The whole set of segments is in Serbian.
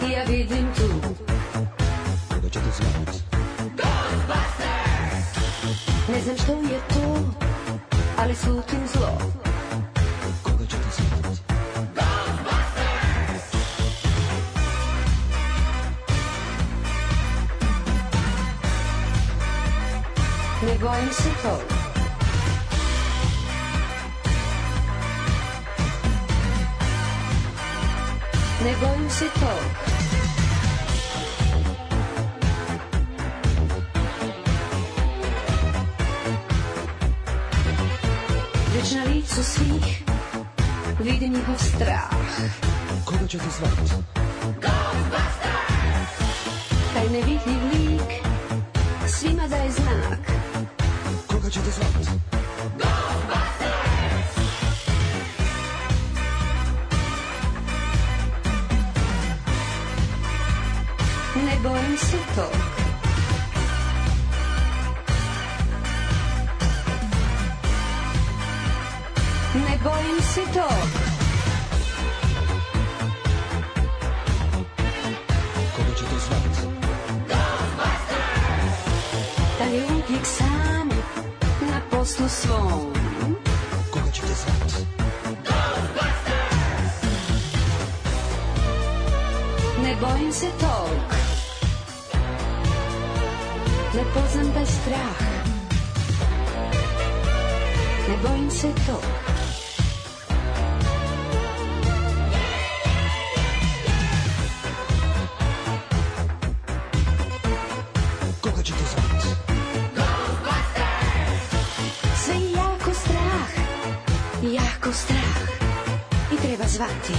I ja vidim tu. Koga ćete zvati? Ghostbusters! Ne znam što je to, ali slutim zlo. Koga ćete zvati? Ghostbusters! Ne bojim se tog. Ne bojim se tog. Već na licu svih vidim njihov strah. Koga ćete zvati? Ghostbusters! Taj nevidljiv lik svima daje znak. Koga ćete zvati? Ghostbusters! Ne bojim se tog. Ne bojim se tog. Koga ćete zvati? Da je uvijek sam na poslu svom. Koga ćete zvati? Ne bojim se tog. Ne poznam taj strah. Ne bojim se tog. Koga ćete zvati? Sve je jako strah. Jako strah. I treba zvati.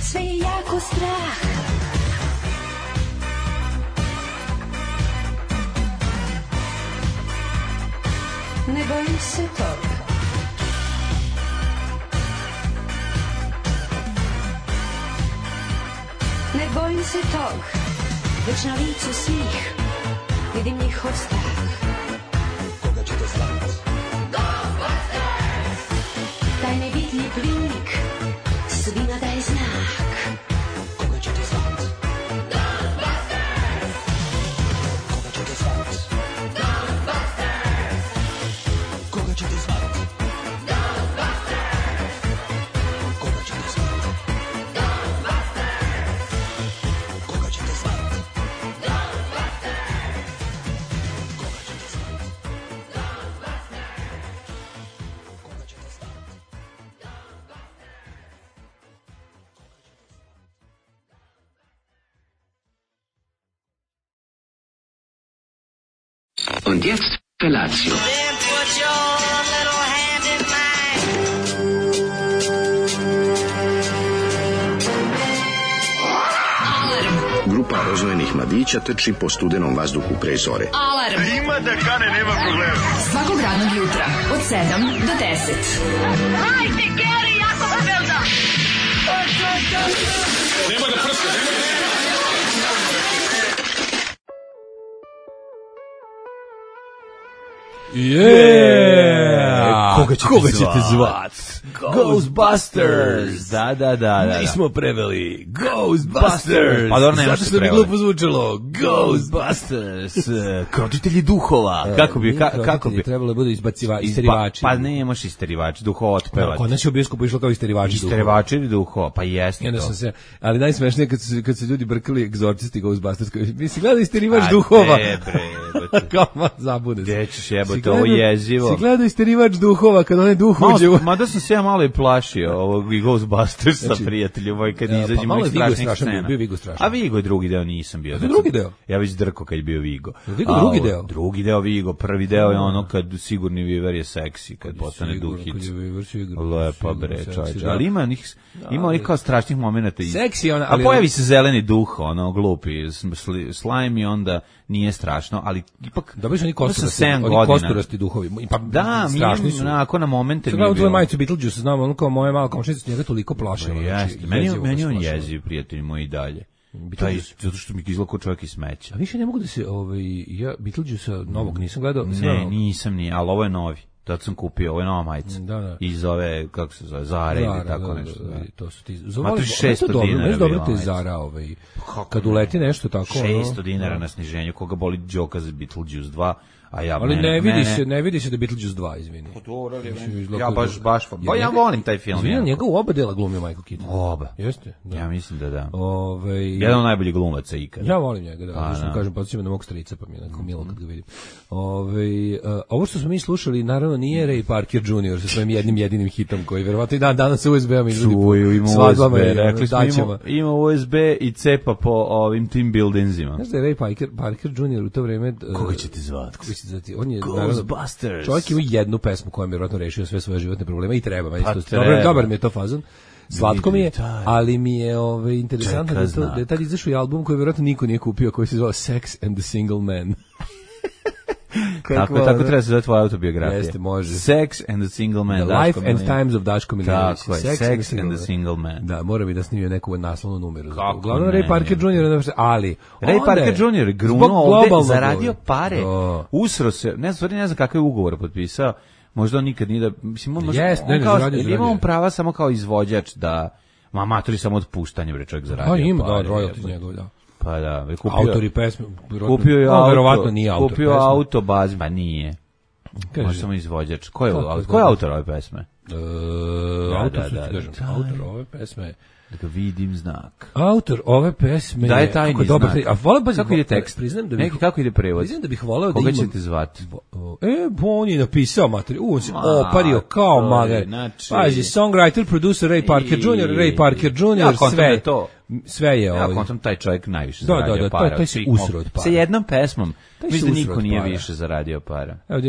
Sve je jako strah. Ne bojim se tog. Ne bojim se tog. Već na licu svih vidim njihov strah. Koga ćete zvati? Taj nevidljiv lik svima daje znak. Koga ćete zvati? Koga ćete zvati? Koga ćete zvati? Koga ćete zvati? Koga ćete zvati? Und jetzt Felatio. Then put your little hand in mine. Grupa roznojenih mladića trči po studenom vazduhu pre zore. Alarm. Ima da kane, nema problema. Svakog radnog jutra, od 7 do 10. Hajde, Geri, jako se velda. Nema da prska, nema da... Koga ćete zvat? Ghostbusters! Da. Nismo preveli Ghostbusters! Pa dobro, nema zato što bi glupo zvučalo Ghostbusters! Kročitelji duhova. Kako bi? Trebalo je bude isterivači. Pa nemaš isterivač, duhova otpevač. Kod nas je u bioskopu išlo kao isterivači duhova. Isterivači duhova, pa jeste to. Ali najsmešnije kad su ljudi brkali egzorcisti Ghostbusters. Misli, gleda isterivač duhova. Kao zabude. Gde ćeš jebote, ovo jezivo. Si gledao isterivač duhova, kad onaj duh uđe u... Mada sam se ja malo i plašio ovog Ghostbustersa, znači, prijatelju moj, kad izađe mojih strašnih scena. Bio Vigo strašan. A Vigo je drugi deo, nisam bio. Drugi deo? Ja već drko kad je bio Vigo. Vigo drugi deo? Drugi deo Vigo, prvi deo je ono kad sigurni Viver je seksi, kad postane duhić. Lepa bre, čovječe. Ali ima onih kao strašnih momenata. Seksi ona. A pojavi se zeleni duh, ono, glupi slime i onda nije strašno, ali ipak dobili su oni kosturasti duhovi. Pa da, strašni su. Onako na momente mi je bilo. Tvoje majicu Beetlejuice, znam, ono kao moja mala komšinica njega toliko plašila. Jeste, meni on jeziv, prijatelji moji dalje. Zato što mi izgleda kao čovjek iz smeća. A više ne mogu da se, ja Beetlejuice novog nisam gledao. Ne, nisam ni, ali ovo je novi. Tad sam kupio, ovo je nova majica. Da. Iz ove, kako se zove, Zara ili tako nešto. Da. To su ti... Matu 600 dinara. Dobro te Zara, kad uleti nešto tako. 600 dinara na sniženju, koga boli Đoka za Beetlejuice 2. Ali ne vidi se da Beetlejuice 2, izvini. Ja baš. Pa ja volim taj film. Izvini, njega u oba dela glumio Michael Keaton. Oba. Jeste? Da. Ja mislim da da. Jedan od najboljih glumaca ikada. Ja volim njega, da. Zašto kažem, podsjećam na mog strica, pa mi je onako milo kad ga vidim. Ovo što smo mi slušali, naravno nije Ray Parker Jr. sa svojim jedinim hitom koji verovatno i danas sa USB-om izvodi po svadbama. Rekli smo ima USB i cepa po ovim team buildingsima. Znaš da je Ray Parker Jr. u to vreme... Koga će ti zvati? On je Ghostbusters. Čovjek ima jednu pesmu koja mi je vjerojatno rešio sve svoje životne probleme i treba. Dobar mi je to fazon. Slatko mi je, ali mi je interesantno da je tad izašao i album koji vjerojatno niko nije kupio, koji se zvao Sex and the Single Man. Tako treba se zove tvoja autobiografija. Jeste, može. Sex and the Single Man. The Life and Times of Daško Milinović. Tako je, Sex and the Single Man. Da, mora bi da snimio neku naslovnu numeru. Uglavnom Ray Parker Jr. Ali... Ray Parker Jr. je grunuo ovde, zaradio pare, usro se, ne znam kakav je ugovor potpisao, možda on nikad nije da... Mislim, on ima on prava samo kao izvođač da... Matori samo otpuštanje, bre, čovjek zaradio pare. Ima, da, royalties njegov, da. Pa da, autori pesme, kupio je auto, verovatno nije autor. Kupio auto baz, pa nije. Može samo izvođač. Ko je autor ove pesme? Autor ove pesme. Da ga vidim znak. Autor ove pesme da je tajni znak. Kako ide tekst? Priznam da bih kako ide prevod. Priznam da bih voleo da koga ćete zvati? On je napisao materiju. On se opario kao magar. Pazi, songwriter, producer Ray Parker Jr. Ray Parker Jr. Sve je ja kontam taj čovjek najviše zaradio para. Taj se usro od para. Sa jednom pesmom. Mislim da niko nije više zaradio para. Evo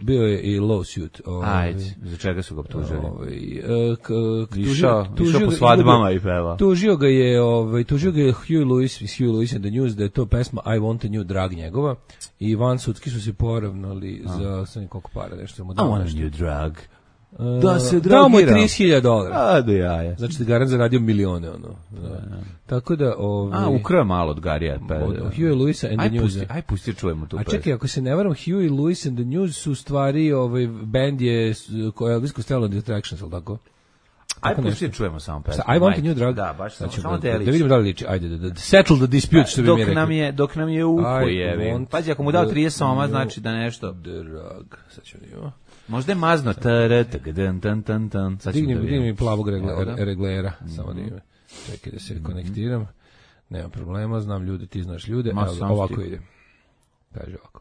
bio je i lawsuit. Ajde, za čega su ga optužili? Išao po svadbama i peva. Tužio ga je Huey Lewis iz Huey Lewis and the News da je to pesma I Want a New Drug njegova i van sudski su se poravnali za sam koliko para nešto mu dao. I want a new drug. Da se dao mu $30,000. A do jaja. Znači da Garan zaradio milione Tako da ukrao malo od Garija. Huey Lewis and the News. Aj pusti čujemo tu. A čekaj, ako se ne varam, Huey Lewis and the News su stvari band je Elvis Costello and the Attractions, al tako? Aj pusti čujemo samo pesmu. I Want a New Drug. Da, baš samo da vidimo da li liči. Ajde, da settle the dispute, što bi mi rekli. Dok nam je uho jevi. Pazi, ako mu dao 30 soma, znači da nešto. Drug. Sad ćemo vidimo. Možda je mazno. Digni mi plavog reglera. Samo da ime. Čekaj da se konektiram. Nema problema, znam ljude, ti znaš ljude. Ovako ide. Kaže ovako.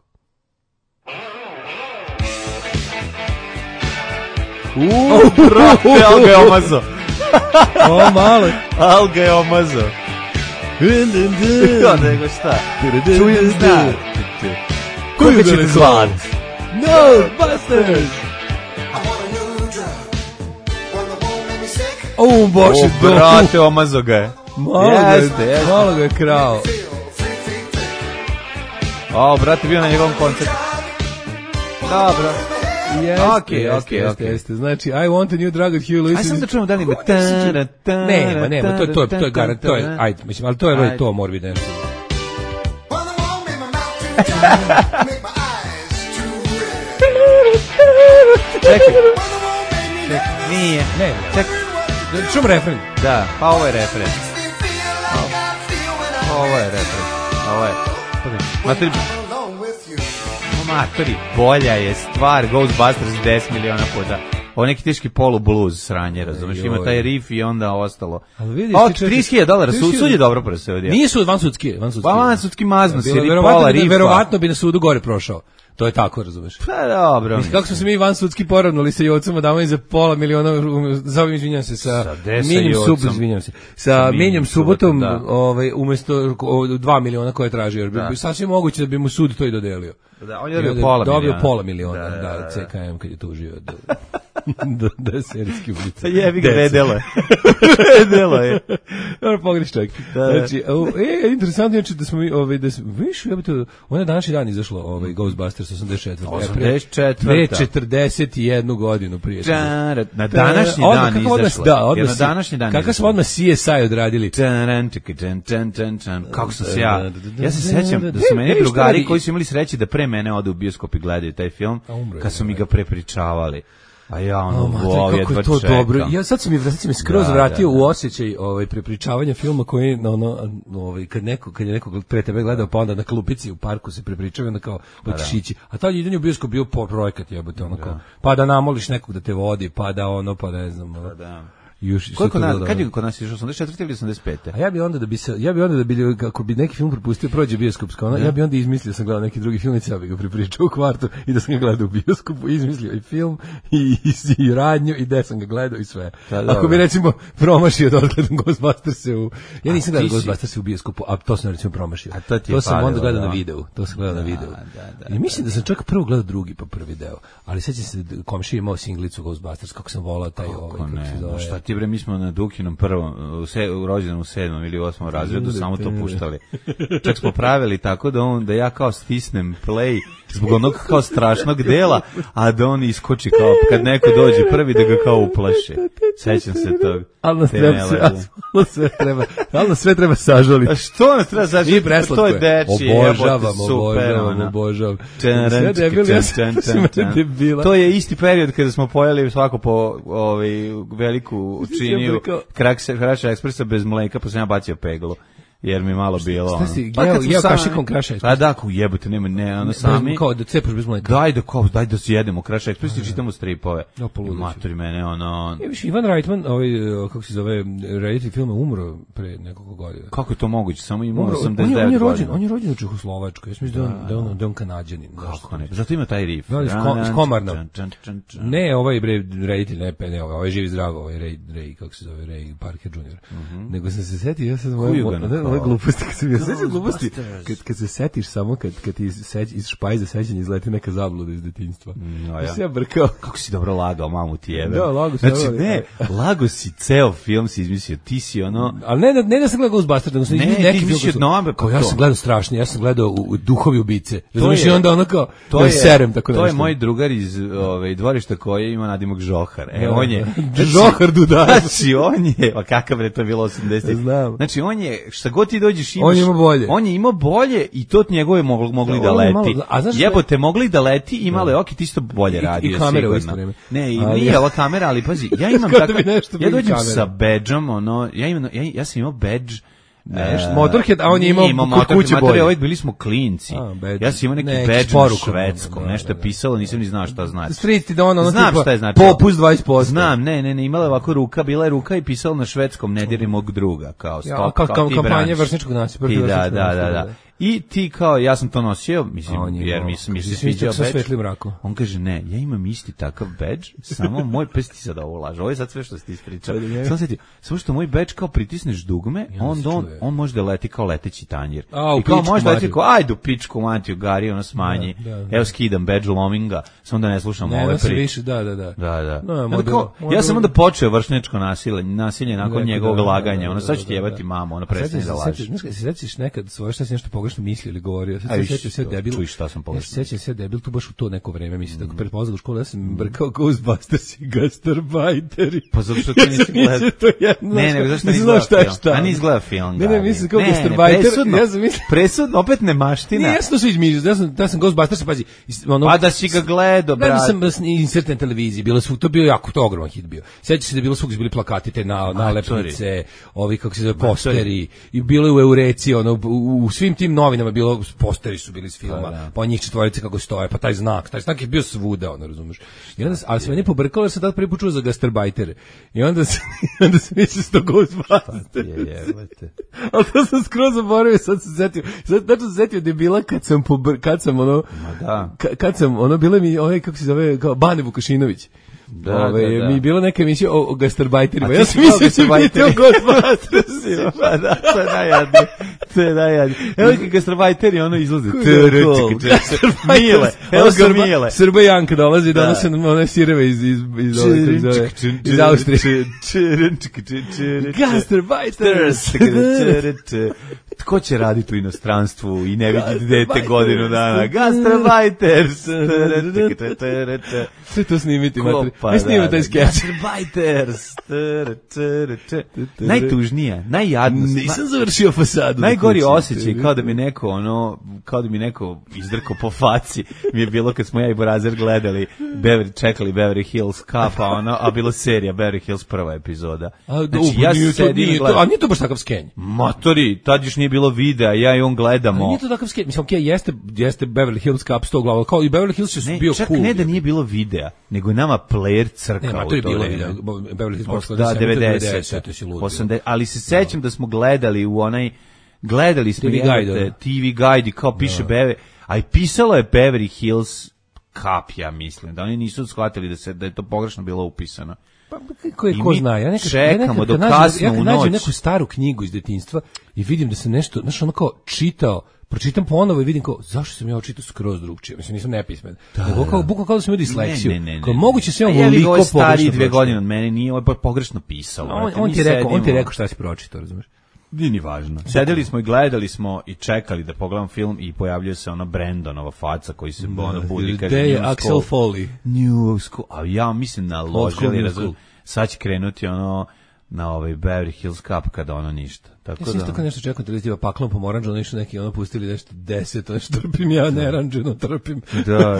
Brate, Alga je omazo. Malo. Alga je omazo. Nego šta? Čujem znak. Koga ćete zvat? Ghostbusters! Bože, brate, omazo ga je. Malo ga je krao. Brate, bio na njegovom koncertu. Dobro. Jeste. Znači, I Want a New Drug od Huey Lewis. Aj sam da čujemo da li ima. Nema, to je garant, to je, ajde, mislim, ali to mora biti nešto. Čekaj. Nije. Čekaj. Čujem refren. Da, pa ovo je refren. Ovo je. Matori, bolja je stvar Ghostbusters 10 miliona puta. Ovo neki teški polu blues sranje, razumeš, ima taj riff i onda ostalo. $30,000, sud je dobro presudio. Nije sud, vansudski. Pa vansudski mazno si, pola riffa. Verovatno bi na sudu gore prošao. To je tako, razumeš? Pa dobro. Mislim, kako smo se mi vansudski poravnali sa Jocom Adamom za $500,000, izvinjam se, sa Minjom Subotom, umjesto $2 miliona koje je tražio. Sasvim moguće da bi mu sud to i dodelio. Da, on je dobio $500,000. Dobio $500,000, da, CKM kad je tužio. Da, serijski ubica. Jebi ga, vedelo je. Vedelo je. Dobro, pogriš čovjek. Znači, interesantno je da smo mi, viš, on je današnji dan izašlo, Ghostbusters 84. 41 godinu prije. Na današnji dan izašlo. Da, odmah. Kakav smo odmah CSI odradili. Kako sam se ja se sećam da su meni drugari koji su imali sreće da pre mene ode u bioskop i gledaju taj film, kad su mi ga prepričavali. A ja kako je to dobro. Ja sad si mi skroz vratio u osjećaj prepričavanja filma koji kad je neko pre tebe gledao, pa onda na klupici u parku se prepričava, onda kao hoćeš ići. A tad idanje u bioskop bio projekat, jebote, ono kao pa da namoliš nekog da te vodi, pa da ne znam. Kad je kod nas išao 84 ili 85? A ja bi onda da bi kako bi neki film propustio prođe bioskopsko, ja bi onda izmislio sam gledao neki drugi film i ja bih ga prepričao u kvartu i da sam ga gledao u bioskopu, izmislio i film i radnju i da sam ga gledao i sve. Ako bi recimo promašio da odgledam Ghostbusters ja nisam gledao Ghostbusters u bioskopu, a to sam recimo promašio. To sam onda gledao na videu. I mislim da sam čak prvo gledao drugi pa prvi deo, ali sećam se komšija imao singlicu Ghostbusters, kako sam volao taj bre, mi smo na Dukinom prvom, u rođenom u 7. ili 8. razredu samo to puštali. Čak smo pravili tako da ja kao stisnem play zbog onog kao strašnog dela, a da on iskoči kao kad neko dođe prvi da ga kao uplaši. Sećam se tog. Ali sve treba sažaliti. A što nas treba sažaliti? To je deči. Obožavam. To je isti period kada smo pojeli svako po veliku činiju Kraša Ekspresa bez mleka, pa sam ja bacio peglu. Jer mi malo bilo. Ja kašikom Kraša Ekspres. A da, jebote, ono sami. Kao da cepaš bez mleka. Daj da jedemo Kraša Ekspres i čitamo stripove. Matori mene, ono. Ivan Reitman, kako se zove, reditelj filma, umro pre nekoliko godina. Kako je to moguće? Samo ima 89 godina. On je rođen u Čehoslovačkoj. Ja mislim da on Kanađanin. Kako ne? Zato ima taj riff. S Komarnom. Ne, reditelj, ne, ovaj živi zdravo, ovaj Ray, kako se zove, Ray Parker Jr. Nego sam se setio, ja sam ove gluposti, kad se setiš samo, kad ti iz špajza sećanja izleti neka zabluda iz detinjstva. Ja sam brkao. Kako si dobro lagao, mamu ti jebe. Da, lago si. Znači, lago si, ceo film si izmislio, ti si ono. Ali ne da sam gledao Ghostbusters, nego sam izmislio neki film. Ja sam gledao strašno, ja sam gledao u Duhovi ubice. Razumiješ, i onda ono kao, da serem, tako nešto. To je moj drugar iz dvorišta koji ima nadimak Žohar. On je. Žohar Dudar. Znači, on je, kakav je to bilo 80. Znači, on je, šta god ti dođeš imaš. On je imao bolje i to njegove mogli da leti. Jebote, mogli da leti, imale ti isto bolje radio. I kamera u isto vreme. Ne, i nije ova kamera, ali pazi, ja imam tako, ja dođem sa badgeom, ja sam imao badge, Motorhead, a on je imao kod kuće bolje. Bili smo klinci. Ja sam imao neki badge na švedskom, nešto je pisalo, nisam ni znao šta znači. Striti da ono znam šta je znači. Popust 20%. Znam, ne, imala je ovako ruka, bila je ruka i pisalo na švedskom, ne diri mog druga, kao stop, kao kampanja vršničkog nasilja. Da. I ti kao, ja sam to nosio, mislim, jer mi se sviđao badge. On kaže, ne, ja imam isti takav badge, samo moj pes ti sad ovo laže. Ovo je sad sve što si ti ispričao. Samo što moj badge kao pritisneš dugme, on može da leti kao leteći tanjir. I kao može da leti kao, ajde u pičku matiju, Gari, ono smanji. Evo skidam badge, lomim ga, samo da ne slušam ove priče. Da. Ja sam onda počeo vršnjačko nasilje nakon njegovog laganja. Ono, sad ću ti jebati mamu, ono prestane da laže. Sećaš nekad svoje šta si nešto pogrešno mislio ili govorio. Sećam se debil. Čuj šta sam pogrešno. Sećam se debil tu baš u to neko vreme, mislim da pred polazak u školu ja sam brkao Ghostbusters i Gastarbajteri. Pa zato što ti nisi gledao. Ne, nego zašto nisi gledao film. A nisi gledao film. Ne, mislim kao Gastarbajter. Ja sam mislio. Presudno, opet nemaština. Ne, jasno su izmišljali. Ja sam Ghostbusters, pazi. Pa da si ga gledao, brate. Ja sam insert na televiziji, bilo su, to bio jako to ogroman hit bio. Sećam se da je bilo svugdje bili plakati, te nalepnice, ovi kako se zove posteri, i bilo je u Eureci, ono u svim tim novinama bilo posteri su bili iz filma, pa njih četvorice kako stoje, pa taj znak je bio svuda, ono, razumeš. I onda, ali se meni pobrkalo jer sam tad prvi put čuo za Gastarbajtere. I onda se misli s to Ghostbusters. Ali to sam skroz zaboravio, sad sam se setio da je bila kad sam ono, bilo mi ovaj, kako se zove, kao Bane Vukašinović. Mi je bilo neka emisija o Gastarbajterima. Ja sam mislio da će biti o Ghostbustersima. Pa da, to je najjadnije. To je najjadnije. Evo kad gastarbajteri ono izlaze. Mile. Evo ga Mile. Srba Janka dolazi i donose one sireve iz Austrije. Gastarbajters. Tko će raditi u inostranstvu i ne vidjeti dete godinu dana? Gastarbajters. Sve to snimiti. Ne snimati taj skeč. Gastarbajters. Najtužnija, najjadnost. Nisam završio fasadu. Najgori osjećaj, kao da mi neko izdrkao po faci, mi je bilo kad smo ja i Borazer gledali, čekali Beverly Hills Cup, a bilo serija Beverly Hills prva epizoda. Znači, ja sedim i gledam. A nije to baš takav skenj? Matori, tad još nije bilo videa, ja i on gledamo. Nije to takav skenj. Mislim, jeste Beverly Hills Cup 100 glava, kao i Beverly Hills je bio čak cool. Ne da nije bilo videa, nego je nama player crkao. To je bilo video. Beverly Hills da, 90. Ali se sećam da smo gledali u gledali smo TV Guide, kao piše Beverly, a i pisalo je Beverly Hills Cup, ja mislim, da oni nisu shvatili da je to pogrešno bilo upisano. Pa ko zna, ja čekamo do kasno u noć. Nađem neku staru knjigu iz detinjstva i vidim da se nešto, znaš, ono kao čitao, pročitam ponovo i vidim kao, zašto sam ja očitao skroz drugčije, mislim, nisam nepismen, nego kao da sam imao disleksiju, kao moguće se on voliko pogrešno stariji 2 godine od mene, nije ovo pogrešno pisalo. On ti rekao šta si pročitao, razumiješ? Nije ni važno. Sedeli smo i gledali smo i čekali da pogledam film i pojavljuje se ona Brandonova faca koji se budi i kaže Axel Foley. New School. A ja mislim naložili, sad će krenuti na Beverly Hills Cup kada ništa. Tako da. Isto kao nešto čekam televizija paklom pomoranđa, nešto neki pustili nešto 10, nešto trpim ja neranđeno, trpim. Da,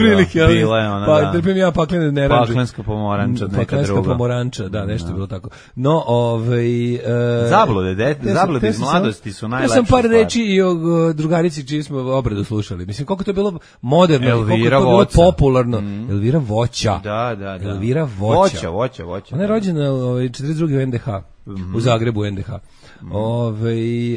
bila je ona, da. Trpim ja paklene neranđe. Paklenska pomoranča, neka druga. Paklenska pomoranča, da, nešto bilo tako. No, zablude iz mladosti su najlepše. Ja sam par reči i o drugarici čiji smo obradu slušali. Mislim, koliko to je bilo moderno, koliko to je bilo popularno. Elvira Voća. Da. Elvira Voća. Voća. Ona je rođena 42. u NDH. U Zagrebu NDH.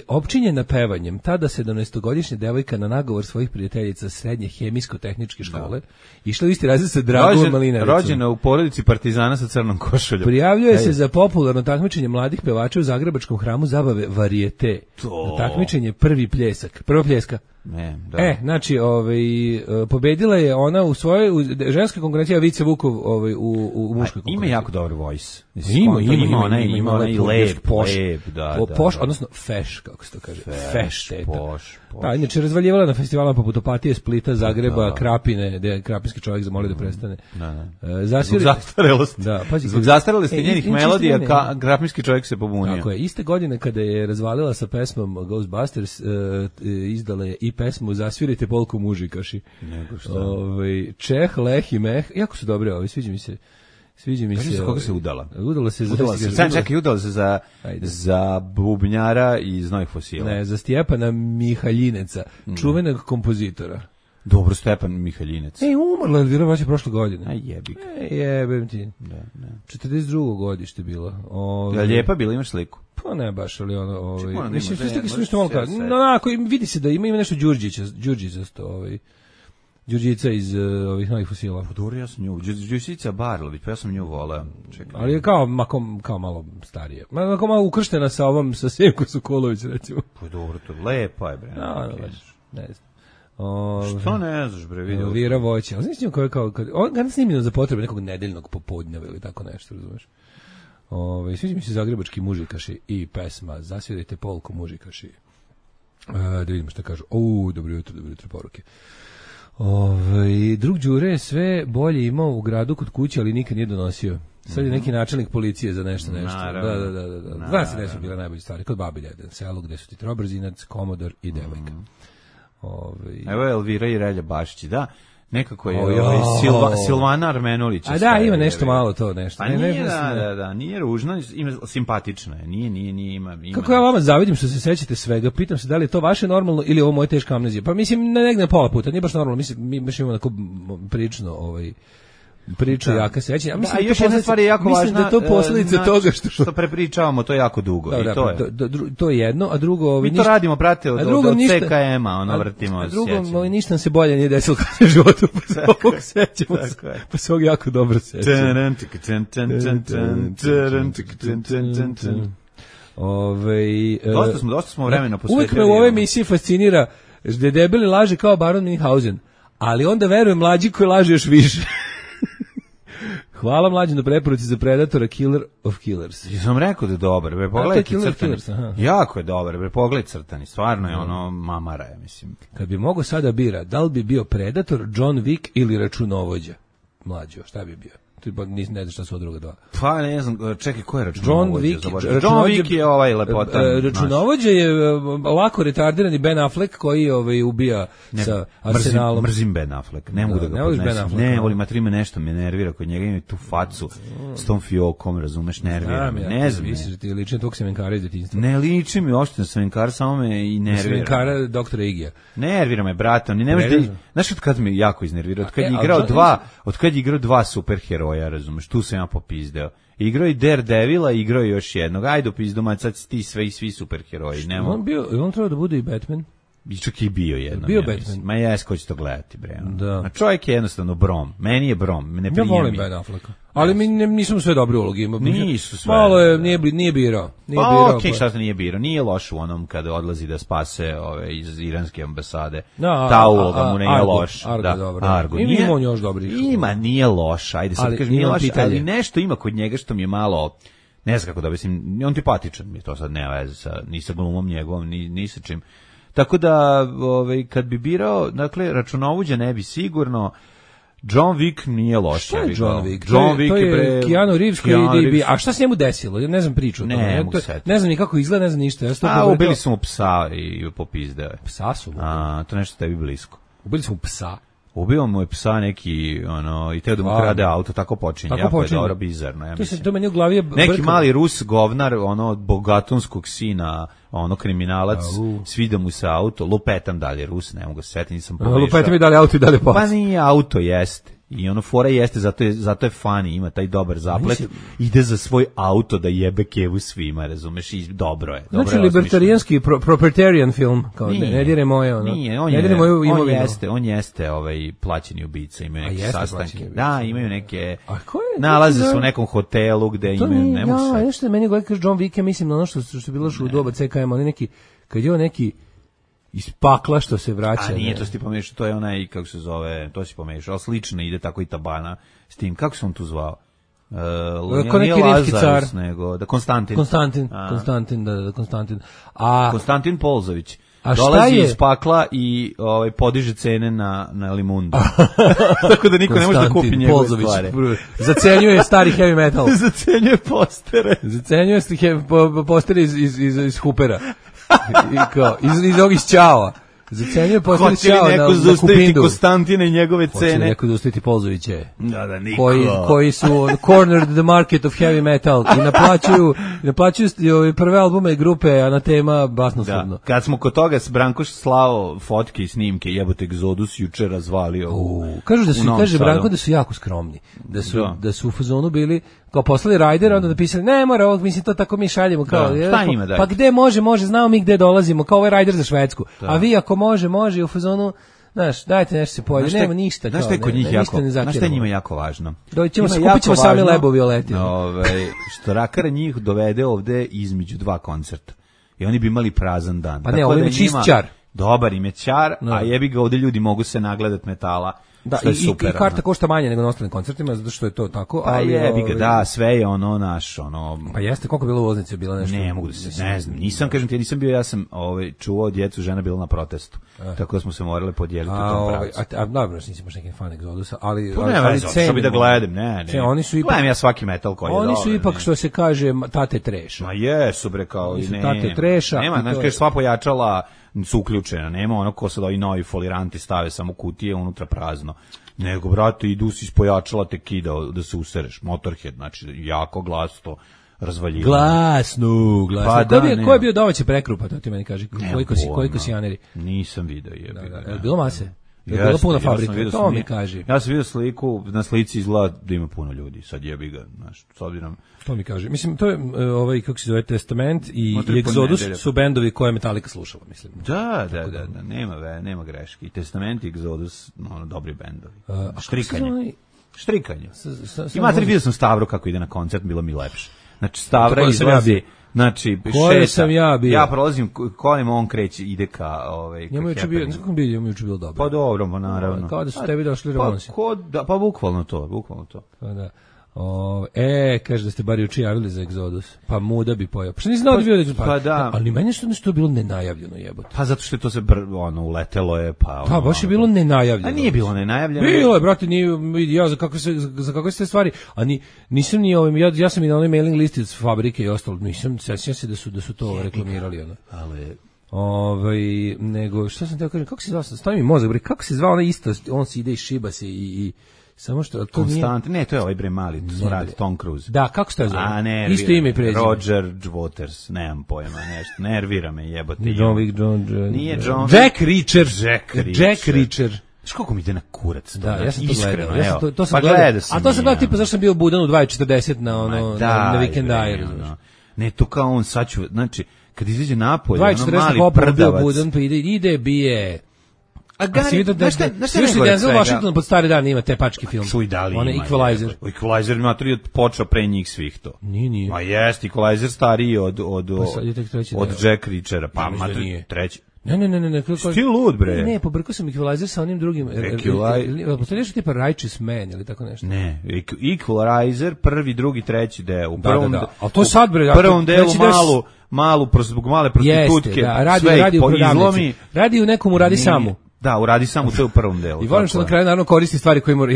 Opčinjena pevanjem, tada 17-godišnja devojka na nagovor svojih prijateljica srednje hemijsko-tehničke škole išla u isti razred sa Dragom Malinaricom. Rođena u porodici partizana sa crnom košuljom. Prijavljuje se za popularno takmičenje mladih pevača u Zagrebačkom hramu zabave Varieté. Takmičenje prva pljeska. Znači, pobedila je ona u svojoj ženskoj konkurenciji, Vice Vukov u muškoj konkurenciji. Ima jako dobar voice. Ima onaj lep, odnosno feš, kako se to kaže. Feš teta. Da, inače razvaljivala na festivalima poput Opatije, Splita, Zagreba, Krapine, gde je krapinski čovjek zamolio da prestane. Zbog zastarelosti. Zbog zastarelosti njenih melodija, krapinski čovjek se pobunio. Tako je, iste godine kada je razvalila sa pesmom Ghostbusters, izdala je i pesmu Zasvirajte polku mužikaši. Čeh, Leh i Meh, jako su dobre sviđa mi se. Koga se udala? Udala se za bubnjara iz Novih fosila. Ne, za Stjepana Mihaljineca, čuvenog kompozitora. Dobro, Stjepan Mihaljinec. Umrla Elvira Voća prošle godine. Jebik. Jebem ti. 42. godište bilo. Lijepa bila, imaš sliku? Pa ne baš, ali mislim, što malo kada. Vidi se da ima nešto Đurđićasto, Đurđica iz ovih Novih fosila. Dobro, ja sam nju. Đurđica Barlović, pa ja sam nju voleo. Ali je kao malo starije. Kao malo ukrštena sa Sjenko Sokolović, recimo. Pa dobro, to je lepa je, bre. Ne znam. Što ne znaš, bre, vidio? Elvira Voća. Ali znaš njim on ga snimljeno za potrebe nekog nedeljnog popodneva ili tako nešto, razumeš? Sviđa mi se Zagrebački mužikaši i pesma Zasvirajte polku mužikaši. Da vidimo šta kažu. Dobro jutro poruke. Drug Đure je sve bolje imao u gradu kod kuće, ali nikad nije donosio. Sad je neki načelnik policije za nešto. Da. Dva se nisu bile najbolje stvari. Kod Babilja, selo gde su ti Trobrzinac, Komodor i devojka. Evo je Elvira i Relja Bašić, da. Nekako je Silvana Armenulić. A da, ima nešto malo to nešto. Pa nije, da, nije ružno, simpatično je, nije ima. Kako ja vama zavidim što se sećate svega, pitam se da li je to vaše normalno ili ovo moje teška amnezija. Pa mislim, negdje na pola puta, nije baš normalno, mi baš imamo tako prilično priču jaka sećanja. Ja mislim, još jedna stvar je jako važna. Mislim da to posljedica toga što prepričavamo to jako dugo. Da, to je jedno, a drugo... Mi to radimo, brate, od CKM-a, vrtimo. A drugo, ništa nam se bolje nije desilo kada je životu, pa se ovog sećamo, pa se ovog jako dobro sećamo. Dosta smo vremena posvetili. Uvijek me u ovoj emisiji fascinira da debeli laže kao Baron Münchhausen, ali onda verujem mlađi koji laže još više. Hvala mlađi na preporuci za Predatora, Killer of Killers. Ja sam rekao da je dobar, bre, pogledajte Crtani. Jako je dobar, bre, pogledaj Crtani, stvarno je ono mamara je, mislim. Kad bi mogo sada bira, da li bi bio Predator, John Wick ili računovođa? Mlađo, šta bi bio? Ne znaš šta su od druga dva. Pa ne znam, čekaj, ko je računovođa? John Wick je ovaj lepotan. Računovođa je lako retardirani Ben Affleck koji ubija sa Arsenalom. Mrzim Ben Affleck, ne mogu da ga podnesem. Ne, volim, matrime nešto me nervira, kod njega ima tu facu s tom fiokom, razumeš, nervira me. Ne znam. Misliš da ti liči tog semenkara iz detinjstva? Ne liči mi uopšte na semenkara, samo me i nervira. Semenkara doktora Igija. Nervira me, brate, on ne može da... Znaš od kad me jako iznervira? Od kad je igrao dva superheroja, razumeš, tu sam ja popizdeo. Igrao i Daredevila, igrao i još jednog. Ajde, pizdomać, sad ti svi superheroji. On treba da bude i Batman? I čak i bio jednom. Bio Batman. Ma jes, ko će to gledati, bre. Da. A čovjek je jednostavno Brom. Meni je Brom. Ne ja volim Ben Afflecka. Ali mi nisu sve dobre uloge. Nisu sve. Malo je, nije birao. Okej, šta se nije birao? Nije loš u onom kada odlazi da spase iz iranske ambasade. Ta uloga mu nije loš. Argo. Ima on još dobri. Nije loš. Ajde, sad kažem, nije loš. Ali nešto ima kod njega što mi je malo... Ne znam kako da mislim, on tipatičan mi je to sad, nema veze ni sa glumom njegovom, ni sa čim. Tako da, kad bi birao, dakle, računovođa ne bi sigurno, John Wick nije loš. Šta je John Wick? John Wick to je Keanu Reeves koji ide. A šta se njemu desilo? Ja ne znam priču. Ne znam ni kako izgleda, ne znam ništa. Ubili su mu psa i popizdeo je. Psa su mu? To nešto tebi blisko. Ubili su mu psa? Ubio mu je psa neki, i teo da mu krade auto, tako počinje. Jako je dobro, bizarno, ja mislim. To meni u glavi je neki mali Rus govnar, bogatonskog sina, kriminalac, svida mu se auto, lupetam dalje Rus, ne mogu se setiti, nisam pogledao. Lupetam i dalje auto i dalje pas. Pa nije auto, jeste. I fora jeste, zato je funny, ima taj dobar zaplet, ide za svoj auto da jebe kevu svima, razumeš, i dobro je. Znači, libertarijanski, proprietarian film, kao ne dire moje, Nije, on jeste plaćeni ubica, imaju neke sastanke. Da, imaju neke, nalaze se u nekom hotelu gde imaju, ne mogu se. Nešto je meni gledaj John Wick, mislim na ono što je bilo u doba CKM, ali neki, kad je on neki iz pakla što se vraća. Nije, to si ti pomešao, to je onaj, kako se zove, to si pomešao, ali slično ide tako i Tabana s tim, kako se on tu zvao? Nije Lazarus, nego, Konstantin. Konstantin. Konstantin Polzović. Dolazi iz pakla i podiže cene na limundu. Tako da niko ne može da kupi njegove stvari. Zacenjuje stari heavy metal. Zacenjuje postere. Zacenjuje postere iz Hoopera. Iz ovih Ćao. Zacenjuje posle Ćao na Kupindu. Konstantina i njegove cene. Hoće neko da ustaviti Polzoviće. Da, niko. Koji su cornered the market of heavy metal i naplaćuju prve albume grupe Anatema basnoslovno. Kad smo kod toga s Brankoš slao fotke i snimke, jebote Egzodus juče razvalio. Kaže Branko da su jako skromni. Da su u fazonu bili kao poslali Rajder, onda napisali, ne mora ovog, mislim, to tako mi šaljemo. Kao, pa gde može, znamo mi gde dolazimo, kao ovaj Rajder za Švedsku. A vi ako može i u fazonu, znaš, dajte nešto se pojede, nema ništa. Znaš šta je kod njih znaš šta je njima jako važno? Kupit ćemo sami lebo violetine. Što Rakara njih dovede ovde između dva koncerta. I oni bi imali prazan dan. Pa ne, ovo je čist čar. Dobar im je čar, a jebi ga ovde ljudi mogu se nagledat metala. Da, i karta košta manje nego na ostalim koncertima, zato što je to tako. Pa jebi ga, da, sve je naš, Pa jeste, koliko je bilo ulaznice, bila nešto? Ne mogu da se, ne znam, nisam bio, ja sam čuvao djecu, žena bila na protestu, tako da smo se morali podijeliti u tom pravcu. A dobro, nisi baš neki fan Egzodusa, ali što bi da gledam, ne. Gledam ja svaki metal koji je dobar. Oni su ipak, što se kaže, tate treša. Ma jesu, bre, kao i ne. Tate treša. Nema, znači, sva pojačala su uključena, nema ono ko sad ovi novi foliranti stave samo kutije, unutra prazno. Nego, brate, idu si ispojačala te kida da se usereš. Motorhead, znači, jako glasno razvaljivanje. Glasno. Pa ko je bio domaće prekrupa, to ti meni kaže? Koliko si janeri? Nisam video. Je bilo mase? Je bilo puno fabrika, to mi kaže. Ja sam vidio sliku, na slici izgleda da ima puno ljudi, sad jebi ga, znaš, s obzirom. To mi kaže. Mislim, to je, kako se zove, Testament i Exodus su bendovi koje Metallica slušala, mislim. Da, nema greške. I Testament i Exodus, dobri bendovi. Štrikanje. Imate li vidio sam Stavro kako ide na koncert, bilo mi lepše. Znači, Stavra izlazi... Znači, šeta. Sam ja bio. Ja prolazim kolima, on kreće, ide ka njemu juče bio, kako bi njemu juče bilo dobro. Pa dobro, pa naravno. Kao da su tebi došli remonsi. Pa bukvalno to. Pa da. Kaže da ste bar juče javili za Egzodus. Pa muda bi pojao. Pa što nisi znao da bio Egzodus? Pa da. Ali meni što je bilo nenajavljeno, jebote. Pa zato što je to se uletelo je, pa... Pa baš je bilo nenajavljeno. A nije bilo nenajavljeno. Bilo je, brate, ja za kakve ste stvari, a nisam ni ja sam i na onoj mailing listi od fabrike i ostalo, nisam, sećam se da su to reklamirali, ono. Ali... nego, što sam teo kažem, kako se zvao, stavi mi mozak, bre, kako se zvao ona isto, on se ide i šiba se i samo što to Konstant, nije... Ne, to je ovaj bre mali, to radi Tom Cruise. Da, kako se to zove? Isto ime i prezime. Roger Waters, nemam pojma, nešto. Nervira me, jebote. Nije John. Jack Reacher. Znaš koliko mi ide na kurac to? Da, ja sam to iskreno, gledao. To sam gledao. A to sam gledao tipa zašto sam bio budan u 2:40 na Weekend Air. Ne, to kao on sad ću, znači, kad izađe napolje, 2:40 mali prdavac. Budan, pa ide, bije. A Gari, znaš šta Denzel Washington pod stari dan ima tepački film. Čuj, da li ima. Equalizer. Equalizer ima počeo pre njih svih to. Nije. Ma jest, Equalizer stariji od Jack Reachera. Pa treći. Ne. Ti lud, bre. Ne, pobrkao sam Equalizer sa onim drugim. Postoji nešto tipa Righteous Man ili tako nešto. Ne, Equalizer, prvi, drugi, treći deo. Da. A to sad, bre. Prvom delu zbog male prostitutke. Radi u prodavnici. Radi u nekom radi samu. Da, uradi samo to u prvom delu. I volim što na kraju naravno koristi stvari koje mora...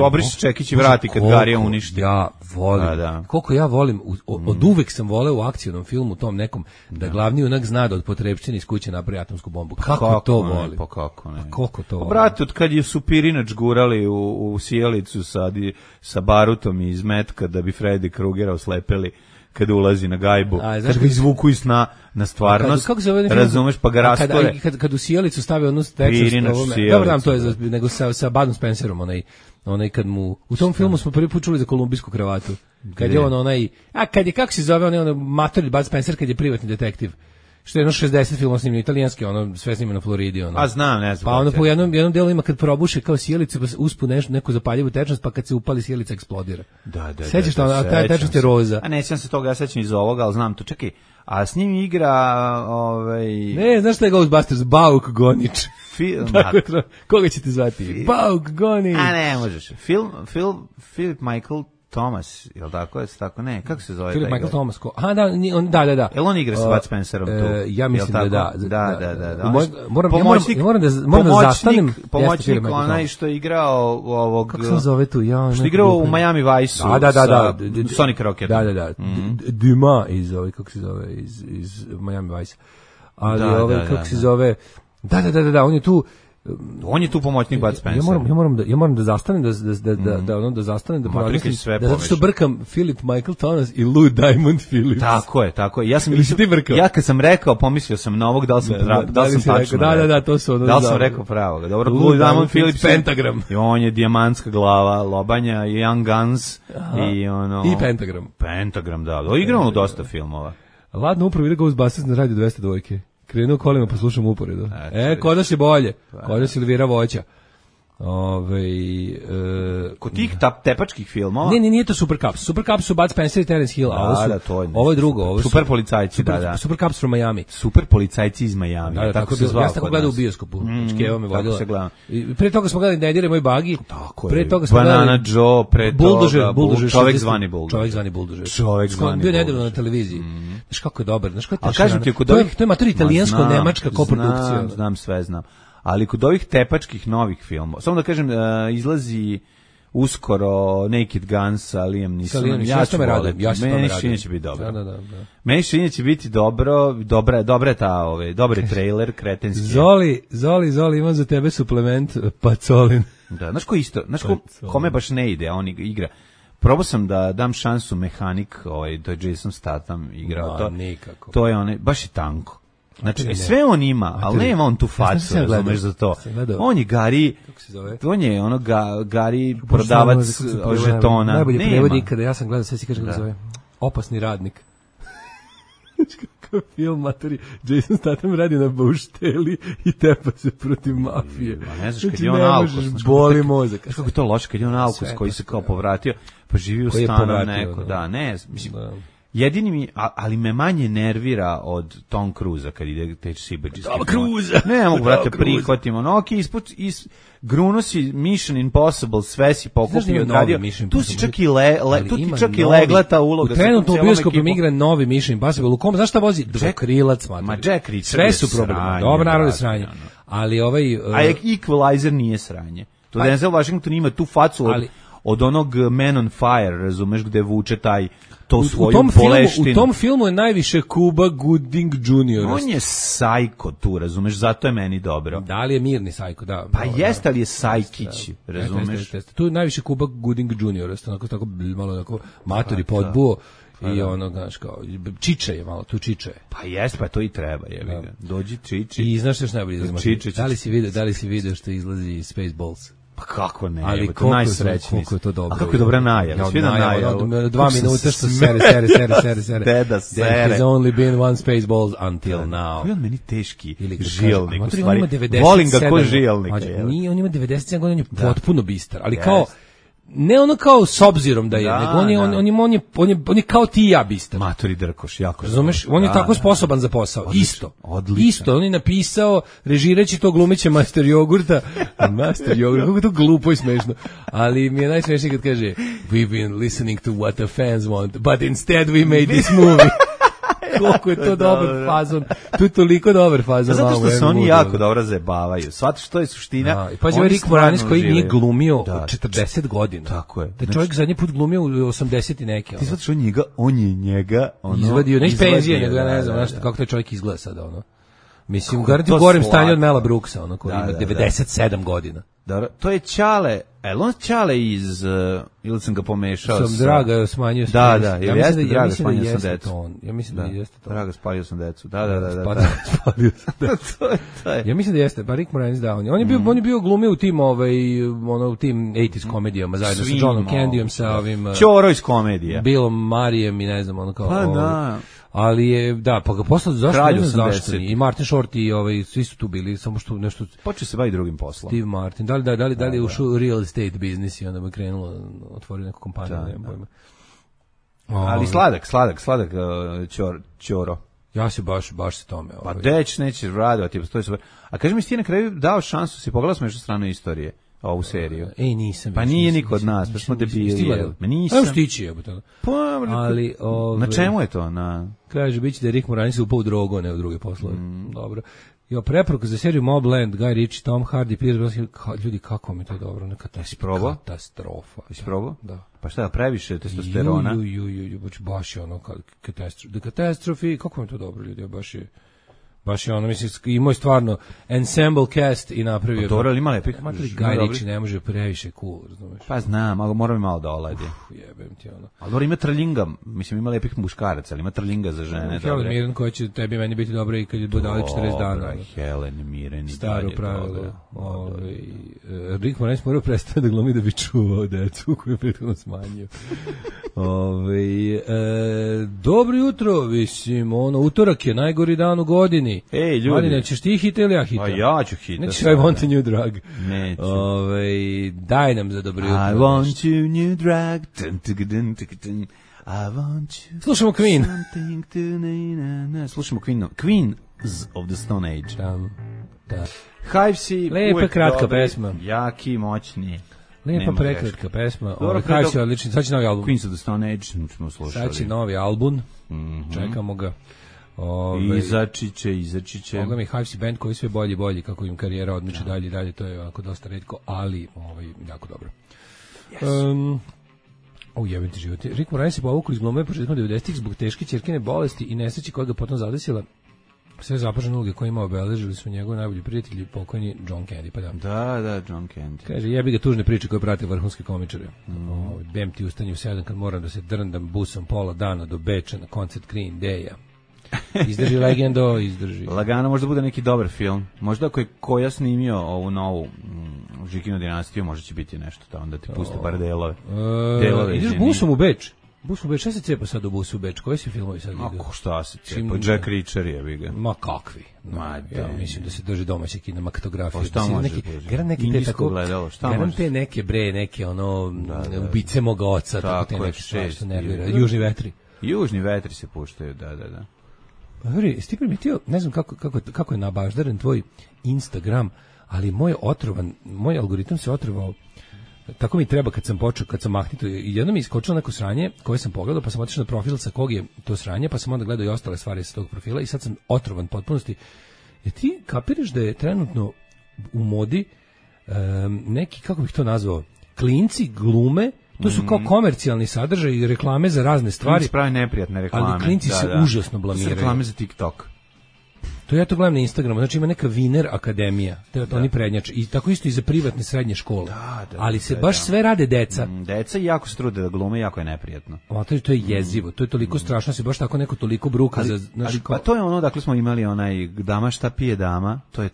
Obriši Čekić i vrati kad Garija uništi. Ja volim. Koliko ja volim, od uvek sam voleo u akcijnom filmu tom nekom, da glavni junak zna da od potrepštine iz kuće napravi atomsku bombu. Kako to volim? Pa kako ne? Koliko to volim? Brate, od kad je Supirinač gurali u sjelicu sa barutom iz metka da bi Freddy Krugera oslepeli kada ulazi na gajbu, kad ga izvuku iz sna na stvarnost, razumeš, pa ga rastore. Kad u sjelicu stave onu Texas, dobro nam to je, nego sa Budom Spencerom, onaj kad mu, u tom filmu smo prvi put čuli za kolumbijsku kravatu, kad je kako se zove, onaj matori Bud Spencer, kad je privatni detektiv, što je 60 filmova snimljeno, italijanski, sve snimljeno na Floridi. A znam, ne znam. Pa po jednom delu ima kad probuše kao sjelicu, pa uspu neku zapaljivu tečnost, pa kad se upali sjelica eksplodira. Da. Sećaš to, ta tečnost je roza. A nećam se toga, ja sećam iz ovoga, ali znam to, čekaj, a s njim igra... Ne, znaš šta je Ghostbusters? Bauk Gonič. Koga ćete zvati? Bauk Gonič. A ne, možeš. Philip Michael Thomas, jel tako, ne, kako se zove? Philip Michael Thomas, da. Jel on igra sa Bud Spencerom tu? Ja mislim da. Moram da zastanem. Pomoćnik, onaj što je igrao ovog... Kako se zove tu? Što je igrao u Miami Vice-u sa Sonic Rocket. Da. Dumas kako se zove, iz Miami Vice. Ali kako se zove... Da, on je tu... On je tu pomoćnik Bud Spencer. Ja moram da zastanem da zastanem da promislim zato što brkam Philip Michael Thomas i Lou Diamond Phillips. Tako je. Ja kad sam rekao, pomislio sam na ovog, da li sam tačno. Da, to su ono. Da li sam rekao pravo? Dobro, Lou Diamond Phillips Pentagram. I on je dijamantska glava, lobanja, Young Guns i Pentagram. Pentagram, da. Igrao dosta filmova. Ladno upravo ide Ghostbusters na Radio 202. Krenuo kolima, pa slušam uporedo. Kod nas je bolje. Kod nas je Elvira Voća. Kod tih tepačkih filmova? Ne, nije to Super Cups. Super Cups su Bud Spencer i Terence Hill. Ovo je drugo. Super policajci, da. Super Cups from Miami. Super policajci iz Miami. Da, tako se zvao. Ja sam tako gledao u bioskopu. Škeva me vodila. Prije toga smo gledali Nedire moj bagi. Prije toga smo gledali Banana Joe, pre toga Bulldozer. Čovek zvani Bulldozer. Bio nedeljno na televiziji. Znaš kako je dobar. Znaš kako je to je mater italijansko-nemačka koprodukcija. Znam, sve znam. Ali kod ovih tepačkih novih filmova, samo da kažem, izlazi uskoro Naked Guns sa Liam Neesonom. Ja ću me radim. Meni šinje će biti dobro. Meni šinje će biti dobro, dobra je ta, dobar je trailer, kretenski. Zoli, imam za tebe suplement Pacolin. Da, znaš kome baš ne ide, a on igra. Probao sam da dam šansu Mehanik, to je Jason Statham igrao to. Nikako. To je baš je tanko. Znači, sve on ima, ali nema on tu facu, razumeš za to. On je Gari, on je Gari prodavac žetona. Najbolji prevod ikada, ja sam gledao, sve si kaže kako zove. Opasni radnik. Kakav film, matori, Jason Statham radi na baušteli i tepa se protiv mafije. Ne znaš, kad je on Alkos. Boli mozak. Znaš kako je to loše, kad je on Alkos koji se kao povratio, pa živi u stanu neko. Da, ne, mislim... jedini ali me manje nervira od Tom Cruisa kad ide te sibeđiske. Tom Cruisa. Ne mogu, brate, prihvatimo. No, gruno si Mission Impossible, sve si pokupio, odradio. Tu si čak i legla ta uloga. U trenutnom bioskopom igra novi Mission Impossible. U kom, znaš šta vozi? Dvokrilac, ma Jack Reacher. Sve su problemi. Dobro, naravno sranje. Ali a Equalizer nije sranje. To Denzel Washington ima tu facu od onog Man on Fire, razumeš, gde vuče taj to svoju boleštinu. U tom filmu je najviše Cuba Gooding Jr. On je sajko tu, razumeš, zato je meni dobro. Da li je mirni sajko, da. Pa jeste, ali je sajkić, razumeš. Tu je najviše Cuba Gooding Jr. Tako malo onako matori podbuo. I ono, znaš, kao, čiče je malo, tu čiče je. Pa jes, pa to i treba, je. Dođi čiči. I znaš što još najbolje izlazi? Da li si video što izlazi Spaceballs? Pa kako ne, ali najsrećniji. Koliko je to dobro. A kako je dobra najava? Svi da najava. 2 minuta što sere. Deda sere. There has only been one Spaceballs until now. Koji on meni teški žilnik, u stvari. Volim ga ko žilnik. On ima 97 godina, on je potpuno bistar, ali kao ne ono kao s obzirom da je, nego on je kao ti i ja bistar. Matori drkoš, jako. Razumeš? On je tako sposoban za posao. Odlično. Isto, on je napisao, režirajući to glumiće Master Jogurta. Master Jogurta, kako je to glupo i smešno. Ali mi je najsmešnije kad kaže we've been listening to what the fans want, but instead we made this movie. Koliko je to dobar fazon. Tu je toliko dobar fazon. Zato što se oni jako dobro zajebavaju. Shvatiš što je suština. Pa je Rick Moranis koji nije glumio 40 godina. Tako je. Da čovjek zadnji put glumio u 80 i neke. Ti shvatiš on je njega izvadio, ne iz penzije, nego ja ne znam kako taj čovjek izgleda sada, ono. Mislim, garanti u gorem stanju od Mela Brooksa, ono, koji ima 97 godina. Dobro, to je Ćale, on Ćale iz, ili sam ga pomešao sam Draga smanjio sam da, ja jeste Draga smanjio sam decu. Ja mislim da jeste to. Draga spalio sam decu, da. Spalio sam decu. Ja mislim da jeste, pa Rick Moranis da, on je bio glumio u tim, u tim 80s komedijama, zajedno sa Johnom Candyom, sa ovim... Ćoro iz komedija. Billom Marijem i ne znam, ono kao... Pa da. Ali je, da, pa ga posle zašto i Martin Short i svi su tu bili, samo što nešto... Počeo se bavi drugim poslom. Steve Martin, da li je ušao u real estate biznis i onda bi krenulo, otvorio neku kompaniju, nemam pojma. Ali sladak Ćoro. Ja se baš se tome. Pa deć neće radovati, to je super. A kaži mi, ti na kraju dao šansu, si pogledao smo još stranu istorije, ovu seriju. Nisam. Pa nije niko od nas, pa smo debili. Nisam. Evo stići je. Ali, na čemu je to? Kaže, biće da je Rick Moranis upao u drogu, ne u druge poslove. Dobro. Preporuka za seriju Mobland, Guy Ritchie, Tom Hardy, Pierce Brosnan, ljudi, kako mi to dobro, katastrofa. Jesi probao? Da. Pa šta, previše testosterona? Baš je ono, katastrofi, kako mi to dobro, ljudi, baš je ono, mislim, imao je stvarno ensemble cast i napravio... Dobro, ali ima lepih. Guy Ritchie ne može previše cool, razumeš? Pa znam, ali mora mi malo da oladi. Jebem ti ono. Ali dobro, ima trllinga, mislim, ima lepih muškaraca, ali ima trllinga za žene. Helen Mirren koja će tebi meni biti dobra i kad je dodali 40 dana. Helen Mirren i staro pravilo. Rick Moranis morao prestati da glumi da bi čuvao decu koju je prethodno smanjio. Dobro jutro, mislim, utorak je najgori dan u godini. Ej, ljudi. Marina, ćeš ti hita ili ja hita? A ja ću hita. Nećeš I want a new drug. Neću. Daj nam za dobro jutro. I want you new drug. I want you. Slušamo Queen. Slušamo Queens of the Stone Age. Da. Hivesi. Lepa kratka pesma. Jaki, moćni. Lepa prekratka pesma. Hivesi odlični. Sad će novi album. Queens of the Stone Age smo slušali. Sad će novi album. Čekamo ga. Izaći će. Boga mi Hivesi band koji sve bolji, kako im karijera odmiče dalje, to je ovako dosta retko, ali jako dobro. Jebim ti život. Rick Moranis se povukao iz glume početkom 90-ih zbog teške ćerkine bolesti i nesreće koja ga potom zadesila. Sve zapažene uloge koje ima obeležili su njegovi najbolji prijatelji, pokojni John Candy. Pa da, John Candy. Kaže, jebi ga tužne priče koje prate vrhunske komičare. Bem ti ustani u 7 kad moram da se drndam busom pola dana do Beča na koncert Green Day-a. Izdrži Legendo, izdrži. Lagano možda bude neki dobar film. Možda ako je Koja snimio ovu novu Žikinu dinastiju, možda će biti nešto da onda ti pusti par delove. Ideš busom u Beč? Busu u Beč, šta se cepa sad u busu u Beč? Koji si filmovi sad vidio? Ako šta se cepa? Jack Reacher je, vi ga. Ma kakvi? Ja mislim da se drži domaće kinematografije. Šta može Garan te neke bre, neke ubice moga oca, tako te neke što nervira. Južni vetri. Južni vetri se puštaju, da. Pa veri, jesi ti primetio, ne znam kako je nabaždaren tvoj Instagram, ali moj algoritam se otrovao. Tako mi treba kad sam mahnito. I jedno mi iskočilo neko sranje koje sam pogledao, pa sam otišao na profil sa kog je to sranje, pa sam onda gledao i ostale stvari sa tog profila i sad sam otrovan potpunosti. Jer ti kapiraš da je trenutno u modi neki, kako bih to nazvao, klinci glume, to su kao komercijalni sadržaj i reklame za razne stvari. Klinci pravi neprijatne reklame. Ali klinci se užasno blamiraju. To su reklame za TikTok. To ja to gledam na Instagramu, znači ima neka Viner akademija, oni prednjače, i tako isto i za privatne srednje škole, ali se baš sve rade deca. Deca jako se trude da glume, jako je neprijatno. A to je jezivo, to je toliko strašno, se baš tako neko toliko bruka. Pa to je ono, dakle smo imali onaj dama šta pije dama, to je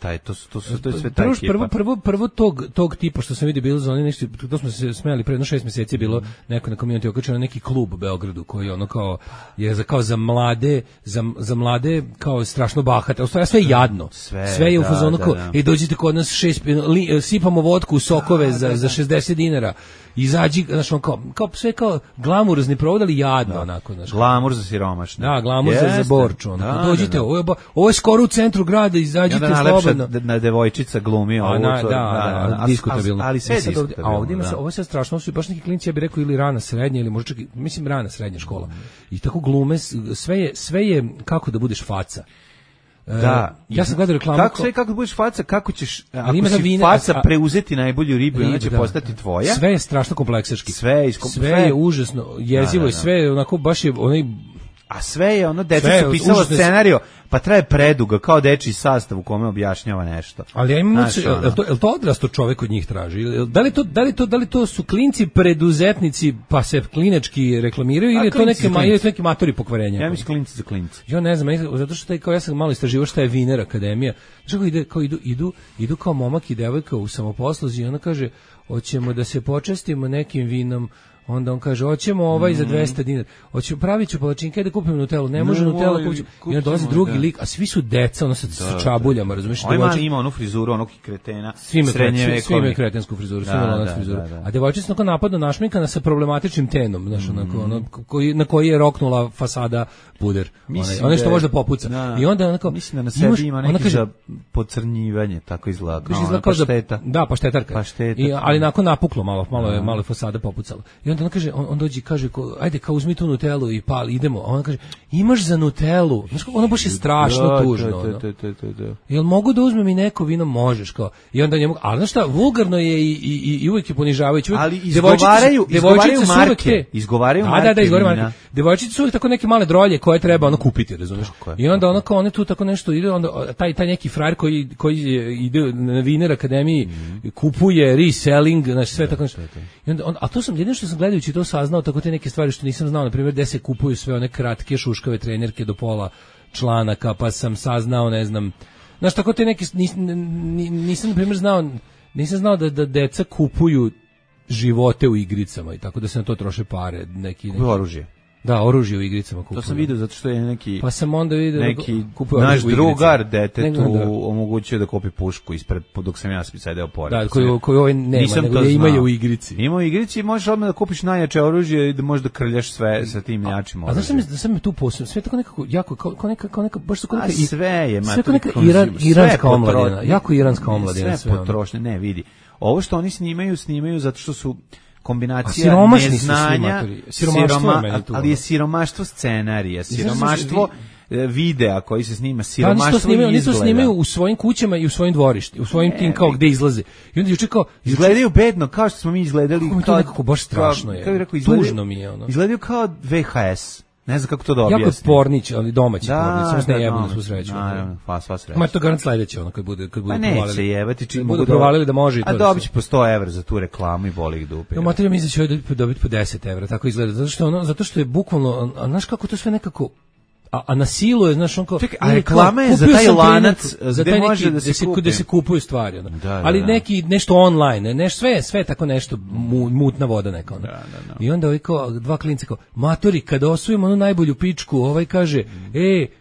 sve taj ekipa. Prvo tog tipa što sam vidio bilo za oni nešto, to smo se smejali pre 6 mjeseci je bilo neko na community okačeno neki klub u Beogradu koji ono kao je kao za mlade kao strašno bahat. Sve je jadno. Sve je u fazonu kao, dođite kod nas sipamo vodku u sokove za 60 dinara. Izađi, znaš, kao sve kao glamurozni provod, ali jadno, onako, znaš. Glamur za siromašne. Da, glamur za Borču, onako. Dođite, ovo je skoro u centru grada, izađite slobodno. Na devojčica glumi ovo. Da, diskutabilno. Ali sve je diskutabilno. A ovdje ima se, ovo je sve strašno, ovo su baš neki klinci, ja bih rekao, ili rana srednja, ili možda čak, mislim, rana srednja škola. I tako glume, sve je kako da budeš faca. Da, ja sam gledao reklamu. Kako budeš faca, kako ćeš, ako si faca preuzeti najbolju ribu, ona će postati tvoja. Sve je strašno kompleksaški. Sve je užasno jezivo i sve je onako baš je onaj. A sve je ono, deca su pisala scenario, pa traje preduga, kao dečiji sastav u kome objašnjava nešto. Ali ja imam, je to odrasto čovek od njih traži? Da li to su klinci preduzetnici, pa se klinački reklamiraju, ili je to neki matori pokvarenja? Ja mislim klinci za klinci. Ja ne znam, zato što ja sam malo istraživao šta je Viner akademija. Znači kao idu kao momak i devojka u samoposluzi i ona kaže, hoćemo da se počastimo nekim vinom. Onda on kaže, hoćemo za 200 dinara. Pravit ću palačinke da kupim Nutellu. Ne može Nutella kupiti. I onda dolazi drugi lik, a svi su deca, ono sa čabuljama, razumiješ? Ima onu frizuru, onog kretena. Svi imaju kretensku frizuru, svi imaju frizuru. A devojčica onako napadno našminkana sa problematičnim tenom, znaš, na koji je roknula fasada puder. Ono što može da popuca. I onda onako... Mislim da na sebi ima neki za podcrnjivanje, tako izgleda. Pašteta. Da, paštetarka. Ali nakon napuklo, malo je fasada popucala. I onda on kaže, on dođe i kaže, ajde, kao uzmi tu Nutellu i pali, idemo. A on kaže, imaš za Nutellu? Znaš, ono baš je strašno tužno. Jel mogu da uzmem i neko vino? Možeš, kao. I onda njemu, ali znaš šta, vulgarno je i uvijek je ponižavajući. Ali izgovaraju marke. Izgovaraju marke. Devojčice su uvijek tako neke male drolje koje treba ono kupiti, razumiješ? I onda ono kao, one tu tako nešto ide, onda taj neki frajer koji ide na Viner akademiji, kupuje reselling, znači sve tako nešto. A to sam jedino što sam gledajući to saznao, tako te neke stvari što nisam znao, na primjer gde se kupuju sve one kratke šuškave trenerke do pola članaka, pa sam saznao, ne znam, znaš, tako te neke, nisam na primjer nisam znao da deca kupuju živote u igricama i tako da se na to troše pare, neki oružje. Da, oružje u igricama kupuju. To sam vidio zato što je neki... Pa sam onda vidio neki naš drugar detetu omogućio da kupi pušku ispred, dok sam ja sedeo pored. Da, koji ovaj nema, nego je imaju u igrici. Ima u igrici i možeš odmah da kupiš najjače oružje i da možeš da krljaš sve sa tim jačim oružjem. A znaš da sam tu posebno, sve tako nekako, jako, kao neka, baš tako neka... sve je, sve kao neka iranska omladina, jako iranska omladina. Sve potrošnje, ne, vidi. Ovo što oni snimaju zato što su kombinacija neznanja, ali je siromaštvo scenarija, siromaštvo videa koji se snima, siromaštvo izgleda. Oni to snimaju u svojim kućama i u svojim dvorištima, u svojim tim kao gde izlaze. I onda juče kao izgledaju bedno, kao što smo mi izgledali. To nekako baš strašno je. Tužno mi je ono. Izgledaju kao VHS. Ne znam kako to da objasnim. Jako je pornić, ali domaći pornić, samo što ne jebu na svu sreću. Naravno, sva sreća. Ma to garant sledeće, ono, kad bude provalili. Pa neće jebati, čim budu provalili da može i to. A dobit će po 100 evra za tu reklamu i boli ih dupe. No, materija mi će dobiti po 10 evra, tako izgleda. Zato što je bukvalno, znaš kako to sve nekako, a na silu je, znaš, on kao... Čekaj, a reklama je za taj lanac gde može da se kupi. Gde se kupuju stvari, ono. Ali nešto online, sve tako nešto, mutna voda neka, ono. I onda ovaj kao, dva klinca kao, matori, kada osvojimo onu najbolju pičku, ovaj kaže,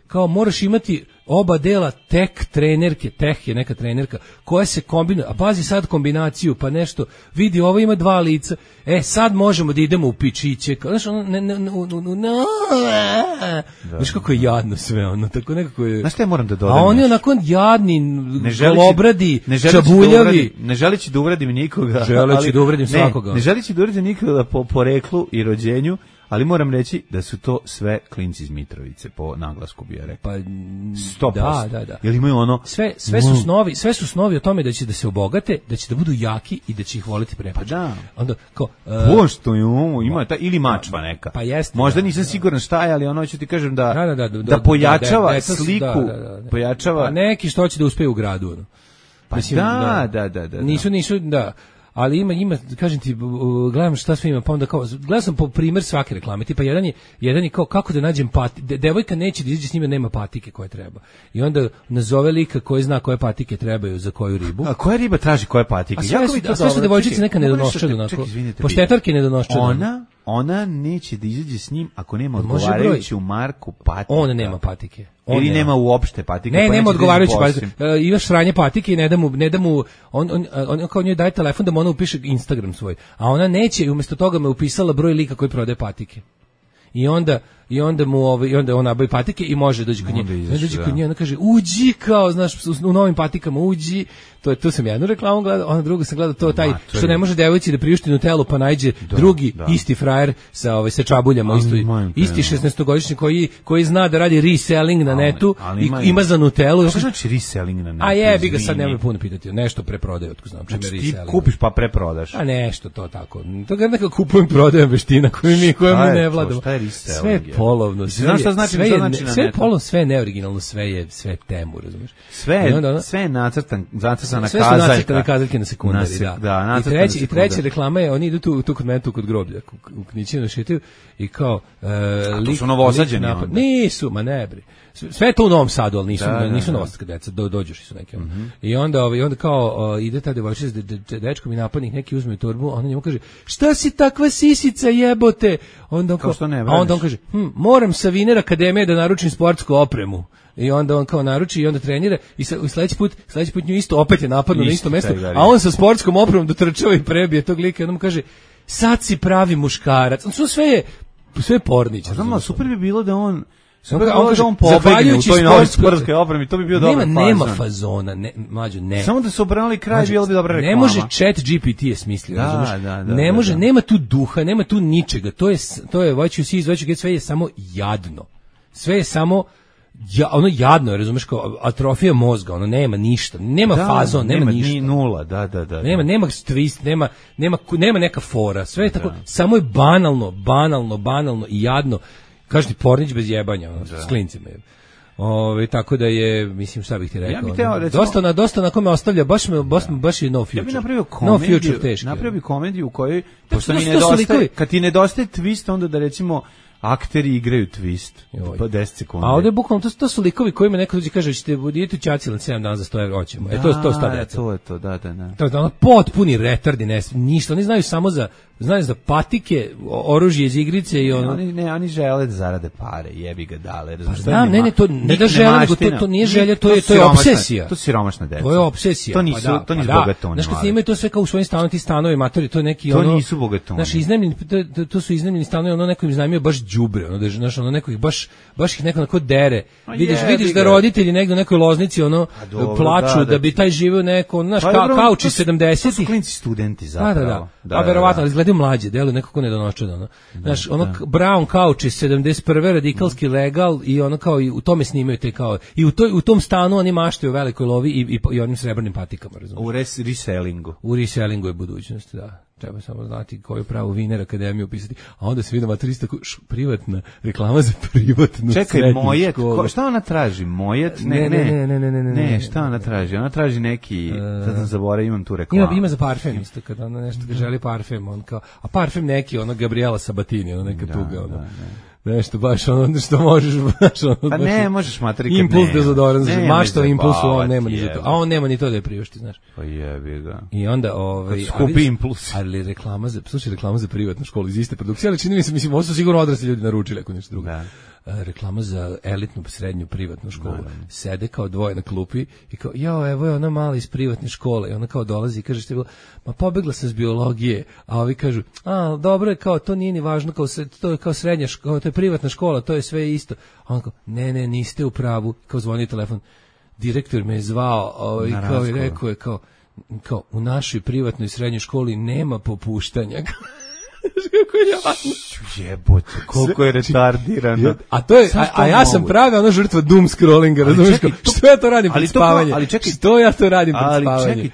kao moraš imati oba dela tek trenerke, teh je neka trenerka, koja se kombinuje, a pazi sad kombinaciju, pa nešto, vidi, ovo ima 2 lica, sad možemo da idemo u pičiće, znaš, znaš kako je jadno sve, ono, tako nekako je... Znaš šta ja moram da dodam? A oni onako jadni, golobradi, čabuljavi. Ne želići da uvredim nikoga. Želeći da uvredim svakoga. Ne želići da uvredim nikoga po poreklu i rođenju, ali moram reći da su to sve klinci iz Mitrovice, po naglasku bi ja rekao. Pa 100%. Da. Jel imaju ono... Sve su snovi o tome da će da se obogate, da će da budu jaki i da će ih voliti prepač. Pa da. Onda, kao... Pošto je ovo, ima ili mačva neka. Pa jeste. Možda nisam siguran šta je, ali ono ću ti kažem da pojačava sliku, pojačava... Pa neki što će da uspeju u gradu, ono. Pa mislim, Nisu, ali ima, kažem ti, gledam šta sve ima, pa onda kao, gledam sam po primer svake reklame, tipa jedan je kao kako da nađem patike, devojka neće da izađe s njima, nema patike koje treba. I onda nazove lika koji zna koje patike trebaju za koju ribu. A koja riba traži koje patike? A sve su devojčice neka nedonoščad, onako, poštetarke nedonoščad. Ona neće da izađe s njim ako nema odgovarajuću marku patika. On nema patike. Ili nema uopšte patike. Ne, nema odgovarajuće patike. Imaš sranje patike i ne da mu on kao njoj daje telefon da mu ona upiše Instagram svoj. A ona neće i umjesto toga me upisala broj lika koji prodaje patike. I onda on nabavi patike i može doći kod nje. Dođe kod nje, ona kaže, uđi kao, znaš, u novim patikama uđi. To sam jednu reklamu gledao, ona drugu sam gledao, to taj, što ne može devojci da priušti Nutellu, pa nađe drugi, isti frajer sa čabuljama, isti 16-godišnji koji zna da radi reselling na netu i ima za Nutellu. Što znači reselling na netu? A jebi ga, sad nemoj puno pitati, nešto preprodaje, otko znam čime reselling. Ti kupiš pa preprodaš. A nešto, to tako. To ga nekako kupujem, prodajem veština koju mi ne vladamo. Sve polovno, sve je polovno, sve je neoriginalno, sve je temu, razumiješ? Sve je nacrtana kazaljka. Sve su nacrtane kazaljke na sekundari, da. I treća reklama je, oni idu tu kod mene, tu kod groblja, u Knićinu šetaju i kao... A to su novosađeni onda? Nisu, ma ne bre. Sve je to u Novom Sadu, ali nisu novosadska deca, dođeš su neki. I onda kao ide ta devojčica s dečkom i napadnik neki uzme torbu, a ona njemu kaže, šta si takva sisica jebote? Onda on kaže, moram sa Viner Akademije da naručim sportsku opremu. I onda on kao naruči i onda trenira i sledeći put nju isto opet je napadno na isto mesto, a on sa sportskom opremom dotrčava i prebije tog lika i onda mu kaže, sad si pravi muškarac. Sve je pornić. Znam, super bi bilo da on pobegne u toj novoj sportskoj opremi, to bi bio dobar fazon. Nema fazona, mlađo, ne. Samo da su obranili kraj, bilo bi dobra reklama. Ne može chat GPT je smislio, razumiješ? Ne može, nema tu duha, nema tu ničega, to je what you see, what you get, sve je samo jadno. Sve je samo ono jadno je, razumeš, kao atrofija mozga, ono nema ništa, nema fazon, nema ništa. Ni nula, da. Nema twist, nema neka fora, sve je tako, samo je banalno i jadno. Kaži ti pornić bez jebanja, s klincima. Tako da je, mislim, šta bih ti rekao. Dosta na kome ostavlja, baš je no future. Ja bih napravio komediju, napravio komediju u kojoj, kad ti nedostaje twist, onda da recimo akteri igraju twist, pa 10 sekundi. A ovdje je bukvalno, to su likovi kojima neko dođe kaže, ćete budite u Ćacilan 7 dana za 100 evra, hoćemo. To sta deca. To je to, da. To je ono potpuni retardi, ništa, oni znaju samo za patike, oružje iz igrice i ono... Oni žele da zarade pare, jebi ga dale. To ne da žele, nego to nije želja, to je obsesija. To su siromašna deca. To je obsesija. To nisu bogatoni. Znaš, kad snimaju to sve kao u svojim stanovi, ti stanovi, matori, to je neki ono... To nisu bogatoni. Znaš, to su iznajmljeni stanovi, ono neko im iznajmio baš đubre, ono, znaš, ono neko ih baš ih neko onako dere. Vidiš da roditelji negdje u nekoj Loznici, ono, plaču da bi taj živio neko, znaš, kauči 70-ih. To su klinci studenti, zapravo. Da. A verovatno, ali izgledaju mlađe, deluju nekako nedonoščeno. Znaš, ono brown couch iz 71. radikalski legal i ono kao i u tome snimaju te kao i u tom stanu oni maštaju o velikoj lovi i onim srebrnim patikama, razumiješ? U resellingu. U resellingu je budućnost, da. Treba samo znati koju pravu Viner Akademiju upisati, a onda se vidi maturista privatna reklama za privatnu. Čekaj, Mojet, šta ona traži? Mojet? Ne, šta ona traži? Ona traži neki, sad sam zaboravio, imam tu reklamu. Ima za parfem isto, kada ona nešto ga želi parfem, on kao, a parfem neki, ono Gabriela Sabatini, ono neka tuga, ono. Nešto baš ono što možeš baš ono. Pa ne, možeš materi. Impuls dezodorans, mašta impulsu, on nema ni to. A on nema ni to da je priušti, znaš. Pa jebi ga. I onda skupi impuls. Ali reklama za privatnu školu iz iste produkcije, ali čini mi se, mislim, ovo su sigurno odrasli ljudi naručili ako nešto drugo. reklama za elitnu srednju privatnu školu. Sede kao dvoje na klupi i kao, evo je ona mala iz privatne škole. I ona kao dolazi i kaže, što je bilo, ma pobegla sam s biologije. A ovi kažu, dobro je, kao, to nije ni važno, kao, to je kao srednja škola, to je privatna škola, to je sve isto. A on kao, ne, niste u pravu. Kao zvoni telefon. Direktor me je zvao i kao i rekao je, kao, u našoj privatnoj srednjoj školi nema popuštanja. Jebote, koliko je retardirano. A to je, a ja sam pravi ona žrtva doom scrollinga, razumiješ? Što ja to radim pred spavanje? Što ja to radim pred spavanje? Ali čekaj,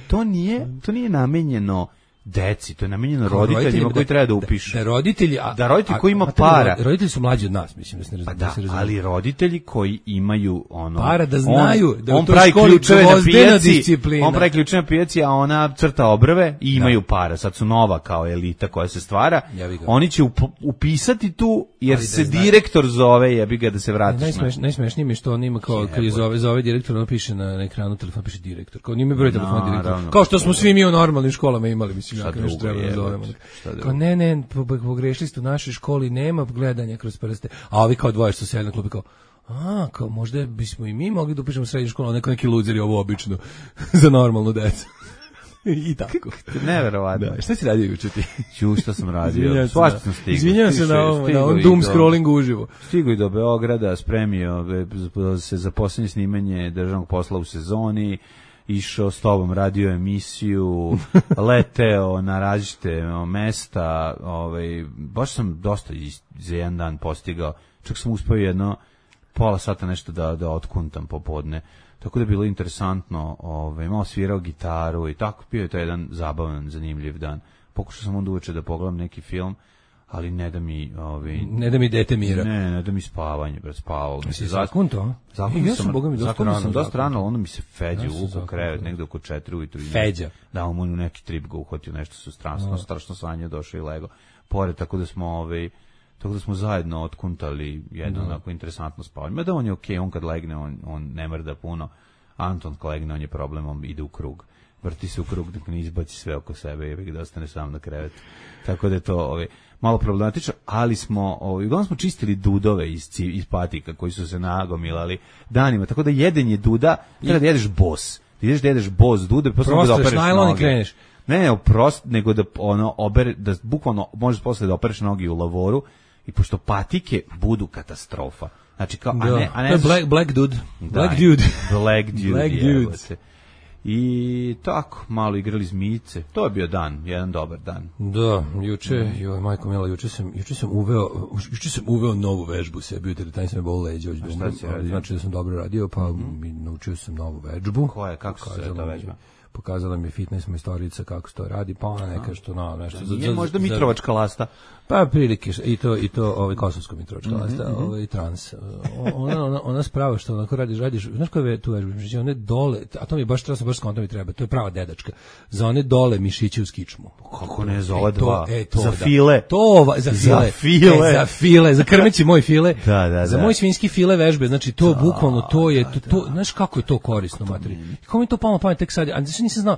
to nije namenjeno deci, to je namenjeno roditeljima koji treba da upišu. Da roditelji koji ima para. Roditelji su mlađi od nas, mislim, da se razume. Ali roditelji koji imaju para da znaju da on pravi ključeve na pijaci, on pravi ključeve na pijaci, a ona crta obrve i imaju para. Sad su nova kao elita koja se stvara. Oni će upisati tu jer se direktor zove, jebi ga da se vratiš. Najsmešnije mi je što on ima kao kad je zove direktor, on piše na ekranu telefona, piše direktor. Kao njime broj telefona direktor. Kao što smo svi mi u normalnim školama imali, mislim. Kao ne, pogrešili ste, u našoj školi nema gledanja kroz prste. A ovi kao dvoje što se na klubi kao, kao možda bismo i mi mogli da upišemo srednju školu, a neki luzeri ovo obično za normalnu decu. I tako. Neverovatno. Šta si radio juče ti? Šta sam radio? Svašta sam stigao. Izvinjam se na ovom doom scrollingu uživo. Stigao i do Beograda, spremio se za posljednje snimanje državnog posla u sezoni, išao s tobom, radio emisiju, leteo na različite mesta, baš sam dosta za jedan dan postigao, čak sam uspio jedno pola sata nešto da otkuntam popodne, tako da je bilo interesantno, malo svirao gitaru i tako, bio je to jedan zabavan, zanimljiv dan. Pokušao sam onda uveče da pogledam neki film, ali ne da mi ne da mi dete mira. Ne da mi spavanje, spavao. Si zakunto? Zakunto sam dosta rano, onda mi se Feđa uvukao krevet negde oko 4 ujutru. Feđa? Da, on mu neki trip ga uhvatio, nešto su strašno sanje došao i lego. Pored, tako da smo zajedno otkuntali jedno onako interesantno spavanje. Mada on je okej, on kad legne, on ne mrda puno. Anton kad legne, on je problem, on ide u krug. Vrti se u krug dok ne izbaci sve oko sebe i da ostane sam na krevetu. Tako da je to malo problematično, ali uglavnom smo čistili dudove iz patika koji su se nagomilali danima, tako da jedenje duda, treba da jedeš bos. Da jedeš bos dude, posle da opereš noge. Kreneš. Ne, nego da da bukvalno možeš posle da opereš noge u lavoru i pošto patike budu katastrofa. Znači kao, a ne Black dude. Black dude. I tako, malo igrali zmijice. To je bio jedan dobar dan. Da, juče, majko mila, juče sam uveo novu vežbu sebi, taj sam je bol leđa. Znači da sam dobro radio, pa naučio sam novu vežbu. Koja je, kako se zove ta vežba? Pokazala mi je fitness majstorica kako se to radi, pa ona neka što nešto. Nije možda Mitrovačka lasta? Pa prilike, i to kosovsko Mitrovačka lasta, i trans. Ona sprava što onako radiš, znaš koja je tu vežba? One dole, a to mi baš skonto mi treba, to je prava dedačka. Za one dole mišiće uz kičmu. Kako ne, za ove dva? Za file? Za file, za krmeći moj file. Za moj svinjski file vežbe, znači to bukvalno, to je, znaš kako je to korisno, materi. Kako mi to palo pamet tek sad, a nisam znao,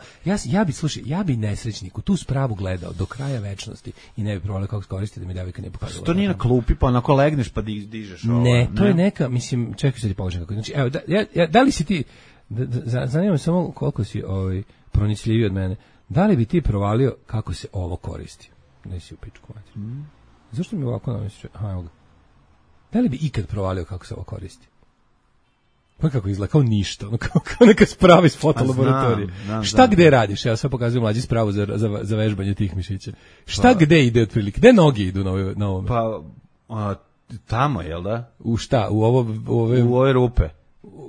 ja bi nesrećniku tu spravu gledao do kraja večnosti i ne bi provalio kako koristiti da mi devojka ne pokazala. To nije na klupi, pa onako legneš pa dižeš ovo. Ne, to je neka, mislim, čekaj sad ti položim kako. Znači, evo, da li si ti, zanima me samo koliko si pronicljiviji od mene, da li bi ti provalio kako se ovo koristi? Ne si u pičku, mati. Zašto mi ovako namestiš? Evo ga. Da li bi ikad provalio kako se ovo koristi? Pa kako izgleda, kao ništa, kao neka sprava iz fotolaboratorije. Šta gde radiš? Ja sad pokazujem mlađi spravu za vežbanje tih mišića. Šta gde ide otprilike? Gde noge idu na ovome? Pa, tamo, jel da? U šta? U ove rupe.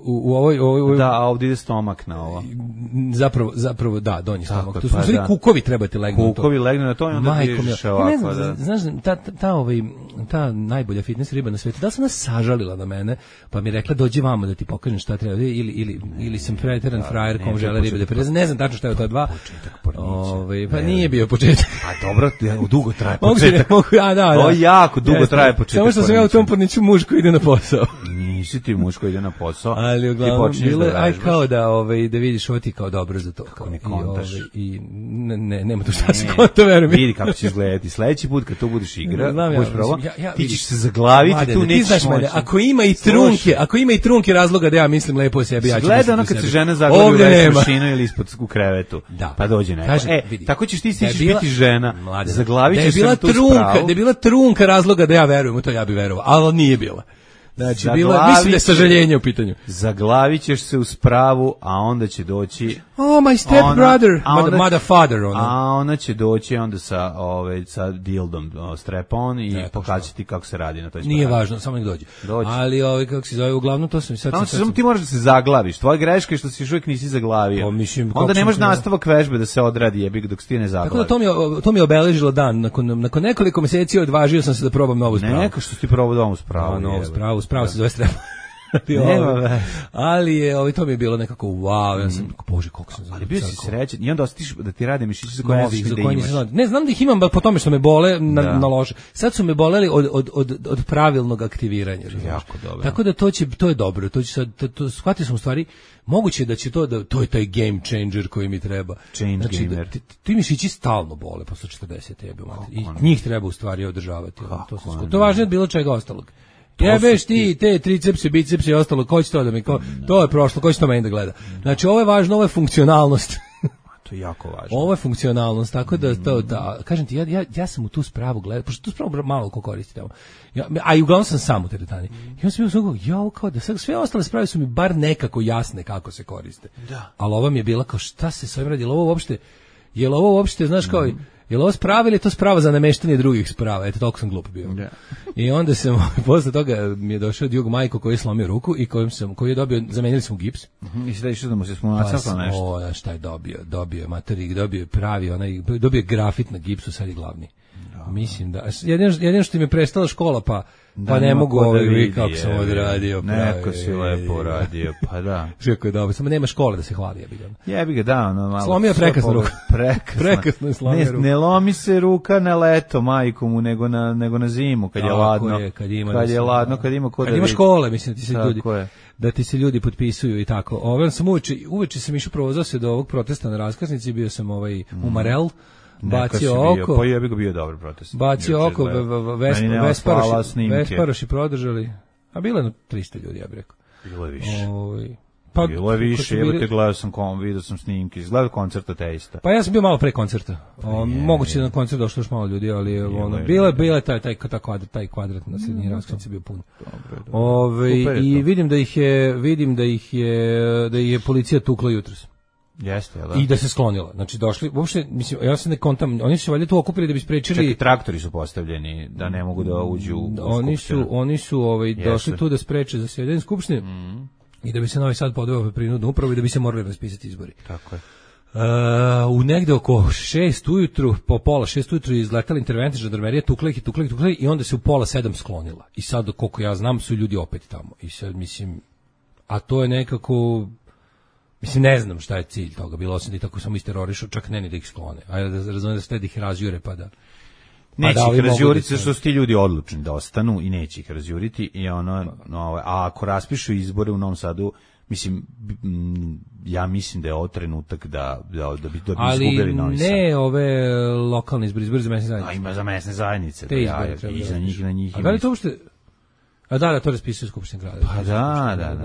U ovoj da, a ovdje ide stomak na ovo. Zapravo da, donji stomak. To su sve kukovi trebati legnu na to. Kukovi legnu na to i onda dižeš ovako. Znaš, ta najbolja fitness riba na svijetu, da se ona sažalila na mene, pa mi rekla dođi vamo da ti pokažem šta treba, ili sam preteran frajer kom žele ribe da preze. Ne znam tačno šta je to dva. Pa nije bio početak. A dobro, dugo traje početak. Da. To jako dugo traje početak. Samo što sam ja u tom porniću muž koji ide na posao. nisi ti muž koji ide na posao. Ali uglavnom bilo je aj kao da vidiš ovo ti kao dobro za to. Kako ne kontaš. I nema to šta se konta, verujem. Vidi kako će izgledati. Sledeći put kad tu budeš budeš probao, ti ćeš se zaglaviti, tu nećeš moći. Ako ima i trunke razloga da ja mislim lepo o sebi, ja ću gleda ono kad se žena zaglavi u veću mašinu ili ispod u krevetu, pa dođe neko. Tako ćeš ti stići biti žena, zaglavit ćeš se tu spravu. Da je bila trunka razloga da ja verujem u to, ja bi verovao, ali nije bila. Znači, mislim da je sažaljenje u pitanju. Zaglavit ćeš se u spravu, a onda će doći... Oh, my step brother, mother father. A ona će doći onda sa dildom strap-on i pokazati ti kako se radi na toj spravi. Nije važno, samo nek dođe. Ali, kako se zove, uglavnom to sam... Samo ti moraš da se zaglaviš. Tvoja greška je što si još uvijek nisi zaglavio. Onda nemaš nastavak vežbe da se odradi jebik dok ti ne zaglaviš. Tako da to mi je obeležilo dan. Nakon nekoliko meseci odvažio sam se da probam novu spravu. Neko što ti probao novu spravu. Spravo se zove strepa. Ali to mi je bilo nekako wow, ja sam bože koliko sam ali bio si srećan i onda ostiš da ti rade mišići za koje ne znam da ih imam po tome što me bole na loše. Sad su me boleli od pravilnog aktiviranja. Jako dobro. Tako da to je dobro. To će sad shvatio sam u stvari moguće da će to je taj game changer koji mi treba. Znači, ti mišići stalno bole posle 40 jebe i njih treba u stvari održavati. To je važnije od bilo čega ostalog. Jebeš ti te tricepsi, bicepsi i ostalo, ko će to da mi, to je prošlo, ko će to meni da gleda. Znači, ovo je važno, ovo je funkcionalnost. To je jako važno. Ovo je funkcionalnost, tako da kažem ti, ja sam u tu spravu gledao, pošto tu spravu malo ko koristi tamo. A i uglavnom sam sam u teretani. I on sam bio kao da sve ostale sprave su mi bar nekako jasne kako se koriste. Da. Ali ova mi je bila kao šta se s ovim radi, je li ovo uopšte, znaš kao, je li ovo sprava ili je to sprava za nameštanje drugih sprava? Eto, toliko sam glup bio. Yeah. I onda sam, posle toga mi je došao Djug Majko koji je slomio ruku i koji je dobio, zamenili smo gips. I sada išao da mu se smunacao nešto. Šta je dobio materik, dobio pravi, dobio grafit na gipsu, sad je glavni. Mislim da, jedino što im je prestala škola, pa ne mogu kako sam odradio. Neko si lepo radio, pa da. Kako je dobro, samo nema škole da se hvali. Jebi ga, da, ono malo. Slomio prekasno ruku. Prekasno je slomio ruku. Ne lomi se ruka na leto, majku mu, nego na zimu, kad je ladno. Kad je ladno, kad ima ko da vidi. Kad ima škole, mislim, da ti se ljudi potpisuju i tako. Uveče sam išao provozao se do ovog protesta na raskrsnici, bio sam u Marel. Bacio oko. Pa jebi ga bio dobar protest. Bacio oko, Vesparoši prodržali. A bilo je 300 ljudi, ja bih rekao. Bilo je više. Bilo je više, gledao sam vidio sam snimke, izgledao koncert ateista. Pa ja sam bio malo pre koncerta. Moguće da na koncert došlo još malo ljudi, ali bilo je taj kvadrat na srednji raskrsnici bio pun. I vidim da ih je policija tukla jutros. Jeste, da. I da se sklonila. Znači došli, uopšte, mislim, ja se ne kontam, oni su se valjda tu okupili da bi sprečili. Čak traktori su postavljeni da ne mogu da uđu u skupštinu. Oni su došli tu da spreče zasedanje skupštine i da bi se Novi Sad podveo pod prinudnu upravu i da bi se morali raspisati izbori. Tako je. U negde oko 6 ujutru, po pola 6 ujutru je izletala interventna žandarmerija, tukla ih i onda se u pola 7 sklonila. I sad, koliko ja znam, su ljudi opet tamo. I sad, mislim, a to je nekako... Mislim, ne znam šta je cilj toga, bilo osim da ih tako samo isterorišu, čak ne ni da ih sklone. Ajde da razumijem da ste da ih razjure, pa da... Neće ih razjuriti, što su ti ljudi odlučni da ostanu i neće ih razjuriti. A ako raspišu izbore u Novom Sadu, mislim, ja mislim da je ovo trenutak da bi izgubili Novi Sad. Ali ne ove lokalne izbori za mesne zajednice. Ima za mesne zajednice. Te izbore treba i za njih i na njih. A da li to uopšte... A da, to raspisuju Skupština grada. Pa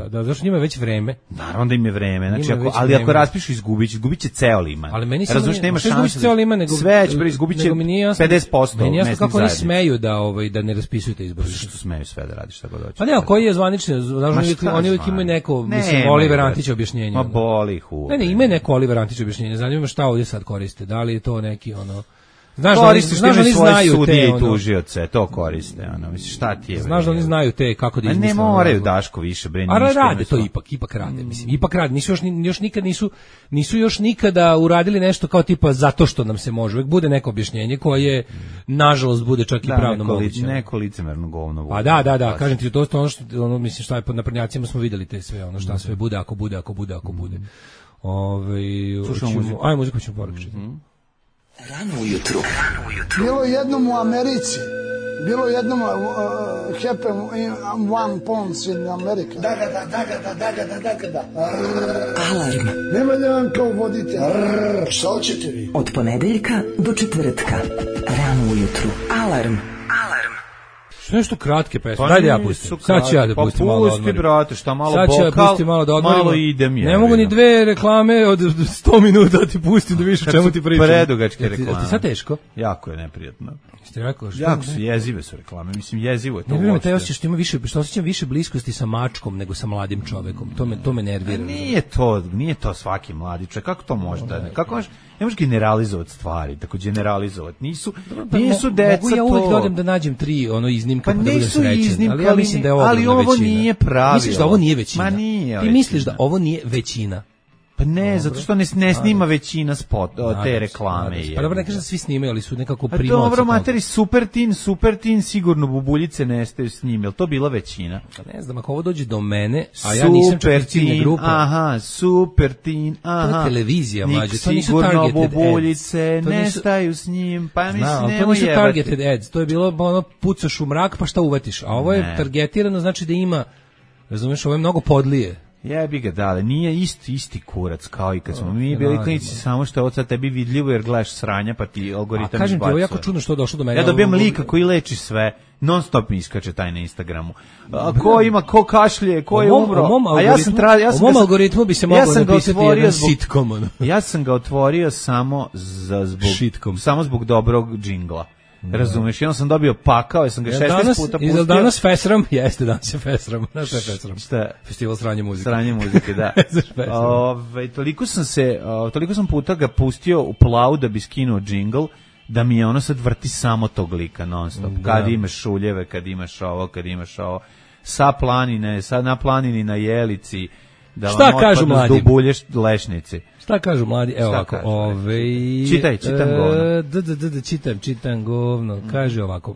da. Zašto njima je već vreme? Naravno da im je vreme. Znači, ako raspišu izgubit će ceo Liman. Ali meni se nema šanse. Sve će izgubit će 50%. Meni jasno kako oni smeju da ne raspisuju te izbore. Što smeju sve da radi šta god hoće. Pa ne, koji je zvanični? Oni uvijek imaju neko, mislim, Oliver Antić objašnjenje. Ma boli ih u. Ne, ima neko Oliver Antić objašnjenje. Zanima me šta ovdje sad koriste. Da li je to neki Znaš da oni znaju te i tužioce, to koriste, mislim, šta ti je? Znaš da oni znaju te kako da izmisle. Ne moraju Daško više, bre, ništa. A rade to ipak rade, mislim, ipak rade. Nisu još nikada uradili nešto kao tipa zato što nam se može. Uvijek bude neko objašnjenje koje nažalost bude čak i pravno moguće. Neko licemerno govno. Pa da, kažem ti, to je ono mislim šta je pod naprednjacima smo videli te sve, šta sve bude, ako bude. Ajmo muziku ćemo poručiti. Rano ujutru. Bilo jednom u Americi Bilo jednom happen in one pounds in America. Da. Alarm. Nema da vam kao vodite. Šta hoćete vi? Od ponedeljka do četvrtka. Rano ujutru. Alarm. Što nešto kratke pesme. Daj da ja pustim. Sad ću ja da pustim malo da odmorim. Pusti, brate, šta malo sad bokal, ja pustim malo da odmorim. Malo idem je. Ne mogu ni dve reklame od 100 minuta da ti pustim da vidiš o čemu ti pričam. Predugačke reklame. Ti sad teško? Jako je neprijatno. Ste rekao što? Jako su jezive su reklame. Mislim, jezivo je to. Ne vjerujem, taj osjećaj što ima više, što osjećam više bliskosti sa mačkom nego sa mladim čovekom. To me nervira. Nije to svaki mladi čovjek. Kako to može da? Kako možeš? Ne možeš generalizovati stvari, tako generalizovati. Nisu deca to. Mogu ja uvijek dodam da nađem 3 iznimka pa da budem srećan. Iznimka, ali ja mislim da je ali ovo većina. Nije pravilo. Misliš da ovo nije većina? Ma nije. Ti misliš da ovo nije većina? Pa ne, zato što ne snima većina te reklame. Pa dobro, ne kažem da svi snimaju, ali su nekako primovci. Pa dobro, materi, Super Teen, sigurno bubuljice nestaju s njim, je li to bila većina? Pa ne znam, ako ovo dođe do mene, a ja nisam čak iz ciljne grupe. Aha, Super Teen, aha. To je televizija, mlađe, to nisu targeted ads. Sigurno bubuljice nestaju s njim, pa mislim, to nisu targeted ads, to je bilo pucaš u mrak, pa šta uvatiš, a ovo je targetirano, znači da ima, razumiješ, ovo je mnogo podlije. Jebi ga, dale, nije isti kurac kao i kad smo mi bili klinici, samo što je od sad tebi vidljivo jer gledaš sranja pa ti algoritam izbacuje. Kažem ti, ovo je jako čudno što je došlo do mene. Ja dobijem lika koji leči sve, non stop mi iskače taj na Instagramu. Ko kašlje, ko je umro. U mom algoritmu bi se mogao napisati jedan sitcom. Ja sam ga otvorio samo zbog dobrog džingla. Razumeš, jednom sam dobio pakao, ja sam ga 16 puta pustio. I danas fesram, jeste danas je fesram. Znaš šta je fesram? Šta? Festival sranje muzike. Sranje muzike, da. Toliko sam puta ga pustio u plavu da bi skinuo džingl, da mi je ono sad vrti samo tog lika non stop. Kad imaš šuljeve, kad imaš ovo. Sa planine, na planini na Jelici, da šta vam kažu otpadnu mladi? Zdubulješ lešnici. Šta kažu mladi? Evo ovako, čitam govno. Čitam govno. Kaže ovako,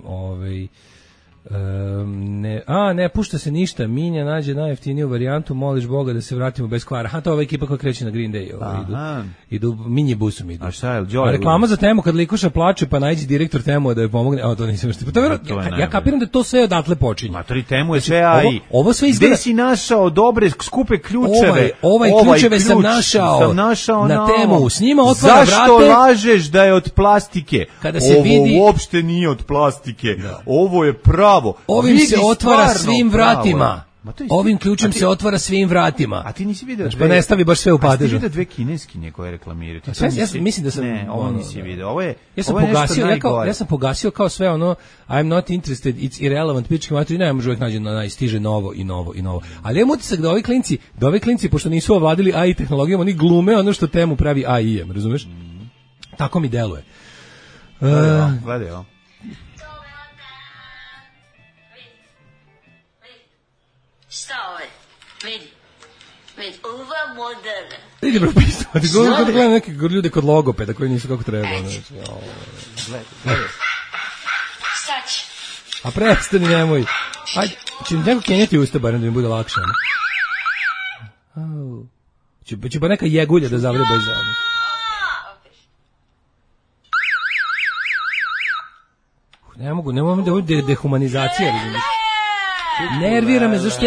ne pušta se ništa, Minja nađe najjeftiniju varijantu, moliš Boga da se vratimo bez kvara. To je ova ekipa koja kreće na Green Day. Idu Minji busom idu. A šta je? A reklama za Temu kad likuša plače, pa najđi direktor Temu da joj pomogne. To nisam što. Ja kapiram da to sve odatle počinje. Matori, Temu je sve AI. Ovo sve izgleda. Gde si našao dobre skupe ključeve? Ovaj ključeve sam našao na Temu. S njima otvara vrate. Zašto lažeš da je od plastike? Kada se vidi, ovo uopšte nije od plastike. Ovo je pravo. Ovim se otvara svim vratima. Ovim ključem se otvara svim vratima. A ti nisi vidio pa ne stavi baš sve u padežu. A ti vidio dve kineskinje koje reklamiraju. Ja mislim da sam... Ne, ovo nisi vidio. Ovo je ja sam pogasio kao sve ono I'm not interested, it's irrelevant, pički materi, ne može uvijek nađe stiže novo i novo. Ali imam utisak da ovi klinci, pošto nisu ovladili AI tehnologijom, oni glume ono što Temu pravi AI-em, razumeš? Tako mi deluje. Gledaj ovo. Šta ovo je? Vidi, uva moderna. Idi bro, pisati, kada gledam neke ljude kod logopeda koji nisu kako treba. Gledaj. Šta će? A prestani, nemoj. Ajde, će mi neko kenjati usta, barem da mi bude lakše. Će pa neka jegulja da zavreba iza ono. Ne mogu da ovo dehumanizacija, vidim. Nervira me, zašto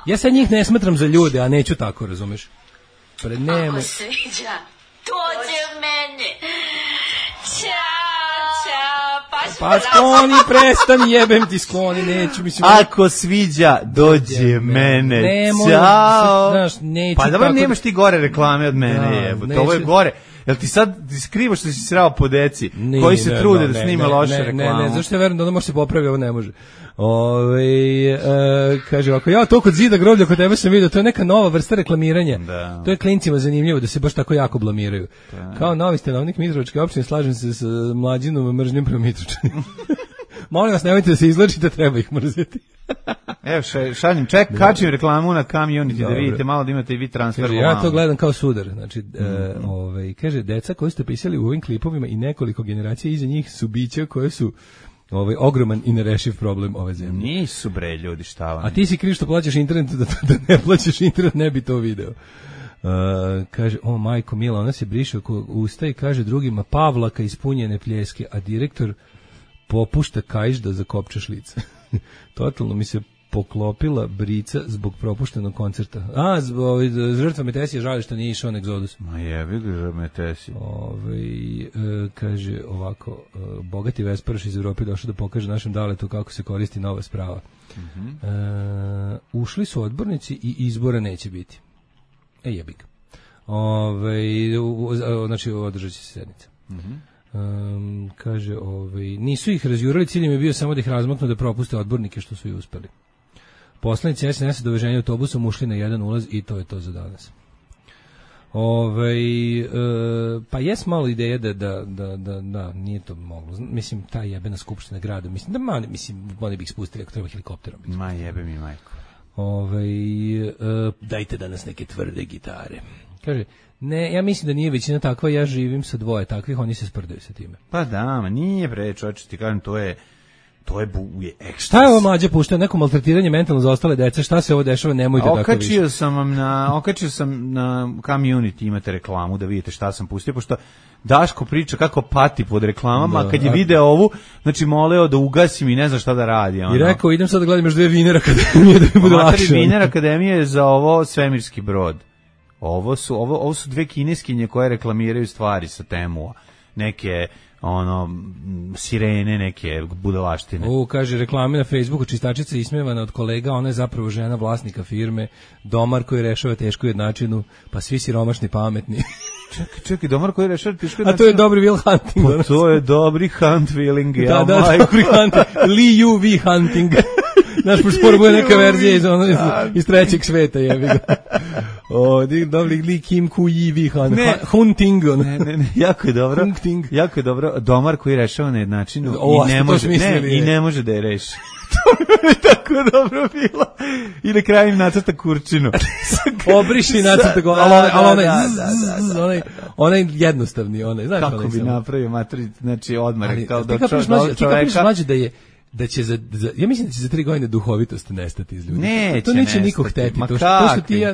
ja sad njih ne smatram za ljude, a neću tako, razumeš? Ako sviđa, dođe mene. Pa skloni, prestan, jebem ti, skloni, neću, mislim. Ako sviđa, dođe mene. Ćao. Pa dobro, nemaš ti gore reklame od mene, jebote, ovo je gore. Jel ti sad skrivaš što si srao po deci koji se trude da snime loše reklamu? Ne, zašto ja verujem da ono može se popravi, ovo ne može. Kaže ovako, ja to kod zida groblja kod tebe sam vidio, to je neka nova vrsta reklamiranja. To je klincima zanimljivo da se baš tako jako blamiraju. Kao novi stanovnik Mitrovičke opštine, slažem se s Mlađinom mržnjom prema Mitrovičanima. Molim vas, nemojte da se izlačite, treba ih mrzeti. Evo, šaljem, kačim reklamu na Community da vidite malo da imate i vi transfer. Ja to gledam kao sudar. Znači, kaže, deca koji ste pisali u ovim klipovima i nekoliko generacija iza njih su bića koje su ogroman i nerešiv problem ove zemlje. Nisu bre ljudi, šta vam. A ti si kriv što plaćaš internet, da ne plaćaš internet, ne bi to video. Kaže, majko mila, ona se briše oko usta i kaže drugima Pavlaka ispunjene pljeske, a direktor popušta kaiš da zakopčaš lice. Totalno mi se poklopila brica zbog propuštenog koncerta. Žrtva Metesije žali što nije išao na Egzodus. Ma jebi ga Metesije. Kaže ovako, bogati vesparoš iz Evrope došao da pokaže našem daletu kako se koristi nova sprava. Ušli su odbornici i izbora neće biti. Jebi ga. Znači, održat će se sednica. Kaže, nisu ih razjurali, ciljem je bio samo da ih razmaknu da propuste odbornike što su i uspeli. Poslanici SNS do veženja autobusom ušli na jedan ulaz i to je to za danas. Pa jes malo ideja da nije to moglo. Mislim, ta jebena skupština grada, oni bi ih spustili ako treba helikopterom. Ma jebe mi majko. Dajte danas neke tvrde gitare. Kaže, ne, ja mislim da nije većina takva, ja živim sa dvoje takvih, oni se sprdaju sa time. Pa da, ma nije bre, čovječe, ti kažem, to je ekstra. Šta je ovo Mlađa puštao? Neko maltretiranje mentalno za ostale dece? Šta se ovo dešava? Nemojte tako više. Okačio sam na Community, imate reklamu da vidite šta sam pustio, pošto Daško priča kako pati pod reklamama, kad je video ovu, znači moleo da ugasim i ne zna šta da radi. I rekao, idem sad da gledam još 2 Viner akademije da mi bude lakše. Viner akademije za ovo svemirski brod. Ovo su 2 kineskinje koje reklamiraju stvari sa Temua. Neke sirene, neke budalaštine. Kaže, reklame na Facebooku, čistačica ismevana od kolega, ona je zapravo žena vlasnika firme, domar koji rešava tešku jednačinu, pa svi siromašni pametni. Čekaj, domar koji rešava tešku jednačinu? A to je dobri Will Hunting. Pa to je dobri hunt willing. Da, dobri Hunting. Li Yu Vi Hunting. Naš pospor bude neka verzija iz trećeg sveta, jebi ga. Dobri Li Kim Ku Yi Vi Hunting. Ne, jako je dobro. Jako je dobro. Domar koji rešava na jednačinu i ne može da je reši. To mi je tako dobro bilo. I na kraju im nacrta kurčinu. Obriši nacrta go, ali onaj jednostavni, znaš. Kako bi napravio materi, znači odmah kao do čoveka. Da će ja mislim da će za 3 godine duhovitost nestati iz ljudi. To neće niko hteti.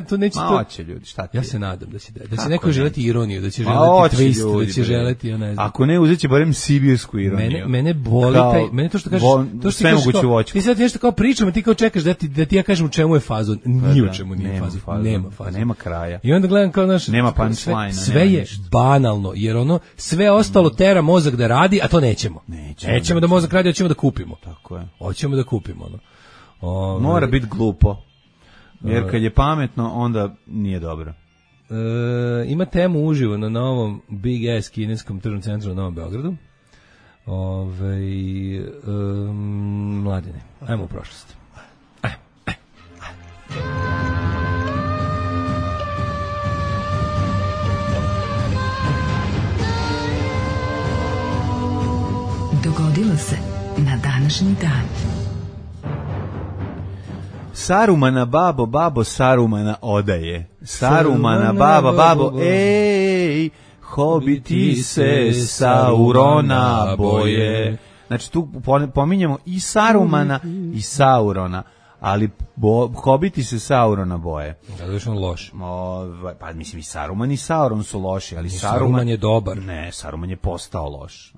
To neće to. Ljudi, šta ti? Ja se nadam da će neko želeti ironiju, da će želeti twist, da će želeti, ja ne znam. Ako ne, uzeće barem sibirsku ironiju. Mene boli mene to što kažeš, sve moguće voćku. Ti sad nešto kao pričamo, ti kao čekaš da ti ja kažem u čemu je fazon. Ni u čemu nije fazon. Nema fazon. Nema kraja. I onda gledam kao nema punchline. Sve je banalno, jer sve ostalo tera mozak da radi, a to nećemo. Nećemo da mozak radi, hoćemo da kupimo. Tako je. Hoćemo da kupimo. Mora biti glupo. Jer kad je pametno, onda nije dobro. Ima temu uživo na novom Big Ass kineskom tržnom centru na Novom Beogradu. Mladine, ajmo u prošlost. Dogodilo se na današnji dan. Sarumana babo, Sarumana odaje. Sarumana babo, ej, hobiti se Saurona boje. Znači tu pominjemo i Sarumana i Saurona, ali hobiti se Saurona boje. Da je on loš. Pa mislim i Saruman i Sauron su loši, ali Saruman je dobar. Ne, Saruman je postao loš.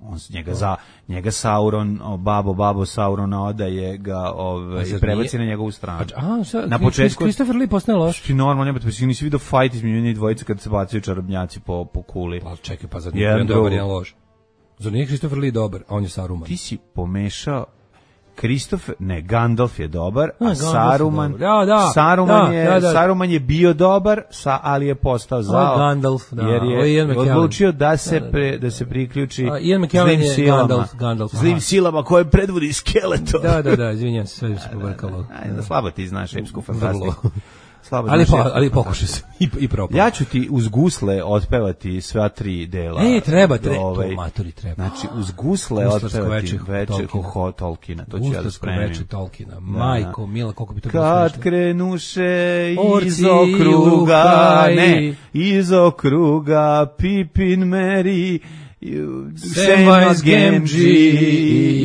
Njega Sauron, babo Saurona odaje ga i prebaci na njegovu stranu. Na početku Christopher Lee postane loš. Ti normalno nisi vidio fight između njih dvojice kad se bacaju čarobnjaci po kuli. Pa čekaj, pa zar nije dobar jedan loš? Zar nije Christopher Lee dobar, a on je Saruman? Ti si pomešao Gandalf je dobar, a Saruman je bio dobar, ali je postao zao. Gandalf, jer je odlučio da se priključi zlim silama koje predvodi Skeletor. Da, izvinjam se, sve se pobrkalo. Slabo ti znaš epsku fantastiku. Ali pokušaj se i propao. Ja ću ti uz gusle otpevati sva 3 dela. Treba. Znači, uz gusle otpevati veče Tolkiena. To ću ja da spremim. Veče Tolkiena. Majko, mila, koliko bi to bilo smešno. Kad krenuše iz okruga, Pippin, Merry, Samwise Gamgee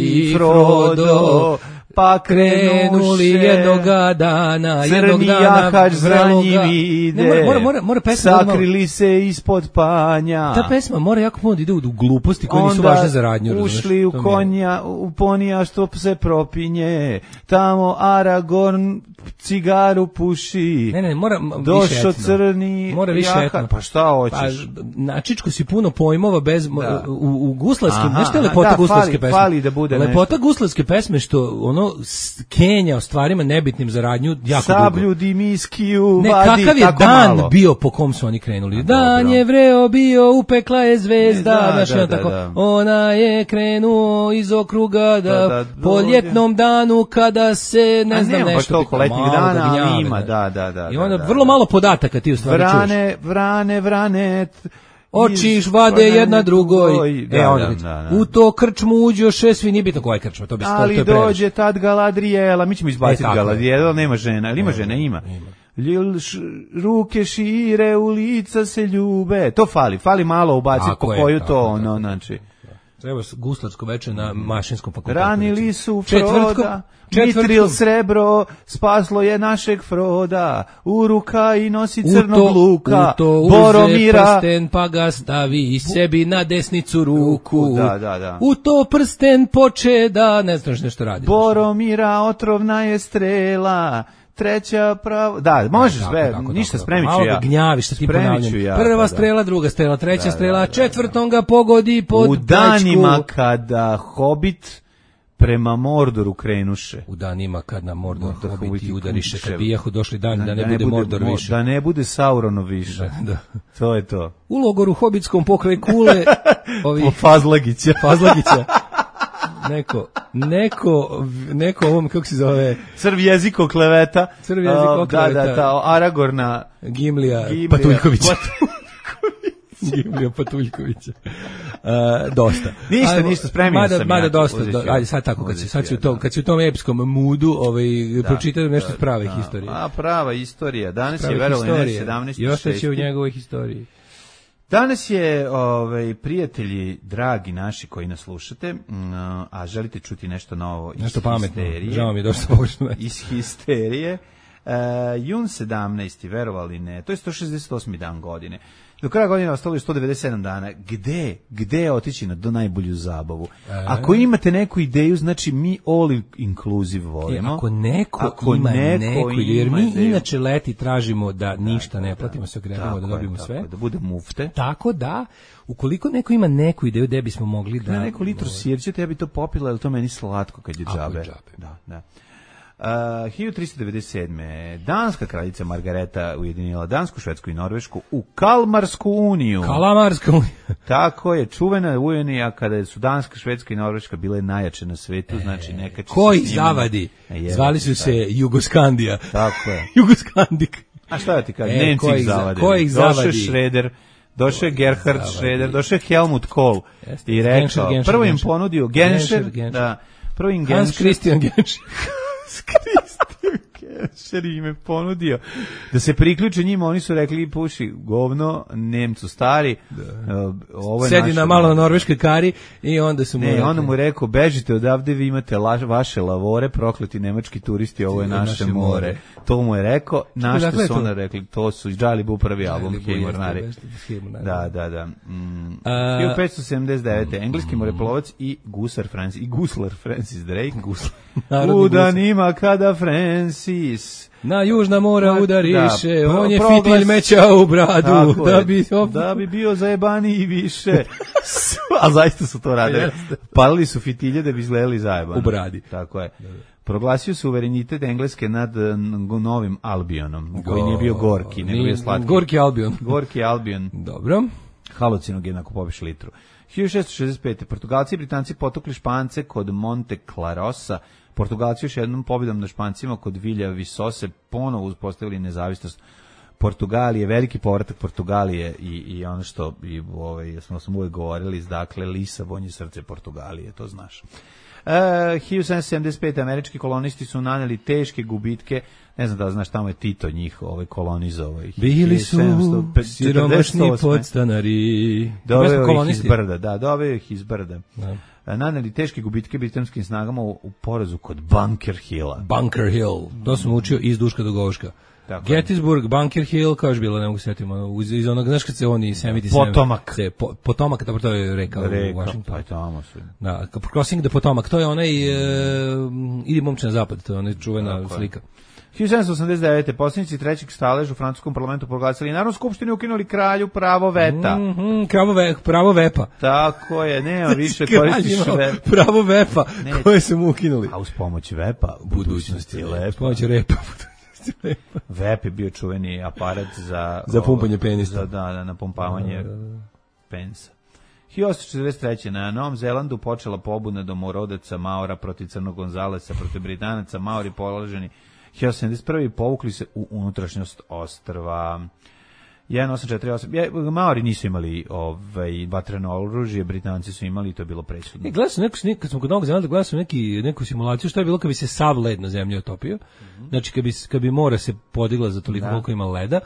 i Frodo, pa krenuli jednoga dana, crni jahač za njim ide, mora pesma sakrili se ispod panja. Ta pesma mora jako puno da ide u gluposti koje nisu važne za radnju. Onda ušli u konja, u ponija što se propinje, tamo Aragorn cigaru puši. Ne, mora došao crni jahač. Pa šta hoćeš? Na Čičku si puno pojmova bez u guslarskim, nešto je lepota guslarske pesme. Fali da bude lepota guslarske pesme što ono kenja o stvarima nebitnim za radnju jako dugo. Sablju dimiskiju vadi tako malo. Kakav je dan malo bio po kom su oni krenuli? Dan je vreo bio, upekla je zvezda, ona je krenuo iz okruga po ljetnom danu kada se ne znam nešto. Pa toliko letnjih dana, ali ima, da. I onda vrlo malo podataka ti u stvari čuješ. Vrane, očiš vade jedna drugoj. U to krčmu uđoše svi, nije bitno koja je krčma. Ali dođe tad Galadrijela, mi ćemo izbaciti Galadrijela, nema žena, ili ima žena, ima. Ruke šire, u lica se ljube. To fali malo ubaciti po koju to, znači. Treba guslarsko veče na mašinskom fakultetu. Ranili su Froda, Mitril srebro, spaslo je našeg Froda, Uruka i nosi crnog luka, Boromira. U to prsten pa ga stavi sebi na desnicu ruku. Da. U to prsten poče da, ne znaš nešto radi. Boromira otrovna je strela, treća pravo. Da, možeš sve, ništa spremit ću ja. Malo gnjaviš, šta ti ponavljam. Prva strela, druga strela, treća strela, četvrtom ga pogodi pod u danima kada Hobbit prema Mordoru krenuše. U danima kad na Mordor Hobbiti udariše, kad bijahu došli dani da ne bude Mordor više. Da ne bude Sauronov više. Da. To je to. U logoru hobitskom pokraj Kule Fazlagića. Neko ovom, kako se zove? Crv jeziko kleveta. Da, Aragorna. Gimlija Patuljkovića. Gimlija Patuljkovića. Dosta. Ništa, spremio sam. Mada dosta. Ajde, sad tako, kad si u tom epskom moodu, pročitaj nešto iz prave historije. Prava istorija. Danas je verovali 17.6. Još će u njegovoj historiji. Danas je, prijatelji, dragi naši koji nas slušate, a želite čuti nešto novo iz histerije. Žao mi je došlo površno. Iz histerije. Jun 17. verovali ne, to je 168. dan godine. Do kraja godine ostalo je 197 dana. Gde otići do najbolju zabavu? Ako imate neku ideju, znači mi all inclusive volimo. Ako neko ima jer mi inače leti tražimo da ništa ne platimo, se ogrebamo da dobijemo sve. Da bude mufte. Tako da, ukoliko neko ima neku ideju gde bismo mogli da... Neko litru sirćete, ja bi to popila, ali to meni slatko kad je džabe. Da. 1397. Danska kraljica Margareta ujedinila Dansku, Švedsku i Norvešku u Kalmarsku uniju. Tako je, čuvena unija kada su Danska, Švedska i Norveška bile najjače na svetu, znači neka će... Koji zavadi? Zvali su se Jugoskandija. Tako je. Jugoskandik. A šta da ti kažem? Nemci ih zavadili. Ko ih zavadi? Došao Schroeder, došao je Gerhard Schroeder, došao je Helmut Kohl i rekao, prvo im ponudio Genscher, Hans Christian Genscher. Genscher im je ponudio da se priključe njima, oni su rekli puši govno, Nemcu stari, ovo je sedi na malo na norveškoj kari i onda su mu onda mu rekao, bežite odavde, vi imate vaše lavore, prokleti nemački turisti, ovo je naše more. To mu je rekao, na što su onda rekli, to su Džalibu prvi album Hejmornari. Da. 1579. Engleski moreplovac i guslar Francis Drake. U danima kada Francis na južna mora udariše, on je fitilj meća u bradu, da bi bio zajebaniji više. A zaista su to radili. Palili su fitilje da bi izgledali zajebano. U bradi. Tako je. Proglasio suverenitet Engleske nad Novim Albionom, koji nije bio gorki, nego je slatki. Gorki Albion. Dobro. Halucinogen ako popiš litru. 1665. Portugalci i Britanci potukli Špance kod Monte Clarosa. Portugalci još jednom pobjedom na Špancima kod Vilja Visose ponovo uspostavili nezavisnost Portugalije, veliki povratak Portugalije i ono što smo uvijek govorili, dakle Lisabon je srce Portugalije, to znaš. 1775 američki kolonisti su naneli teške gubitke. Ne znam da znaš, tamo je Tito njih kolonizovao. Bili su siromašni podstanari. Doveo ih iz brda, doveo ih iz brda. Naneli teške gubitke britanskim snagama u porazu kod Bunker Hilla. Bunker Hill, to sam učio iz Duška do Goška. Gettysburg, Bunker Hill, kao je bilo, ne mogu setiti, iz onog, znaš kad se oni 77... Potomak. Potomak, dobro, to je reka u Washingtonu. Pa je tamo su. Da, Crossing the Potomac, to je onaj, idi momče na zapad, to je onaj čuvena slika. 1789. Poslanici trećeg staleža u francuskom parlamentu proglasili Narodnu skupštinu i ukinuli kralju pravo veta. Pravo vepa. Tako je, nema više koristiš vepa. Pravo vepa, koje su mu ukinuli. A uz pomoć vepa, budućnost je lepa. Uz pomoć repa, Vep je bio čuveni aparat za pumpanje penisa. Da, napumpavanje penisa. 1843. na Novom Zelandu počela pobuna domorodaca Maora protiv Crnog Gonzalesa, protiv Britanaca. Maori položeni 1871. povukli se u unutrašnjost ostrva. 1848. Maori nisu imali vatreno oružje, Britanci su imali i to je bilo presudno. Gledao sam kad smo kod Novog Zelanda, gledao sam neku simulaciju što je bilo kad bi se sav led na zemlji otopio. Znači kad bi mora se podigla za toliko koliko ima leda.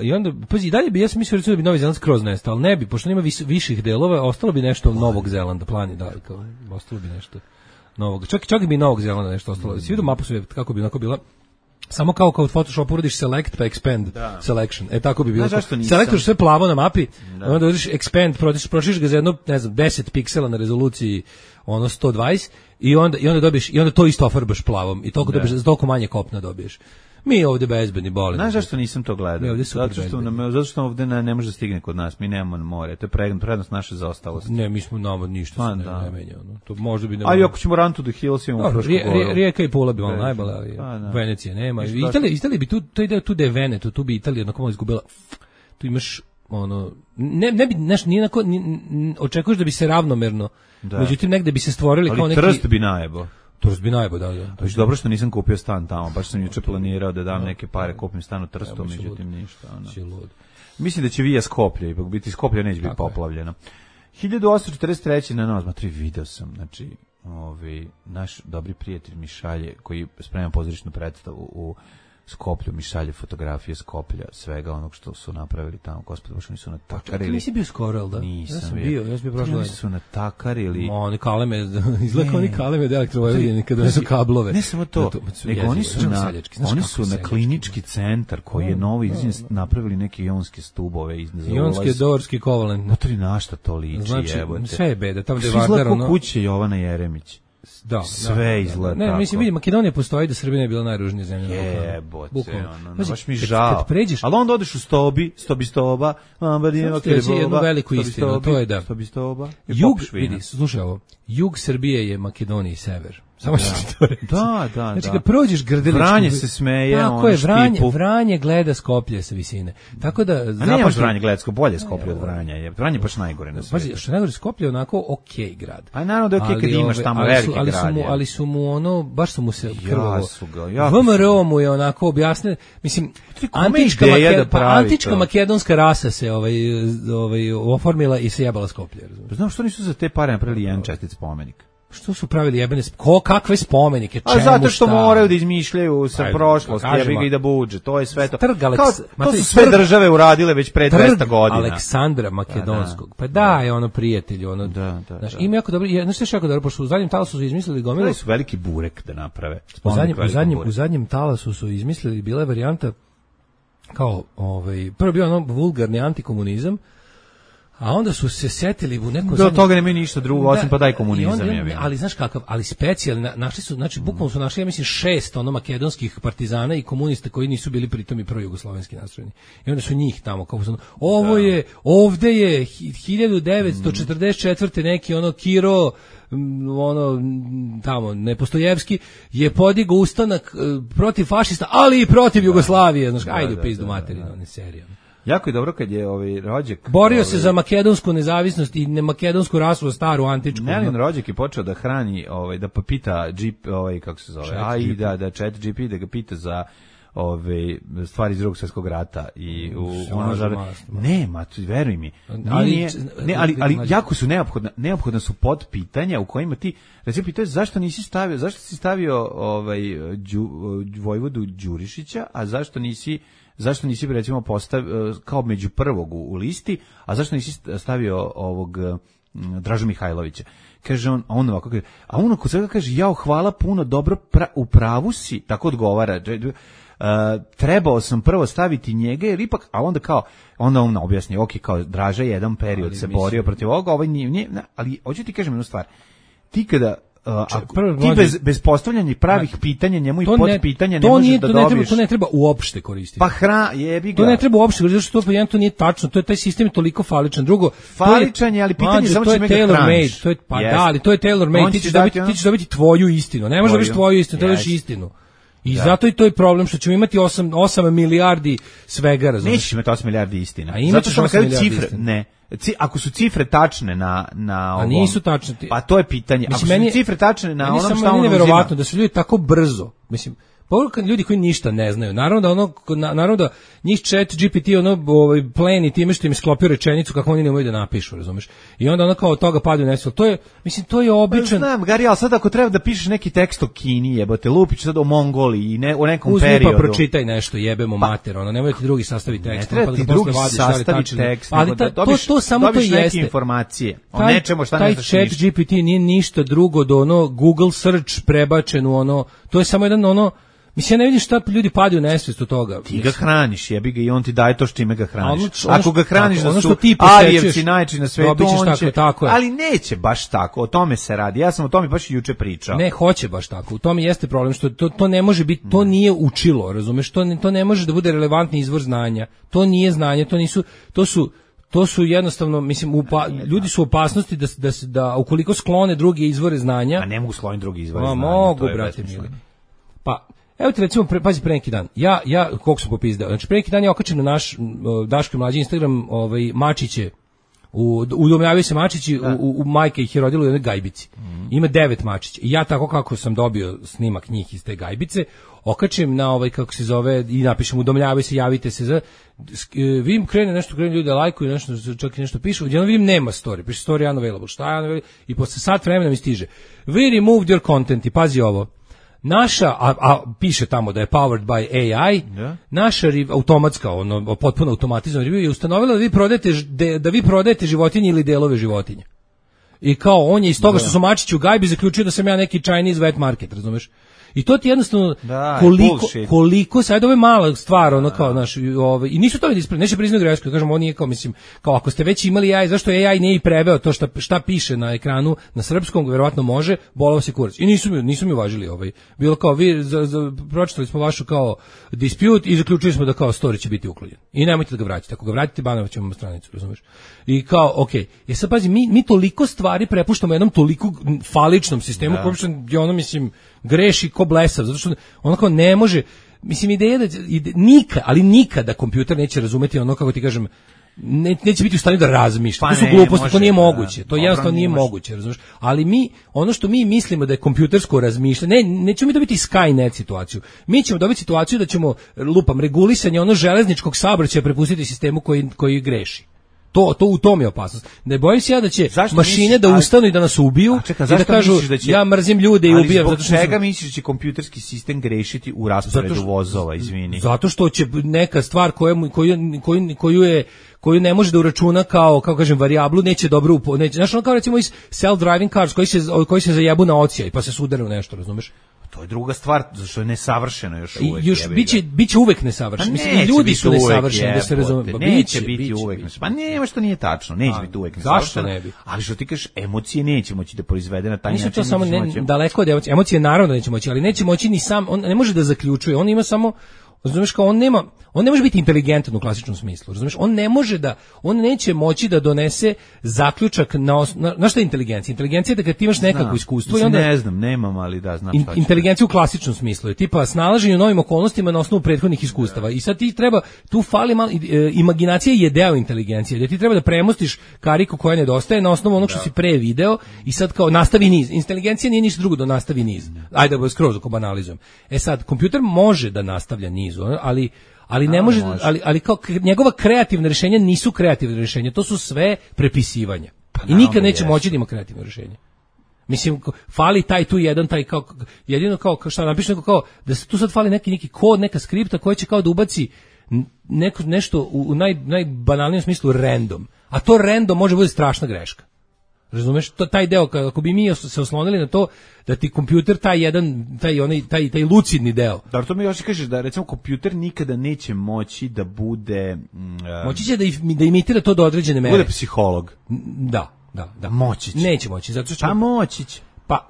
I onda, pazi, dalje bi, ja sam mislio da bi Novi Zeland skroz nestao, ali ne bi, pošto nema viših delova, ostalo bi nešto Novog Zelanda, plani, da, ostalo bi nešto novog. Čak bi Novog Zelanda nešto ostalo. Si vidio mapu sve, kako bi onako bila, samo kao u Photoshopu uradiš select pa expand selection. Tako bi bilo. Selektoš sve plavo na mapi, onda uradiš expand, prošiš ga za jedno, ne znam, 10 piksela na rezoluciji 120 i onda dobiješ, i onda to isto ofarbaš plavom i toliko dobiješ, toliko manje kopna dobiješ. Mi ovde bezbedni boli. Znaš zašto nisam to gledao? Zato što ovde ne može da stigne kod nas. Mi nemamo more. To je prednost naše zaostalosti. Ne, mi smo nama ništa se ne menja. To možda bi... Ali ako ćemo Run to the Hills imamo Frušku goru. Rijeka i Pula bi vam najbolja, ali Venecija nema. Italija bi tu ide tu da je Veneto, tu bi Italija onako malo izgubila. Tu imaš ne bi nije onako, očekuješ da bi se ravnomerno, međutim negde bi se stvorili kao neki... Ali Trst bi najebo. Trst bi najbo, da. Znači dobro što nisam kupio stan tamo, baš sam juče planirao da dam neke pare, kupim stan u Trstu, međutim ništa. Mislim da će Vija Skoplje, ipak biti Skoplje neće biti poplavljeno. 1843. na Nozmatri video sam, znači, naš dobri prijatelj mi šalje, koji sprema pozorišnu predstavu u Skoplju, mi šalje fotografije Skoplja, svega onog što su napravili tamo, gospod, baš oni su natakarili. Ti nisi bio skoro, ali da? Nisam bio. Ja sam bio prošlo. Oni su natakarili. Oni kaleme, izgleda oni kaleme od Elektrovojvodine kada su kablove. Ne samo to, nego oni su na klinički centar koji je novi napravili neke ionske stubove. Ionske, dorski, kovalent. Notri našta to liči, jebote. Sve je beda, tamo gde je Vardar. Izgleda kuće Jovana Jeremić. Sve izgleda tako. Ne, mislim, vidi, Makedonija postoji da Srbija ne bila najružnija zemlja. Jebote, baš mi žao. Ali onda odeš u Stoba, jednu veliku istinu, to je da. Jug, vidi, slušaj ovo, jug Srbije je Makedonija i sever. Samo što ti to reći. Da. Znači, kad prođeš Grdeličku... Vranje se smeje, tako je, Vranje gleda Skoplje sa visine. Tako da... A nemaš Vranje gleda Skoplje, bolje Skoplje od Vranja. Vranje baš najgore na svijetu. Pazi, što najgore, Skoplje je onako okej grad. A naravno da je okej kad imaš tamo veliki grad. Ali su mu baš su mu se krvavo... VMRO mu je onako objasne... Mislim, antička makedonska rasa se oformila i se jebala Skoplje. Znam što nisu za te pare napravili jedan čestit spomenik. Što su pravili jebene kakve spomenike, čemu, zato što moraju da izmišljaju sa prošlosti, jebi ga i da budže, to je sve to. To su sve države uradile već pre 200 godina. Aleksandra Makedonskog, pa da je ono prijatelj, ono, znaš, ima jako dobro, znaš što je jako dobro, pošto u zadnjem talasu su izmislili gomilu. Su veliki burek da naprave. U zadnjem talasu su izmislili, bila je varijanta, kao, prvo bio ono vulgarni antikomunizam, a onda su se setili u neko... Do toga nemaju ništa drugo, osim pa daj komunizam. Ali znaš kakav, ali specijalni, našli su, znači bukvalno su našli, ja mislim, 6 makedonskih partizana i komunista koji nisu bili pritom i projugoslovenski nastrojeni. I onda su njih tamo, kao su, ovde je 1944. neki Kiro, tamo, Nepostojevski, je podigao ustanak protiv fašista, ali i protiv Jugoslavije. Znaš, ajde u pizdu materinu, one serije. Jako je dobro kad je rođak... Borio se za makedonsku nezavisnost i makedonsku rasu, staru, antičku. Nelin rođak je počeo da hrani, da pita kako se zove, chat GP, da ga pita za stvari iz Drugog svjetskog rata i nema, veruj mi. Ali jako su neophodna su podpitanja u kojima ti recimo pitaju zašto si stavio Vojvodu Đurišića, a zašto nisi recimo postavio kao među prvog u listi, a zašto nisi stavio ovog Dražu Mihajlovića. Kaže on ovako kaže, a on kod svega kaže, jao, hvala puno, dobro, u pravu si, tako odgovara. Trebao sam prvo staviti njega, jer ipak, a onda on objasni, ok, kao Draža jedan period se borio protiv ovoga, ovaj nije, ali hoću ti kažem jednu stvar, ti kada ti bez postavljanja pravih pitanja njemu i podpitanja ne možeš da dobiješ. To ne treba uopšte koristiti. Pa jebi ga. To ne treba uopšte koristiti, zato što to nije tačno, to je taj sistem je toliko faličan. Drugo, faličan je, ali pitanje samo će me ga hraniš. Ali to je tailor made, ti ćeš dobiti tvoju istinu, ne možeš dobiti tvoju istinu, trebaš istinu. I zato i to je problem što ćemo imati 8 milijardi svega, razumiješ? Nećeš imati 8 milijardi istina. Zato što kada cifre, ne. Ako su cifre tačne na ovom... A nisu tačne. Pa to je pitanje. Ako su cifre tačne na onom šta on uzima... Meni je neverovatno da su ljudi tako brzo, mislim, poruka ljudi koji ništa ne znaju. Naravno da njih ChatGPT pleni time što im sklopio rečenicu kako oni ne mogu da napišu, razumeš? I onda kao od toga padaju nesvijel. To je običan... Znam, Gari, ali sad ako treba da pišeš neki tekst o Kini, jebote, lupić sad o Mongoliji i o nekom periodu. Uzmi pa pročitaj nešto, jebemo mater, nemoj ti drugi sastavi tekst. Ne treba ti drugi sastavi tekst, to samo to jeste. Neke informacije o nečemu šta ne znaš ništa. Taj ChatGPT nije ništa drugo do Google search prebačen u to je samo jedan mislim, ja ne vidim šta ljudi padaju nesvijest od toga. Ti ga hraniš, jebi ga, i on ti daje to što čime ga hraniš. Ako ga hraniš da su Arijevci najjači na svetu, on će... Ali neće baš tako, o tome se radi. Ja sam o tome baš i juče pričao. Ne, hoće baš tako. U tome jeste problem, što to ne može biti, to nije učilo, razumeš? To ne može da bude relevantni izvor znanja. To nije znanje, to su jednostavno, mislim, ljudi su u opasnosti da ukoliko sklone druge izvore znanja... A ne mogu skloniti druge izvore znanja. Mogu, brate mili. Pa... Evo ti recimo, pazi, pre neki dan, ja koliko sam popizdeo, znači pre neki dan je okačen na naš Daško i Mlađi Instagram mačiće, udomljavaju se mačići, u majke ih je rodilo u jednoj gajbici. Ima 9 mačića. I ja tako kako sam dobio snimak njih iz te gajbice, okačem na kako se zove i napišem udomljavaju se, javite se vidim krene ljudi lajkuju nešto, čak i nešto pišu, odjednom vidim nema story, piše story unavailable, šta je unavailable, i posle sat vremena mi stiže we removed your content, i pazi ovo, naša, a piše tamo da je powered by AI, naša automatska, potpuno automatizovana review je ustanovila da vi prodajete životinje ili delove životinja. I kao on je iz toga što su mačići u gajbi zaključio da sam ja neki Chinese wet market, razumeš? I to ti jednostavno koliko sad ovo je mala stvar, kao naš, i nisu to neće priznati grešku, kažem, on nije kao, mislim, kao ako ste već imali AI, zašto AI nije i preveo to šta piše na ekranu na srpskom, verovatno može, bolao se kurac. I nisu mi uvažili bilo kao vi pročitali smo vašu kao dispute i zaključili smo da kao story će biti uklonjen. I nemojte da ga vratite, ako ga vratite banovat ćemo stranicu, razumeš? I kao, okej, sad pazi, mi toliko stvari prepuštamo jednom toliko faličnom sistemu, koji mislim, greši ko blesav, zato što kao ne može, mislim, ideja da nikada kompjuter neće razumeti kako ti kažem, neće biti u stanju da razmišlja. To su gluposti, to nije moguće. To jednostavno nije moguće, razumiješ? Ali ono što mi mislimo da je kompjutersko razmišljanje, nećemo mi dobiti Skynet situaciju. Mi ćemo dobiti situaciju da ćemo regulisanje železničkog saobraćaja prepustiti sistemu koji greši. To u tom je opasnost. Ne bojim se ja da će mašine da ustanu i da nas ubiju i da kažu ja mrzim ljude i ubijam. Ali zbog čega misliš da će kompjuterski sistem grešiti u rasporedu vozova, izvini? Zato što će neka stvar koju ne može da uračuna kao kažem varijablu, neće dobro znaš, kao recimo iz self-driving cars koji se zajebu na ocija i pa se sudare u nešto, razumeš? To je druga stvar, zašto je nesavršeno još uvek. Biće uvek nesavršeno. Mislim, ljudi su nesavršeni, da se razume. Neće biti uvek nesavršeno. Pa nema što nije tačno, neće biti uvek nesavršeno. Zašto ne bi? Ali što ti kažeš, emocije neće moći da proizvede na taj način. Nisu to samo daleko od emocije. Emocije naravno neće moći, ali neće moći ni sam, on ne može da zaključuje, on ima samo, razumeš, kao on ne može biti inteligentan u klasičnom smislu, razumeš? On neće moći da donese zaključak na šta je inteligencija? Inteligencija je da kad ti imaš nekakvo iskustvo i onda... Ne znam, nemam, ali da, znam šta. Inteligencija u klasičnom smislu je tipa snalaženje u novim okolnostima na osnovu prethodnih iskustava. I sad ti treba, tu fali malo, imaginacija je deo inteligencije, da ti treba da premostiš kariku koja nedostaje na osnovu onog što si pre video i sad kao nastavi niz. Inteligencija nije ništa drugo da nastavi niz. Ajde da skroz ako banalizujem. Sad, kompjuter može da nastavlja niz nizu, ali ne može, ali kao njegova kreativna rješenja nisu kreativna rješenja, to su sve prepisivanja. I nikad neće moći da ima kreativno rješenje. Mislim, fali taj tu jedan, taj kao, jedino kao šta napiše neko kao, da se tu sad fali neki kod, neka skripta koja će kao da ubaci nešto u najbanalnijem smislu random. A to random može biti strašna greška. Razumeš, taj deo, ako bi mi se oslonili na to da ti kompjuter taj lucidni deo. Da, to mi još kažeš da recimo kompjuter nikada neće moći da bude moći će da imitira to do određene mere. Bude psiholog. Da. Moći će. Neće moći, zato što moći će. Pa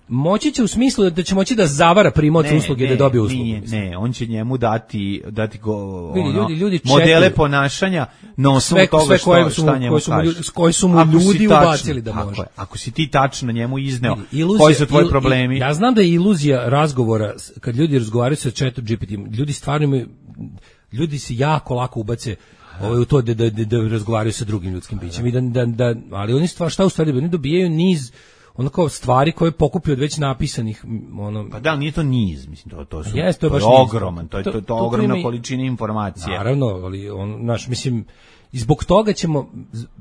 moći će u smislu da će moći da zavara primaoca usluge da dobije uslugu. Ne, on će njemu dati ljudi modele ponašanja na osnovu toga šta njemu kaže. Koji su mu ljudi ubacili da može. Ako si ti tačno njemu izneo koji su tvoji problemi. Ja znam da je iluzija razgovora, kad ljudi razgovaraju sa ChatGPT-om, ljudi stvarno imaju, ljudi se jako lako ubace u to da razgovaraju sa drugim ljudskim bićem. Ali oni šta u stvari, oni dobijaju niz kao stvari koje pokupio od već napisanih Pa da, nije to niz, mislim, to su to je ogroman, to je ogromna količina informacije. Naravno, ali mislim, i zbog toga ćemo,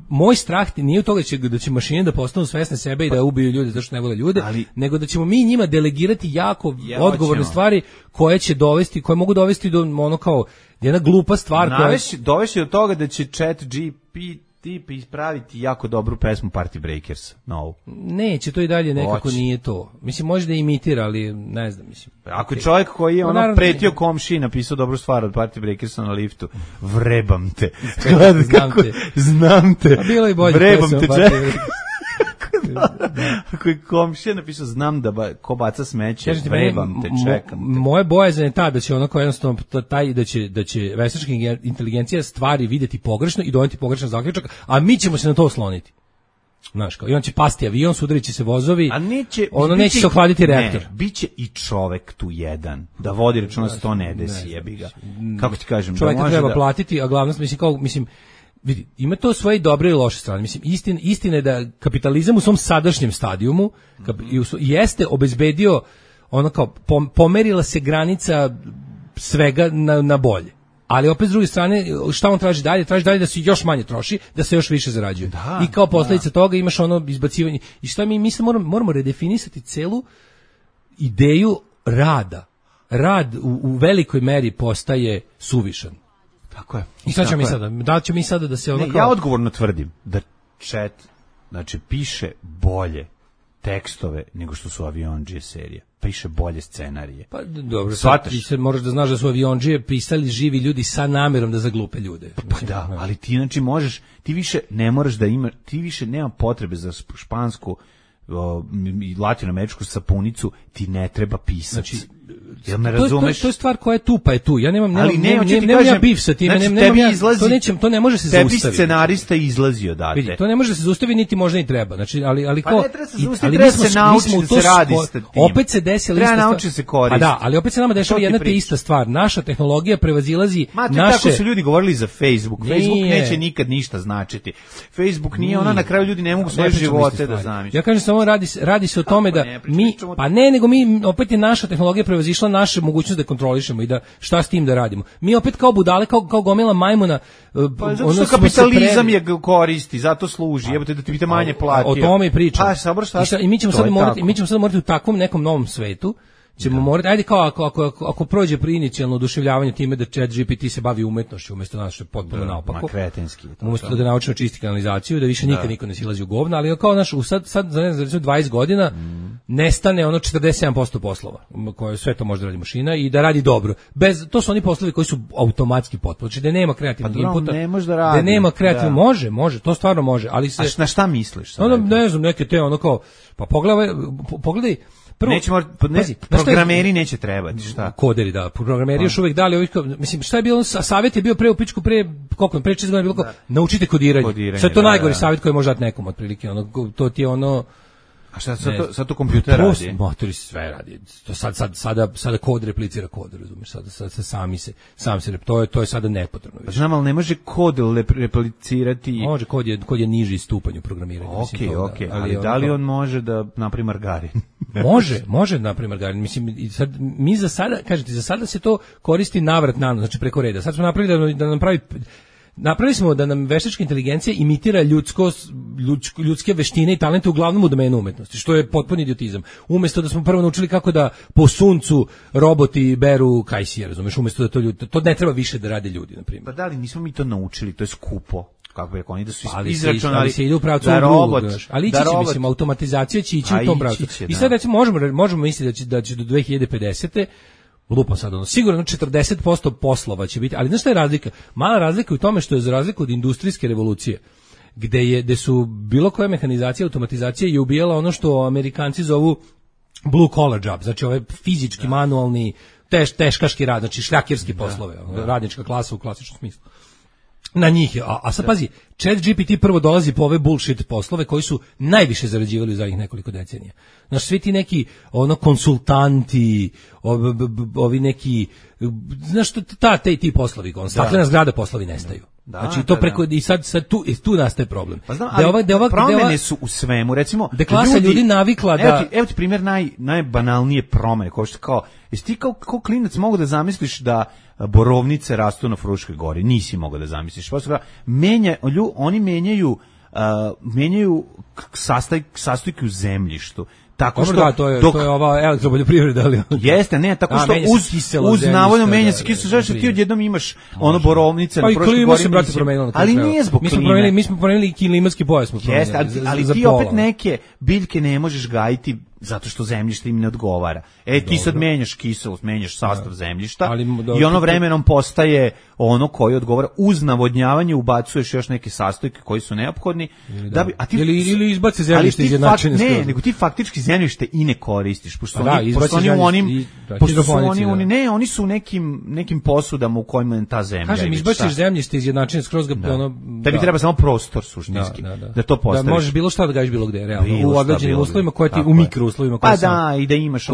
moj strah nije u toga da će mašine da postanu svesne sebe i da ubiju ljude zato što ne vole ljude, nego da ćemo mi njima delegirati jako odgovorne stvari koje će dovesti, koje mogu dovesti do kao jedna glupa stvar dovesti do toga da će ChatGPT ispraviti jako dobru pesmu Party Breakers novu. Neće, to i dalje nekako nije to. Mislim, može da imitira, ali ne znam, mislim. Ako je čovjek koji je pretio komšiji napisao dobru stvar od Party Breakersa na liftu, vrebam te. Znam te. A bilo i bolje. Vrebam te, Ako je komšija napisao znam da ko baca smeće, vrebam te, čekam te. Moje bojazan je ta da će onako jednostavno da će veštačka inteligencija stvari vidjeti pogrešno i doneti pogrešan zaključak, a mi ćemo se na to osloniti. Znaš, kao, i on će pasti avion, sudarit će se vozovi, neće se ohladiti reaktor. Ne, biće i čovek tu jedan, da vodi računa da se to ne desi, jebi ga. Kako ti kažem? Čoveka treba platiti, a glavnost, mislim, vidi, ima to svoje dobre i loše strane. Mislim, istina je da kapitalizam u svom sadašnjem stadijumu jeste obezbedio pomerila se granica svega na bolje. Ali opet s druge strane, šta on traži dalje? Traži dalje da se još manje troši, da se još više zarađuje. I kao posljedica toga imaš izbacivanje. I šta mi se moramo redefinisati celu ideju rada. Rad u velikoj meri postaje suvišan. Tako je. I šta ćemo mi sada? Da ćemo mi sada da se ja odgovorno tvrdim da chat piše bolje tekstove nego što su Aviondžije serije. Piše bolje scenarije. Pa dobro, ti se moraš da znaš da su Aviondžije pisali živi ljudi sa namjerom da zaglupe ljude. Pa da, ali ti možeš, ti više ne moraš da imaš, ti više nema potrebe za špansku i latinoameričku sapunicu, ti ne treba pisac. Jel me razumeš? To je stvar koja je tu, pa je tu. Ja nemam ja bif sa tim, to ne može se zaustaviti. Tebi scenarista izlazi odate. Vidi, to ne može se zaustaviti, niti možda i treba. Znači, ali pa ne treba se zaustaviti, treba se naučiti da se radi s tim. Opet se desila ista stvar. Treba naučiti se koristiti. Da, ali opet se nama dešava jedna te ista stvar. Naša tehnologija prevazilazi naše... Tako su ljudi govorili za Facebook. Facebook neće nikad ništa značiti. Facebook nije na kraju ljudi ne mogu svoje živote da zamisle. Ja kažem samo radi se o tome da mi, pa ne, nego mi, opet je naša tehnologija prevazišla naše mogućnost da kontrolišemo i da šta s tim da radimo. Mi opet kao budale, kao gomila majmuna, pa zato što kapitalizam je koristi, zato služi, jebote da ti bite manje platio. O tome i pričam. I mi ćemo sad morati u takvom nekom novom svetu, ćemo morati, ajde kao ako prođe pri inicijalno oduševljavanje time da ChatGPT se bavi umetnošću umjesto nas što je potpuno naopako. Kretenski. Umjesto da naučno čisti kanalizaciju, da više nikad niko ne silazi u govna, ali kao sad za 20 godina nestane 47% poslova koje sve to može da radi mašina i da radi dobro. To su oni poslovi koji su automatski potpuno, znači da nema kreativnog inputa. Ne može da radi. Da nema kreativnog, može, to stvarno može, ali se... A na šta misliš? Ne znam, neke te kao, pa pogledaj, programeri neće trebati, šta? Koderi, da, programeri još uvijek dali, mislim, šta je bilo, savjet je bio pre 6 godina bilo kao, naučite kodiranje. Sve to najgori savjet koji može dati nekom, otprilike, to ti je A šta sad to kompjuter radi? Motori sve radi. To sada kod replicira kod, razumiješ? Sada sam se to je sada nepotrebno. Znam, ali ne može kod replicirati. Može, kod je niži stupanj u programiranju. Okej, ali da li on može da napravi margarin? Može da napravi margarin. Mislim, sad, mi za sada se to koristi navrat na, znači preko reda. Sad smo napravili da nam napravili smo da nam veštačka inteligencija imitira ljudske veštine i talente uglavnom u domenu umetnosti, što je potpuni idiotizam. Umesto da smo prvo naučili kako da po suncu roboti beru kajsije, razumeš, umesto da to ne treba više da rade ljudi, na primjer. Pa da li nismo mi to naučili, to je skupo. Kako je rekao, oni da su izračunali, ali se ide u pravcu ali mislim, automatizacija će ići u tom pravcu. I sad recimo možemo misliti da će do 2050. Lupam sad, sigurno 40% poslova će biti, ali znaš šta je razlika? Mala razlika je u tome što je za razliku od industrijske revolucije, gde su bilo koja mehanizacija, automatizacija je ubijala ono što Amerikanci zovu blue collar job, znači ove fizički, manualni, teškaški rad, znači šljakirski poslove, radnička klasa u klasičnom smislu. Na njih je, a sad pazi, ChatGPT prvo dolazi po ove bullshit poslove koji su najviše zarađivali u zadnjih nekoliko decenija. Znaš, svi ti neki konsultanti, ovi neki, znaš, ti poslovi, staklena zgrada poslovi nestaju. Znači to preko i sad tu nastaje problem. Pa znam, ali promene su u svemu, recimo da klasa ljudi navikla da evo ti primjer najbanalnije promene, kao jesi ti kao klinac mogu da zamisliš da borovnice rastu na Fruškoj gori, nisi mogao da zamisliš. Oni menjaju sastojke u zemljištu. Tako što to je ova elektropoljoprivreda, ali jeste, ne, tako što uz navodno menja se kiselo, što ti odjednom imaš borovnice na Fruškoj gori. Ali nije zbog klime. Mi smo promenili klimatski pojas. Jeste, ali ti opet neke biljke ne možeš gajiti zato što zemljište im ne odgovara. Ti sad menjaš kiselost, menjaš sastav zemljišta i ono vremenom postaje ono koji odgovara. Uz navodnjavanje ubacuješ još neke sastojke koji su neophodni. Ili izbace zemljište izjednačene. Ne, nego ti faktički zemljište i ne koristiš. Oni su u nekim posudama u kojima je ta zemlja. Kažem, izbaciš zemljište izjednačene skroz ga tebi treba samo prostor suštinski. Da to postaviš. Da možeš bilo šta da gajiš bilo gde, realno. U određenim uslovima koje ti u mikro uslovima pa da, i da imaš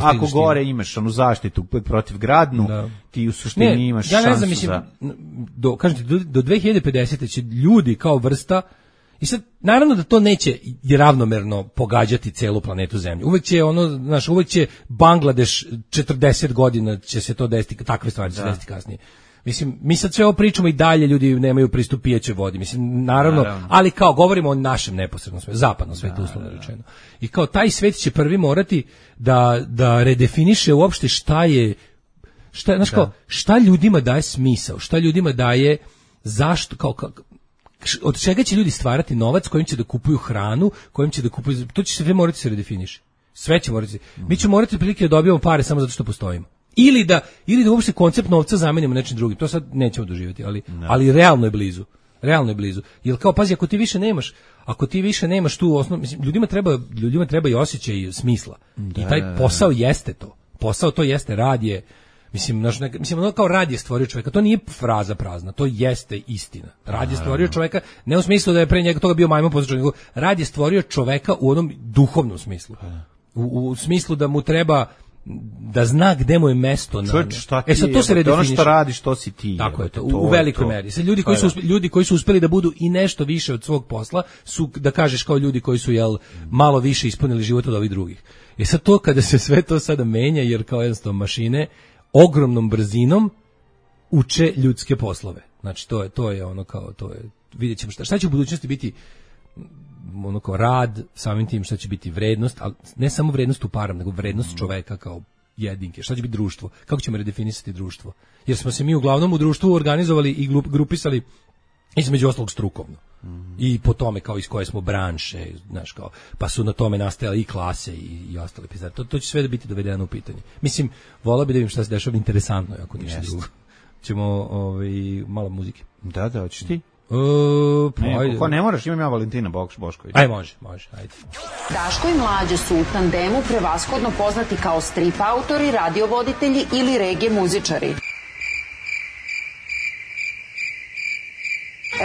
ako gore imaš onu zaštitu protiv gradnu, ti u suštini imaš šansu. Ja ne znam, mislim, do 2050. će ljudi kao vrsta, i sad, naravno da to neće ravnomerno pogađati celu planetu Zemlju. Uvek će Bangladeš 40 godina će se to desiti, takve stvari će se desiti kasnije. Mislim, mi sad sve ovo pričamo i dalje, ljudi nemaju pristup pijećoj vodi. Mislim, naravno, ali kao govorimo o našem neposrednom svetu, zapadnom svetu, uslovno rečeno. I kao taj svet će prvi morati da redefiniše uopšte šta ljudima daje smisao, šta ljudima daje zašto, od čega će ljudi stvarati novac, kojim će da kupuju hranu, kojim će da kupuju, to će sve morati se redefiniše. Sve će morati. Mi ćemo morati prilike da dobijemo pare samo zato što postojimo. Ili da uopšte koncept novca zamenimo nečim drugim. To sad nećemo doživjeti, ali realno je blizu. Realno je blizu. Jer kao, pazi, ako ti više nemaš tu osnovu, mislim, ljudima treba i osjećaj i smisla. I taj posao jeste to. Posao to jeste, rad je, mislim, ono kao rad je stvorio čovjeka, to nije fraza prazna, to jeste istina. Rad je stvorio čovjeka, ne u smislu da je pre njega toga bio majmun poslušan, nego rad je stvorio čovjeka u onom duhovnom smislu. U smislu da mu treba da zna gde mu je mesto. Sad to se redefiniše. Ono što radiš, to si ti. Tako je to, u velikoj meri. Sad ljudi koji su uspeli da budu i nešto više od svog posla su, da kažeš, kao ljudi koji su malo više ispunili život od ovih drugih. Sad to kada se sve to sada menja, jer kao jednostavno mašine ogromnom brzinom uče ljudske poslove. Znači to je ono kao, vidjet ćemo šta će u budućnosti biti, ono kao rad, samim tim šta će biti vrednost, ali ne samo vrednost u parama, nego vrednost čoveka kao jedinke. Šta će biti društvo? Kako ćemo redefinisati društvo? Jer smo se mi uglavnom u društvu organizovali i grupisali između ostalog strukovno. I po tome kao iz koje smo branše, znaš, kao, pa su na tome nastajale i klase i ostale pizare. To će sve da biti dovedeno u pitanje. Mislim, volao bi da vidim šta se dešava, interesantno, ako ništa drugo. Ćemo malo muzike. Da, hoćeš ti? Ne moraš, imam ja Valentina Bošković. Aj, može, ajde. Daško i Mlađa su u tandemu prevashodno poznati kao strip autori, radiovoditelji ili regije muzičari.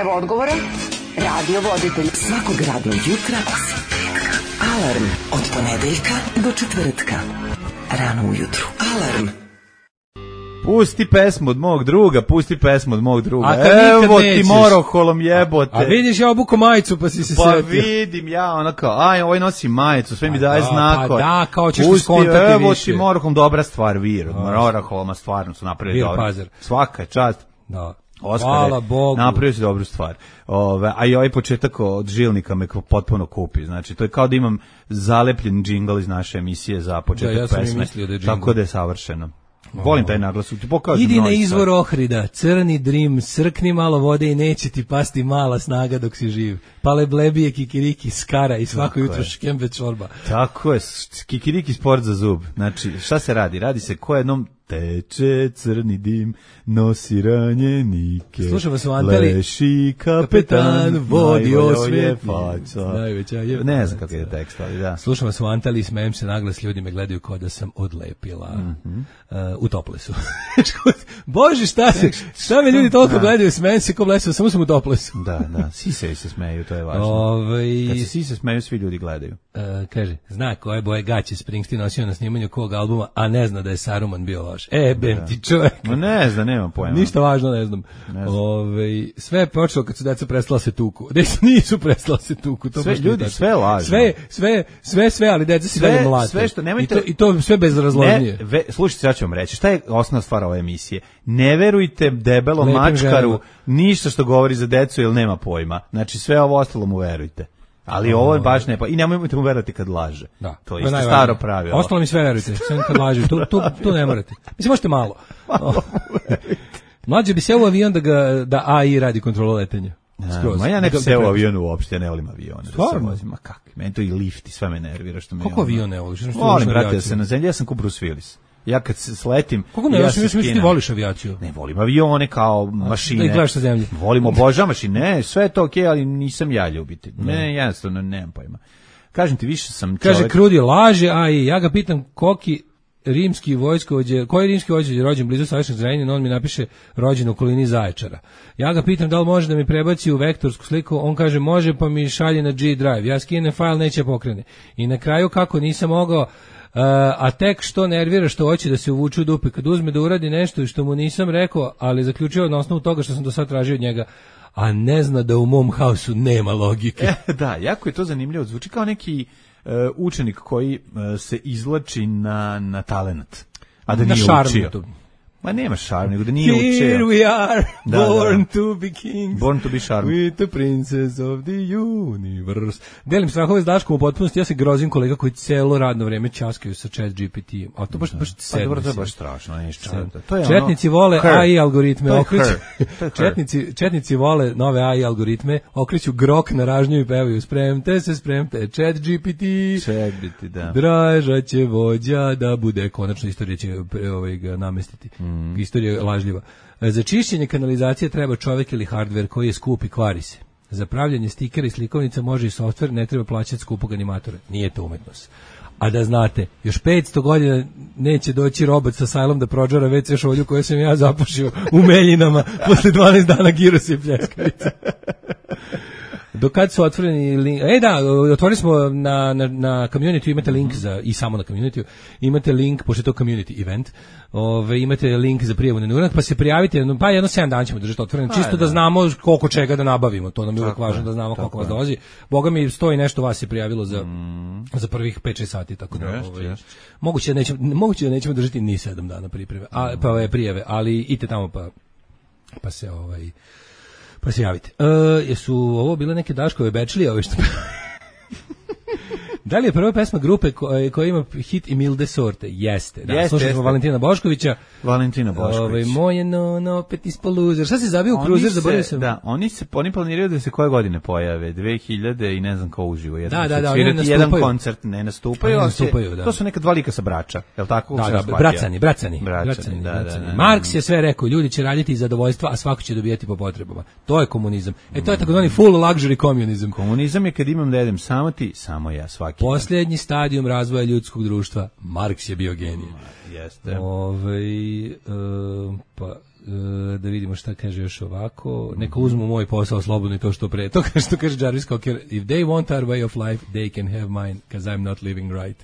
Evo odgovora. Radiovoditelj. Svakog radnog jutra Alarm od ponedeljka do četvrtka. Rano ujutru. Alarm. Pusti pesmu od mog druga, Evo ti moroholom jebote. A vidiš ja obuko majicu pa si se setio. Pa vidim ja, ono kao, ovaj nosi majicu, sve mi daje znakove. Pa da, kao ćeš skontati više. Evo ti moroholom, dobra stvar, moroholoma stvarno su napravili dobro. Svaka čast. Da. Hvala Bogu. Napravio si dobru stvar. A i ovaj početak od žilnika me potpuno kupi. Znači, to je kao da imam zalepljen džingl iz naše emisije za početak pesme. Tako da je savršeno. Volim taj naglas. Idi na izvor Ohrida, crni drim, srkni malo vode i neće ti pasti mala snaga dok si živ. Pale blebije, kikiriki, skara i svako jutro škembe čorba. Tako je, kikiriki sport za zub. Znači, šta se radi? Radi se ko jednom teče crni dim, nosi ranjenike. Slušamo se u Antali. Leši kapetan, vodi osvijet. Ne znam kako je tekst, ali da. Slušamo se u Antali i smejem se naglas, ljudi me gledaju kao da sam odlepila. U toplesu. Bože, šta me ljudi toliko gledaju, smejem se ko blesu, samo sam u toplesu. Da, sise se smeju, to je važno. Kad se sise smeju, svi ljudi gledaju. Kaže, zna koje boje gaće Springsteen nosio na snimanju kog albuma, a ne zna da je Saruman bio loš. Bem ti čovjek. No ne znam, nema pojma. Ništa važno, ne znam. Sve je počelo kad su deca prestala se tuku. Nisu prestala se tuku. To sve ljudi, sve lažno. Sve, ali deca si dalje mlate. Sve što nemojte... I to sve bezrazložnije. Slušajte, ja ću vam reći. Šta je osnovna stvar ove emisije? Ne verujte debelom mačkaru ništa što govori za decu jer nema pojma. Znači sve ovo ostalo mu verujte. Ali ovo je baš ne pa i nemojte mu verovati kad laže. Da, to je isto staro pravilo. Ostalo mi sve verujte, sve kad laže. Tu ne morate. Mislim možete malo. Mlađe bi se u avion da AI radi kontrolu letenja. Ma ja ne bi se u avionu uopšte, ne volim avione. Stvarno? Ma kakvi, meni to i lift i sve me nervira što me... Kako avion ne voliš? Volim, brate, da se na zemlji, ja sam ko Bruce Willis. Ja kad sletim... Kako ne, ja mislim ti voliš avijaciju. Ne, volim avione kao mašine. Da ih gledaš sa zemlje. Volim, obožavam mašine, ne, sve je to okej, ali nisam ja ljubitelj. Ne, jednostavno, nemam pojma. Kažem ti, više sam čovjek... Kaže, Krudi laže, a i ja ga pitam koji rimski vojskovođe rođen blizu Savišnog Zrenjanina, on mi napiše rođen u okolini Zaječara. Ja ga pitam da li može da mi prebaci u vektorsku sliku, on kaže može, pa mi šalje na G drive. Ja skinem fajl, neće pokrene. I na kraju kako nisam mogao, a tek što nervira što hoće da se uvuče u dupe, kad uzme da uradi nešto i što mu nisam rekao, ali zaključio na osnovu toga što sam do sad tražio od njega, a ne zna da u mom haosu nema logike. Da, jako je to zanimljivo, zvuči kao neki učenik koji se izvlači na talenat, a da nije učio. Ma nema šarm, nego da nije učio. Here we are, born to be kings. Born to be charm. With the princess of the universe. Delim strahove s Daškom u potpunosti, ja se grozim kolega koji celo radno vreme ćaskaju sa chat GPT-em. A to baš sedmi. Dobro, to je baš strašno. Četnici vole AI algoritme, Četnici vole nove AI algoritme, okreću grok na ražnju i pevaju spremte, chat GPT. Da. Draža će vođa da bude, konačno istorija će ga namestiti. Istorija je lažljiva. Za čišćenje kanalizacije treba čovjek ili hardver koji je skup i kvari se. Za pravljanje stikera i slikovnica može i softver, ne treba plaćati skupog animatora. Nije to umetnost. A da znate, još 500 godina neće doći robot sa sajlom da prođara WC šolju koju sam ja zapušio u Meljinama posle 12 dana girosa i pljeskavica. Do kad su otvoreni link? Otvorili smo na community, imate link i samo na community, imate link, pošto je to community event, imate link za prijavu na neurak, pa se prijavite, pa jedno 7 dana ćemo držati otvoreno, čisto da znamo koliko čega da nabavimo, to nam je uvijek važno da znamo koliko vas dolazi. Boga mi 100 i nešto vas je prijavilo za prvih 5-6 sati, tako da moguće da nećemo držati ni 7 dana prijave, ali idite tamo pa se javite. Jesu ovo bile neke Daškove bečlije, ove što... Da li je prva pesma grupe koja ima hit i milde sorte? Jeste. Da, slušali smo Valentina Boškovića. Moje no, opet ispod loser. Šta si zabio u kruzer, zaboravio sam? Da, oni planiraju da se koje godine pojave, 2000 i ne znam ko uživo. Da, oni ne nastupaju. Jedan koncert ne nastupaju. Da. To su neka dva lika sa Brača, je li tako? Da, bracani. Marks je sve rekao, ljudi će raditi iz zadovoljstva, a svako će dobijati po potrebama. To je komunizam. To je takozvani full luxury communism. Komunizam je kad imam da jedem samo ti, samo ja, svaki. Posljednji stadijum razvoja ljudskog društva. Marks je bio genij. Jeste. da vidimo šta kaže još ovako. Neka uzmu moj posao slobodno i to što pre. To što kaže Jarvis Cocker, if they want our way of life, they can have mine, because I'm not living right.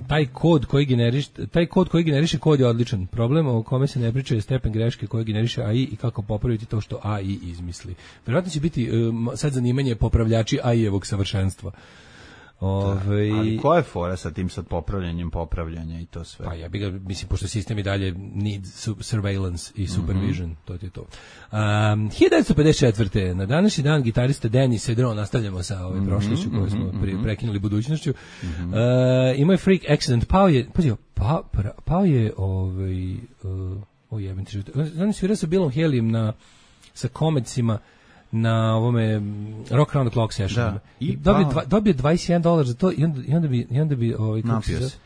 Taj kod koji generiše kod je odličan. Problem o kome se ne priča je stepen greške koji generiše AI i kako popraviti to što AI izmisli. Vjerojatno će biti sad zanimanje popravljači AI-evog savršenstva. Ali koja je fora sa tim sad popravljanja i to sve? Pa ja bih ga, mislim, pošto sistem i dalje need surveillance i supervision, to je to. 1954. Na današnji dan gitarista Denny Cedron, nastavljamo sa prošlošću koju smo prekinuli budućnošću, imao je freak accident, pao je jebem ti život. On je svirao sa Billom Haleyem sa Cometsima na ovome Rock Around the Clock sessionima. I dobio $21 za to i onda bi napio se.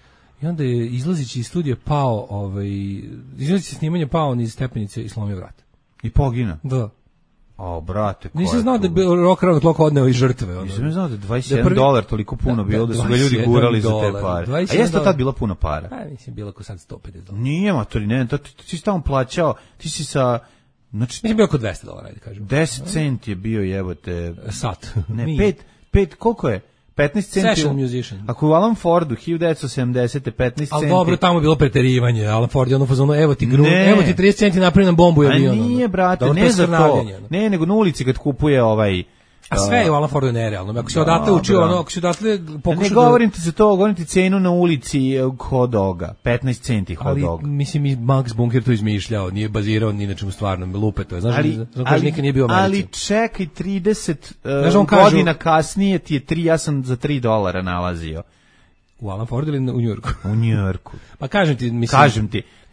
I onda je izlazići iz studija pao, izlazići snimanja pao niz stepenice i slomio vrat. I pogina? Da. O, brate, ko nisam znao da je Rock Around the Clock odneo i žrtve. Nisam znao da je $21 toliko puno bilo, da su ga ljudi gurali za te pare. A jeste tad bila puna para? Pa, mislim, bilo ko sad $150. Nije, matori, ne, ti si tamo plaćao, ti si sa... Znači, mislim, bio oko $200, ajde kažem. 10 centi je bio, jebote... Sat. Ne, 5, koliko je? 15 centi. Session musician. Ako u Alan Fordu 1970 15 centi. Ali dobro, tamo je bilo preterivanje. Alan Ford je ono fazonu, evo ti 30 centi napravi nam bombu i avion. A nije, brate, ne za to. Ne, nego na ulici kad kupuje A sve je u Alan Fordu nerealno. Ako si odatle učio, ako si odatle pokušao... Ne govorim ti za to, govorim ti cenu na ulici hot doga. 15 centi hot dog. Ali, mislim, i Max Bunker to izmišljao, nije bazirao ni na čemu stvarnom, lupe to je. Znaš, nikad nije bio u Americi. Ali čekaj, 30 godina kasnije ti je ja sam za $3 nalazio. U Alan Fordu ili u Njujorku? U Njujorku. Pa kažem ti,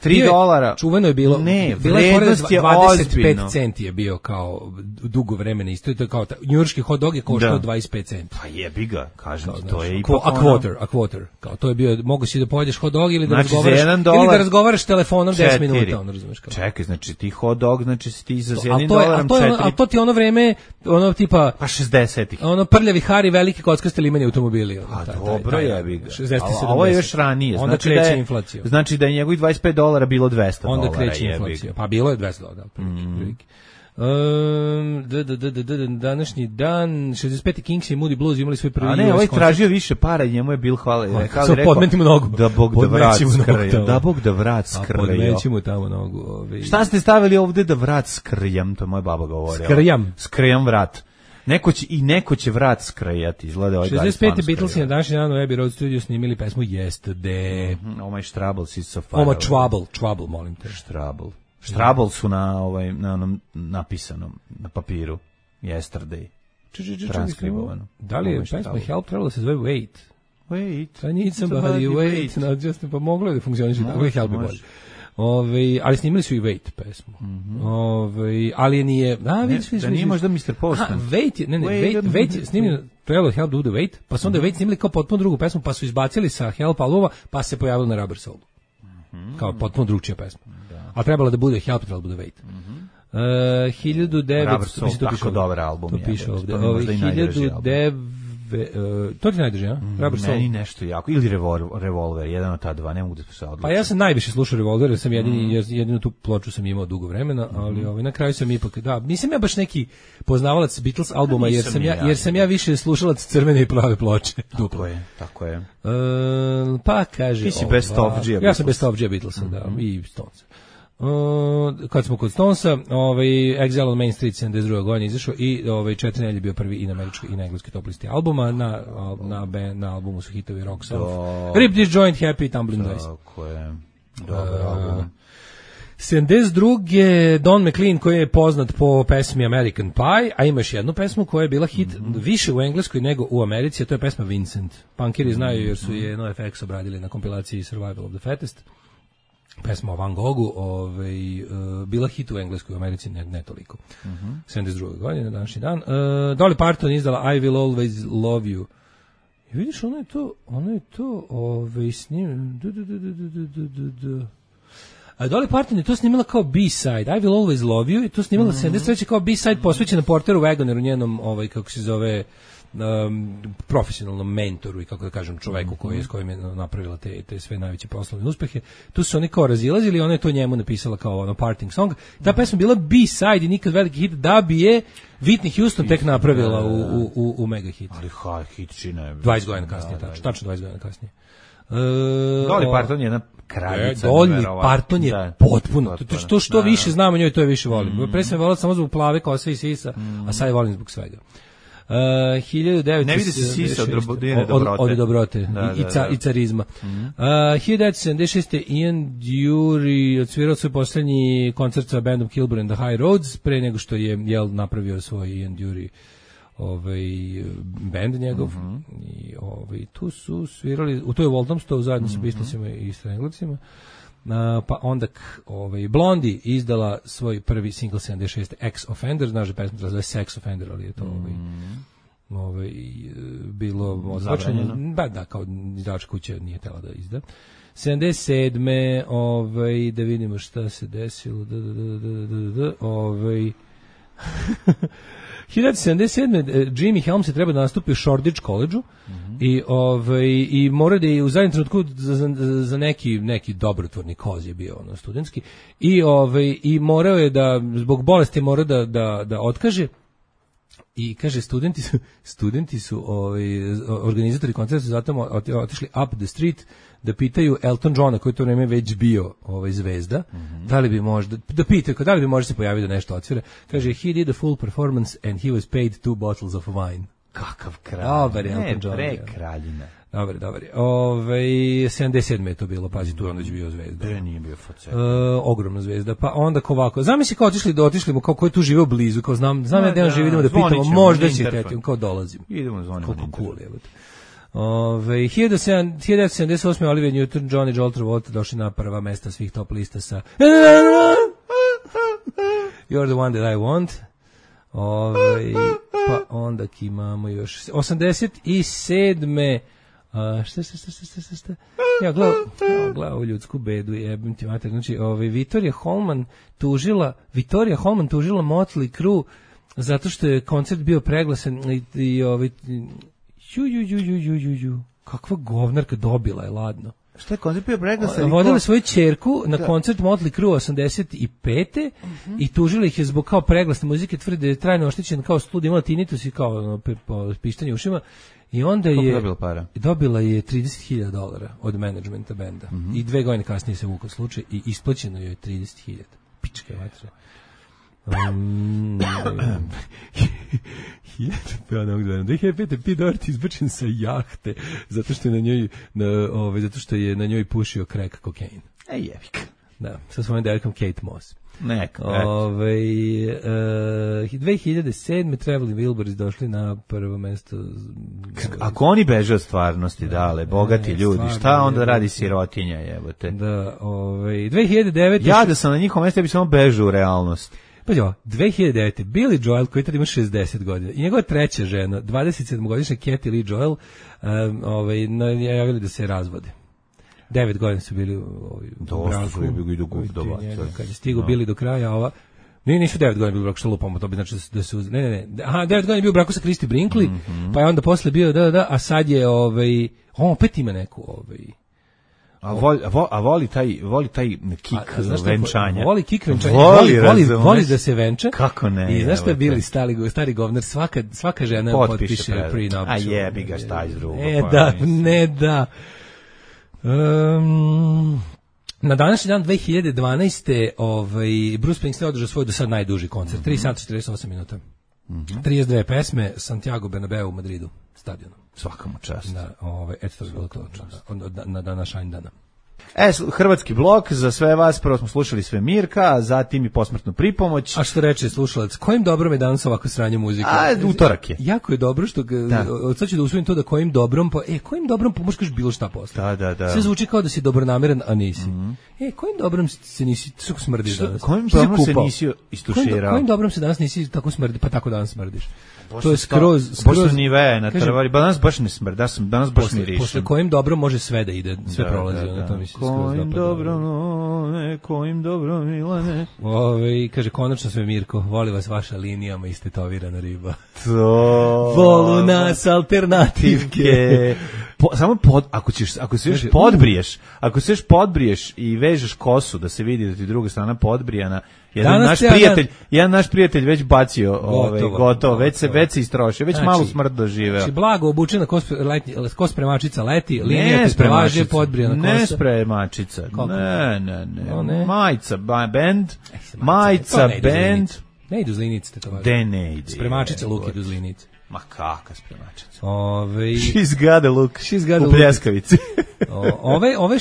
$3. Čuveno je bilo. Ne, vrednost je 25 centi je bio kao dugo vremena isto, to je kao njujorški hot dog je koštao 25 centi. Pa jebi ga, kažem ti, to je ipak a quarter. Kao to je bio, mogu si da pojedeš hot dog ili da razgovaraš telefonom 10 minuta, on razumeš kao. Čekaj, znači ti hot dog, znači ti za $1 4. A to ti ono vreme, ono tipa pa 60-ih. Ono prljavi Hari, veliki kockaste limeni automobili. A dobro, jebi ga. 60-70. Ovo je još ranije, onda kreće inflacija. Znači da je njegovih $25 bilo $200. Onda kreće inflacija. Pa bilo je $200, prilike. Današnji dan 65. Kings i Moody Blues imali svoj prvi. A ne, ovaj tražio više para i njemu je Bill Haley rekao nogu. Da Bog da vrat skrljam. Podmeći mu tamo nogu. Šta ste stavili ovde da vrat skrljam, to je moja baba govorila. Skrljam vrat. Neko će vrat skrajati, izgleda ovaj 65. Beatlesi na današnji dan u Abbey Road Studio snimili pesmu Yesterday. Oh my Troubles is so far. Oh my Trouble, molim te. Trouble su na onom napisanom, na papiru. Yesterday. Transkribovano. Da li je pesma Help trebalo se zove Wait? I need somebody, wait. Pa moglo je da funkcioniše, tako je Help je bolje. Ali snimili su i Wait pesmu. Ali nije... Da nije možda Mr. Postman. Wait je snimljeno, trebalo Help do the Wait, pa su onda Wait snimili kao potpuno drugu pesmu, pa su izbacili sa Help albuma, pa se pojavilo na Rubber Soul. Kao potpuno drugčija pesma. A trebalo da bude Help, trebalo da bude Wait. 1900... Rubber Soul, tako dobar album. To piše ovde. 1900... To ti najdrži, ja? Meni nešto jako. Ili Revolver, jedan od ta dva, ne mogu da se odlučiti. Pa ja sam najviše slušao Revolver, jer sam jedinu tu ploču sam imao dugo vremena, ali na kraju sam ipak, nisam ja baš neki poznavalac Beatles albuma, jer sam ja više slušalac crvene i plave ploče. Tako je. Pa kaže... Ti si best of G. Ja sam best of G Beatlesa, da, i Stones. Kad smo kod Stonesa, Exile on Main Street 72. godine izašao i 4 nedelje bio prvi i na američkoj i na engleskoj top listi albuma. Na albumu su hitovi Rocks Off, Rip This Joint, Happy, Tumbling Dice. Tako je, dobar album. 72. Don McLean koji je poznat po pesmi American Pie, a ima još jednu pesmu koja je bila hit više u engleskoj nego u Americi, a to je pesma Vincent. Punkeri znaju jer su je NoFX obradili na kompilaciji Survival of the Fattest. Pesma o Van Goghu bila hit u engleskoj, u Americi ne toliko. 72. godine, današnji dan. Dolly Parton izdala I Will Always Love You. I vidiš, ono je to snimljeno. Dolly Parton je to snimala kao B-side, I Will Always Love You, i to snimala 73. kao B-side posvećena Porteru Wagoneru, njenom, kako se zove, profesionalnom mentoru i kako da kažem čoveku s kojim je napravila te sve najveće poslovne uspehe. Tu su oni kao razilazili, ona je to njemu napisala kao ono parting song. Ta pesma bila B-side i nikad veliki hit, da bi je Whitney Houston tek napravila u mega hit. Ali hit čina je 20 godina kasnije, tačno 20 godina kasnije. Dolly Parton je jedna kraljica. Dolly Parton je potpuno. To što više znam o njoj, to je više volim. Pre sam je volila samo zbog plave kose i sisa, a sad je volim zbog svega. 1900 ne vidi se sisa od dobrote i carizma. 1976. Ian Dury odsvirao svoj posljednji koncert sa bandom Kilburn and the High Roads pre nego što je napravio svoj Ian Dury band njegov i tu su svirali u toj Walthamstow zajedno sa Beatlesima i Stranglesima. Pa onda Blondie izdala svoj prvi single 76 Ex-Offender, znaš da pesma zove Sex Offender, ali je to bilo odbačeno. Da, kao izdavačka kuća nije htjela da izda. 77. Da vidimo šta se desilo. 1977. Jimmy Helms je treba da nastupi u Shoreditch College-u i mora da je u zadnjem trenutku za neki dobrotvorni koz je bio studentski i morao je da zbog bolesti mora da otkaže i kaže studenti su organizatori koncerta su zato otišli up the street da pitaju Elton Johna koji to vreme već bio zvezda, da li bi možda da li bi možda se pojavio da nešto odsvira. Kaže he did a full performance and he was paid 2 bottles of wine. Kakav kralj. Dobar je Elton John. Kraljina. Dobar. 77. je to bilo, pazi, tu je onda već bio zvezda. Nije bio facet. Ogromna zvezda. Pa onda ovako, zamisli kao otišli mu, kao ko je tu živeo blizu, kao znam ja da on živi, idemo da pitamo, možda će teti, kao dolazim. Idemo zvonimo. Koliko cool je. 1978. Olivia Newton-John i Joel Travolta došli na prva mesta svih top lista sa You're the one that I want. Pa onda imamo još 87. Šta? Ja gledam ovu ljudsku bedu, jebim ti mater. Znači, Victoria Holman tužila Motley Crue zato što je koncert bio preglasan i kakva govnarka, dobila je ladno. Šta je koncert bio preglasan? Vodila svoju ćerku na koncert Motley Crue 85. I tužila ih je zbog kao preglasne muzike, tvrde da je trajno oštećen kao studij, imala tinnitus i kao pištanje ušima. I onda dobila je $30,000 od menadžmenta benda. I 2 godine kasnije se vukao slučaj i isplaćeno joj je 30.000. Pičke vatre. 2005. Pete Doherty izbačen sa jahte zato što je na njoj pušio crack kokain. Jevik. Da, sa svojom devojkom Kate Moss. 2007. Traveling Wilburys došli na prvo mesto. Ako oni beže od stvarnosti, dale, bogati ljudi, šta onda radi sirotinja, jebote? Da, 2009. Ja da sam na njihovom mjestu, ja bi samo bežao u realnost. Pa 2009. Billy Joel, koji tada ima 60 godina, i njegova treća žena, 27-godišnja Kathie Lee Joel, najavili da se razvode. 9 godina su bili u braku. Kad je stigo bili do kraja, nisu 9 godina bili u braku, što lupamo, to bi znači da su... Ne. Aha, 9 godina je bio u braku sa Christy Brinkley, pa je onda posle bio, a sad je, on opet ima neku, A voli taj kik venčanja. Voli kik venčanja. Voli da se venča. Kako ne? I znaš šta je bili stari govnar, svaka žena potpiše prenup. A jebi ga, šta iz drugo. Ne da. Na današnji dan 2012. Bruce Springsteen održao svoj do sad najduži koncert. 3 sata 48 minuta. 32 pesme, Santiago Bernabeu u Madridu, stadionu. Svakamu čast. Da, eto to je bilo to na današnji dana. Hrvatski blok, za sve vas, prvo smo slušali sve Mirka, zatim i posmrtnu pripomoć. A što reče slušalac, kojim dobrom je danas ovako sranje muzike? Utorak je. Jako je dobro što, sad ću da usvojim to da kojim dobrom, kojim dobrom možeš kaži bilo šta posle. Da. Sve zvuči kao da si dobronameran, a nisi. Kojim dobrom se nisi, tako smrdiš danas? Kojim dobrom se nisi istuširao? Kojim dobrom se danas nisi tako smrdi, pa tako danas smrdiš? To je skroz nive na trvari, danas baš ne smrdi, danas baš mirišem. Posle kojim dobrom može sve da ide, sve prolazi, to mi se skroz dopada. Kojim dobro, Milane. Kaže, konačno sve Mirko, voli vas vaša linijama istetovirana riba. To... Volu nas alternativke. Samo ako se još podbriješ i vežeš kosu da se vidi da ti druga strana podbrijana, jedan naš prijatelj već bacio gotovo, već se istrošio, već malu smrt doživeo. Znači, blago obučena kospremačica leti, linija te spremaže, podbrijana kosa. Ne spremačica, ne. Majica band, majica band. Ne idu zlinice, to važno. De ne ide. Spremačica luk idu zlinice. Ma kakva spremačica. She's got a look. U pljeskavici. Ove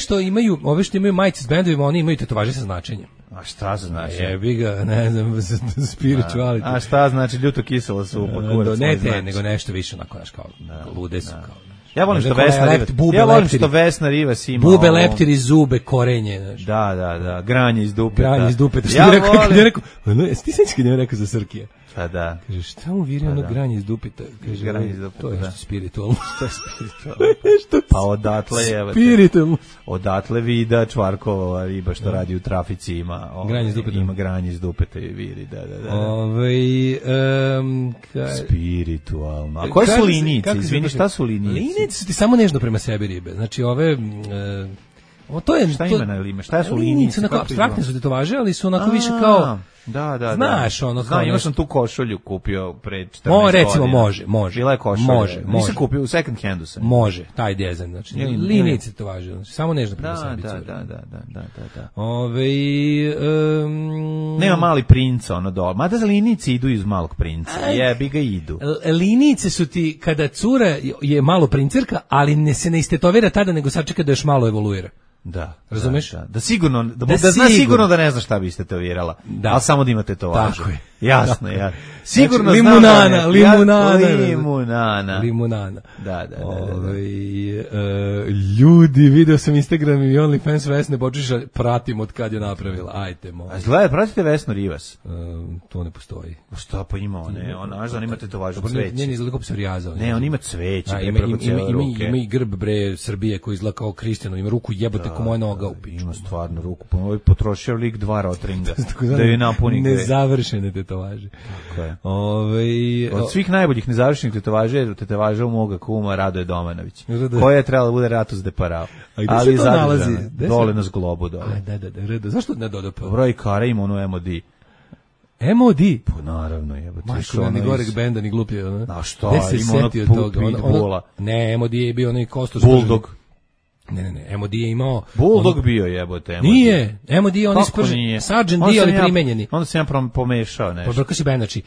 što imaju majice s bendovima, oni imaju tetovaže sa značenjem. A šta znači? Jebi ga, ne znam, spirituality. A šta znači ljuto kisela supa? Ne te, nego nešto više onako, znaš, kao lude su kao. Ja volim što Vesna Rivas ima. Bube, leptiri, zube, korenje. Znači. Da, granje iz dupeta. Ja volim. Ti sećaš kad je rekao za Srkija? Pa da. Kaže, šta mu viri ono granje iz dupeta? Kaže, granje iz dupeta, to je nešto spiritualno. Pa odatle je. Spiritualno. Odatle Vida Čvarkova riba što radi u trafici ima. Granje iz dupeta. Ima granje iz dupeta i viri, da. Spiritualno. A koje su linijice? Izvini, šta su linijice? Linijice su ti samo nežno prema sebi ribe. Znači ove... Šta ima na lime? Šta su linijice? Apstraktne su tetovaže, ali su onako više kao... Da. Znaš, ono kao... Imao sam tu košulju kupio pre 14 godina. Recimo, može. Bila je košulja. Može. Nisam kupio, u second handu sam. Može, taj dizajn, znači. Linijice to važe, znači, samo nežno prema sebi. Da. Nema mali princa, ono dole. Mada za linijice idu iz malog princa. Jebi ga idu. Linijice su ti, kada cura je malo princirka, ali se ne istetovira tada, nego sačeka da još malo evoluira. Da. Razumeš? Da sigurno, da zna sigurno da ne zna šta biste tetovirala. Ali samo da imate to važno. Tako je. Jasno. Sigurno znači, limunana. Da. Ljudi, video sam Instagram i OnlyFans Vesne Bočiša, pratim od kad je napravila. Ajte, molim. A izgleda, pratite Vesnu Rivas? To ne postoji. Šta pa ima one? On ima tetovažu cveće. Ne, izgleda kao psorijaza. Ne, on ima cveće. Ima i grb bre Srbije koji izgleda kao Kristijano, ima ruku jebote ko moja noga u piču. Ima stvarno ruku. Potrošio lik 2 rotringa da je napuni. Nezavršene tetovaže. Tako je. Od svih najboljih nezavršenih tetovaža u moga kuma Radoje Domanović, koja je trebala da bude Ratus de Parao. Ali nalazi dole na zglobu dole. Da. Zašto ne dodao? Broj kara ima ono MOD. MOD? Pa naravno jebote. Majko, ni goreg benda, ni glupije. A što? Ima ono pitbulla. Ne, MOD je bio onaj Kostos. Bulldog. Ne, MOD je imao... Bulldog bio jebote. Nije, MOD je on ispržen, Sergeant D, ali primenjeni. Onda sam ja pomešao nešto. Pobrko si band, znači,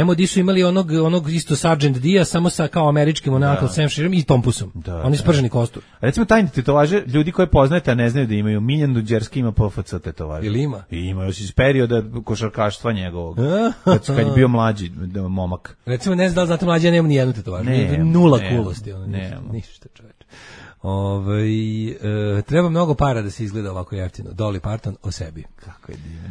MOD su imali onog isto Sergeant D-a, samo sa kao američkim onako Sam Sheeram i Tompusom. On je sprženi kostur. A recimo tajni tetovaže, ljudi koje poznajete, a ne znaju da imaju, Miljan Duđerski ima PFC tetovaže. Ili ima? Ima, još iz perioda košarkaštva njegovog, kad je bio mlađi momak. Recimo, ne znam da li znate mlađi, ja nemam ni jednu tetovažu. Nula kulosti. Ništa, čoveče. Treba mnogo para da se izgleda ovako jeftino. Dolly Parton o sebi. Kako je divno.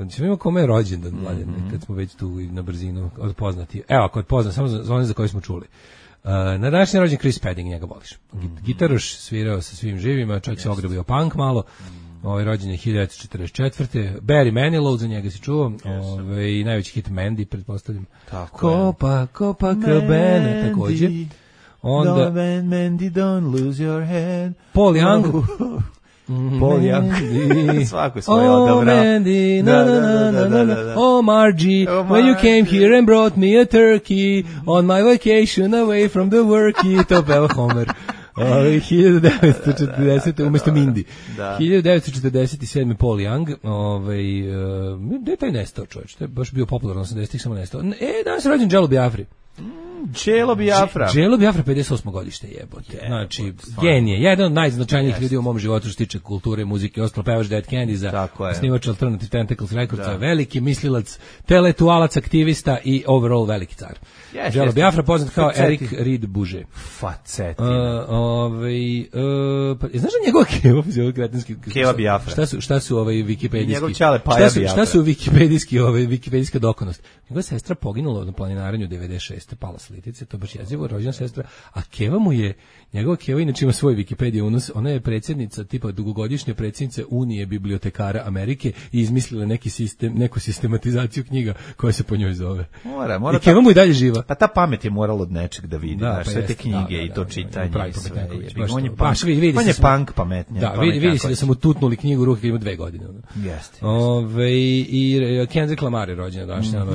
Ćemo imati kome je rođendan, Mladen, kad smo već tu na brzinu odpoznati. Evo, ako odpoznam, samo za one za koje smo čuli. Na današnji rođen Chris Spedding, njega voliš. Gitaruš, svirao sa svim živima, čovjek se ogrebio punk malo. Rođen je 1944. Barry Manilow, za njega si čuo. I najveći hit Mandy, pretpostavljam. Copacabana, također. Onda Mandy, don't lose your head. Paul Young. Svako svoje odabrao. Mandy, oh Margie, when you came here and brought me a turkey on my vacation away from the worky. To peva Homer. 1940. Umesto Mindy. 1947. Paul Young. Gde je taj nestao, čovječ? To je baš bio popularno 80-ih, samo nestao. Danas je rođen Jello Biafri. Jello Biafra, 58. godište jebote. Znači, genije. Jedan od najznačajnijih ljudi u mom životu što se tiče kulture, muzike, ostalo pevač Dead Candy za snimač Alternative Tentacles Records, veliki mislilac, teletualac, aktivista i overall veliki car. Jello Biafra, poznat kao Eric Reed Buže. Facetina. Znaš da njegova Keva Biafra? Šta su wikipedijski? Njegov čale Paja Biafra. Šta su wikipedijska dokonost? Njegova sestra poginula na planinarenju 96. Pala s Litice, to baš jezivo, rođena sestra, a Keva mu je, njegova Keva inače ima svoj Wikipedia unos, ona je predsjednica, tipa dugogodišnja predsjednica Unije bibliotekara Amerike i izmislila neki sistem, neku sistematizaciju knjiga koja se po njoj zove. Mora i Keva mu i dalje živa. Pa ta pamet je morala od nečeg da vidi, znaš, sve te knjige i to čitanje i sve. On je punk pametnije. Da, vidi se da sam mu tutnuli knjigu u ruke kad ima 2 godine. Jeste. I Kendrick Lamar je rođena današnja.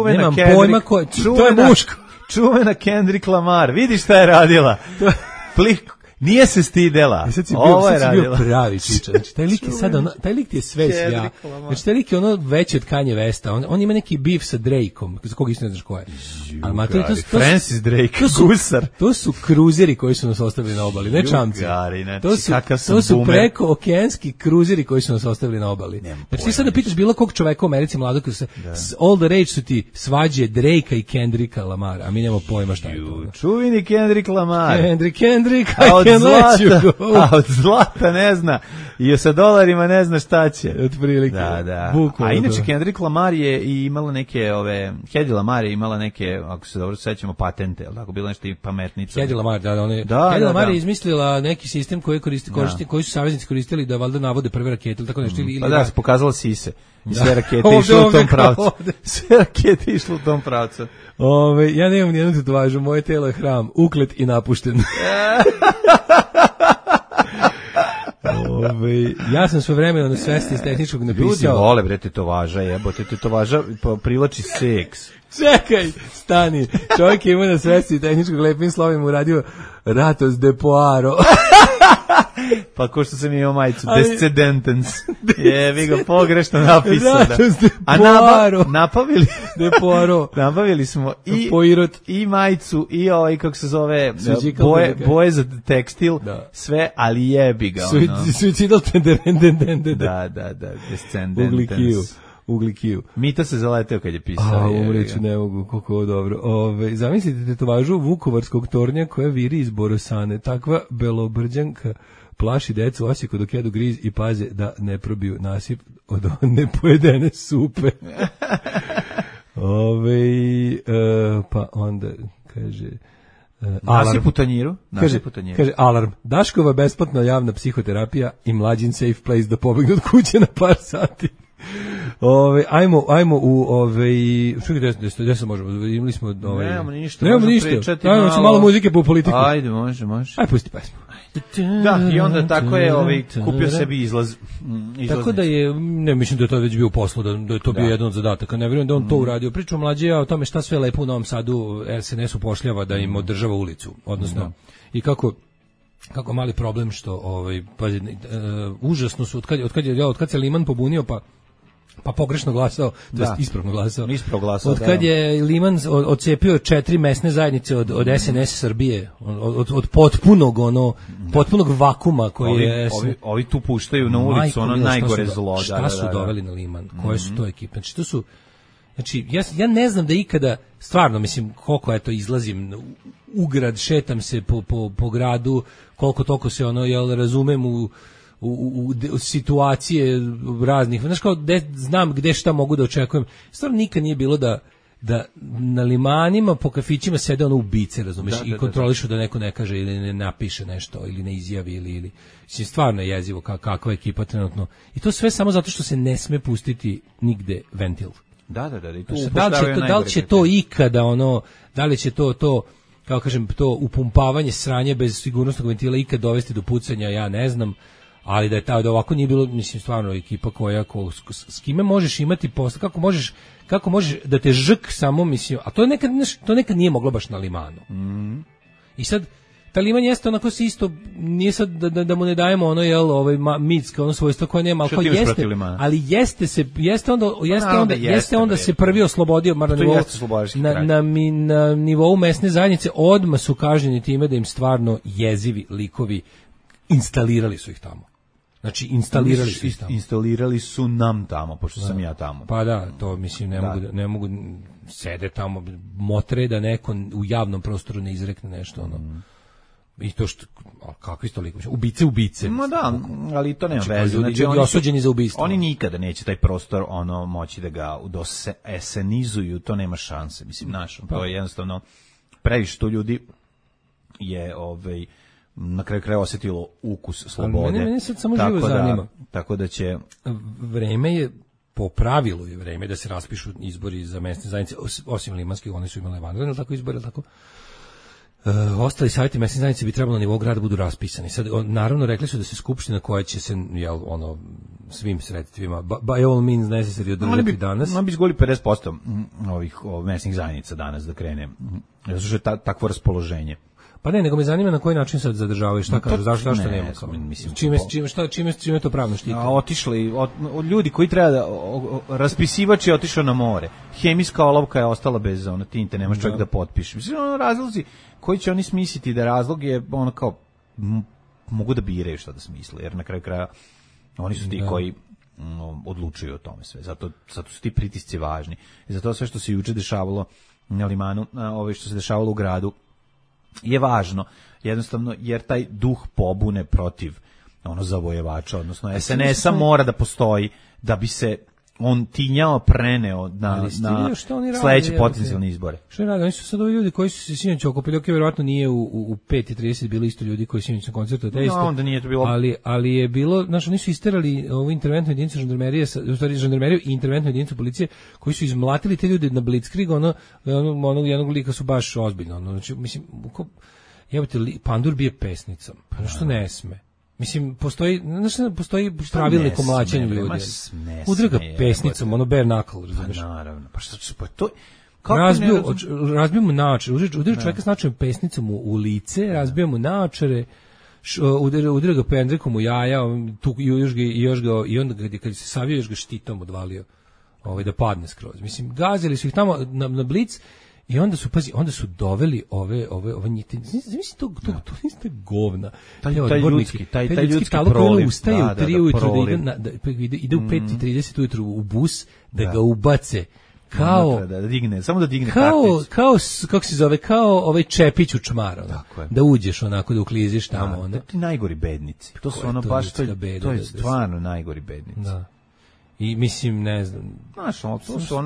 Nemam pojma ko, to je muško. Čuvena Kendrick Lamar, vidi šta je radila. Nije se stidela. Ovo je radila. Bio pravi čiča. Znači, taj lik je sve svija. Znači, taj lik je ono veći od Kanye Westa. On ima neki beef sa Drakeom, za koga isto ne znaš ko je. Francis Drake, gusar. To su kruzeri koji su nas ostavili na obali, ne čamci. To su preko okeanski kruzeri koji su nas ostavili na obali. Znači, ti sad da pitaš bilo kog čoveka u Americi mladog, all the rage su ti svađe Drakea i Kendricka Lamara, a mi nemamo pojma šta je to. Čuveni Kendrick Lamar. Kendrick, od zlata ne zna i sa dolarima ne zna šta će. Otprilike. Da. A inače Kendrick Lamar je i imala neke Hedy Lamar je imala neke, ako se dobro sećamo, patente, al tako bilo nešto i pametnica. Hedy Lamar, Hedy Lamar je izmislila neki sistem koji su saveznici koristili da valjda navode prve rakete ili tako nešto ili. Pa da, se pokazala sise. I sve rakete išle u tom pravcu. Sve rakete išle u tom pravcu. Ja nemam nijednu tetovažu, moje telo je hram, uklet i napušten. Ja sam sve vremena na Svesti iz tehničkog napisao. Ljudi vole bre tetovaža, jebote, tetovaža privlači seks. Čekaj, stani. Čovjek je imao na Svesti iz tehničkog lepim slovima uradio Ratos de Poaro. Pa ko što sam imao majicu, Descendentens. Vi ga pogrešno napisao. A nabavili smo i majicu i kako se zove, boje za tekstil, sve, ali jebi ga. Suicidal tenderendendende. Da, Descendentens. Uglikiju. Mita se zaleteo kad je pisao. Umreću ne mogu, koliko dobro. Zamislite tetovažu Vukovarskog tornja koja viri iz Borosane. Takva belobrđanka plaši decu u Osijeku dok jedu griz i paze da ne probiju nasip od nepojedene supe. Pa onda kaže... Nasip u tanjiru? Kaže, alarm. Daškova besplatna javna psihoterapija i Mlađin safe place da pobegnu od kuće na par sati. Ajmo u gde se možemo, imali smo nemamo ništa, ajmo malo muzike po politiku. Ajde, može. Ajde, pusti pesmu. Da, i onda tako je kupio sebi izlaz. Tako da je, ne mislim da je to već bio u poslu, da je to bio jedan od zadataka, ne vjerujem da on to uradio. Pričam mlađe o tome šta sve lepo u Novom Sadu SNS upošljava da im održava ulicu, odnosno i kako mali problem što pazi, užasno su od kad se Liman pobunio pa pogrešno glasao, to jest ispravno glasao. Od kad je Liman odcepio 4 mesne zajednice od SNS Srbije, od potpunog vakuma koji je... Ovi tu puštaju na ulicu, ono najgore zlo. Šta su doveli na Liman? Koje su to ekipe? Znači, to su... Znači, ja ne znam da ikada, stvarno, mislim, koliko izlazim u grad, šetam se po gradu, koliko toliko se razumem u situacije raznih, znaš kao znam gde šta mogu da očekujem. Stvarno nikad nije bilo da na limanima po kafićima sede ubice, razumeš, i kontrolišu da neko ne kaže ili ne napiše nešto ili ne izjavi ili stvarno je jezivo kakva ekipa trenutno. I to sve samo zato što se ne sme pustiti nigde ventil. Da, da li će to ikada da li će to kao kažem, to upumpavanje sranje bez sigurnosnog ventila ikad dovesti do pucanja, ja ne znam. Ali da ovako nije bilo, mislim, stvarno ekipa s kime možeš imati posla, kako možeš da te žk samo, mislim, a to nekad nije moglo baš na Limanu. I sad, ta Liman jeste onako se isto, nije sad da mu ne dajemo mitska, svojstvo koje nema, ali jeste onda se prvi oslobodio, na nivou mesne zajednice, odmah su kažnjeni time da im stvarno jezivi likovi instalirali su ih tamo. Znači, instalirali su nam tamo, pošto sam ja tamo. Pa da, to mislim, ne mogu sede tamo, motre da neko u javnom prostoru ne izrekne nešto, I to što, kakvi su toliko, ubice. Ma da, ali to nema veze. Znači, ljudi osuđeni za ubistvo. Oni nikada neće taj prostor moći da ga esenizuju, to nema šanse. Mislim, to je jednostavno previše tu ljudi je na kraju kraja osjetilo ukus slobode. Mene sad samo živo zanima. Tako da će... Vreme je, po pravilu je vreme da se raspišu izbori za mesne zajednice, osim limanskih, oni su imali vanredne, tako izbori, tako... ostali savjeti mesne zajednice bi trebalo na nivou grada budu raspisani. Sad, naravno, rekli su da se skupština koja će se, svim sredstvima, by all means necessary održati danas. Oni bi izgoli 50% ovih mesnih zajednica danas da krene. Zato što je takvo raspoloženje. Pa ne, nego me zanima na koji način sad zadržavaju, šta kažu, zašto nema? Čime to pravno štiti? Otišli, od ljudi koji treba da, raspisivač je otišao na more, hemijska olovka je ostala bez tinte, nemaš čovjek da potpiše. Mislim, razlozi koji će oni smisliti da razlog je kao, mogu da biraju šta da smisle, jer na kraju kraja oni su ti koji odlučuju o tome sve, zato su ti pritisci važni. I zato sve što se juče dešavalo na limanu, što se dešavalo u gradu, je važno, jednostavno, jer taj duh pobune protiv zavojevača, odnosno SNS-a mora da postoji da bi se on tinjao, preneo na sledeće potencijalne izbore. Što je radi? Oni su sad ovi ljudi koji su se sinoć okupili, vjerovatno nije u 5:30 bili isto ljudi koji sinoć na koncertu, onda nije to bilo. Ali je bilo, oni su isterali ovu interventnu jedinicu žandarmerije, u stvari žandarmeriju i interventnu jedinicu policije, koji su izmlatili te ljude na blitzkrieg, jednog lika su baš ozbiljno, znači, mislim, Pandur bije pesnicom, pa što ne sme. Mislim, postoji pravilnik o mlaćenju ljudi. Udrga pesnicom, bare knuckle, razumiješ? Naravno, pa što pa to... Razbio mu naočare, udrga čovjeka s naočarom pesnicom u lice, razbio mu naočare, udrga ga pendrekom u jaja, i onda kad se savio, još ga štitom odvalio da padne skroz. Mislim, gazili su ih tamo na blic. I onda su doveli ove njite. Zamisli to niste govna. Taj ljudski proliv. Ustaje u 3 ujutru ide u 5:30 ujutru u bus da ga ubace. Kao da digne, samo da digne kao kako se zove, kao ovaj Čepić u čmar, da uđeš onako, da ukliziš tamo onda. Ti najgori bednici. To su baš to je stvarno najgori bednici. Da. I mislim, ne znam. Znaš,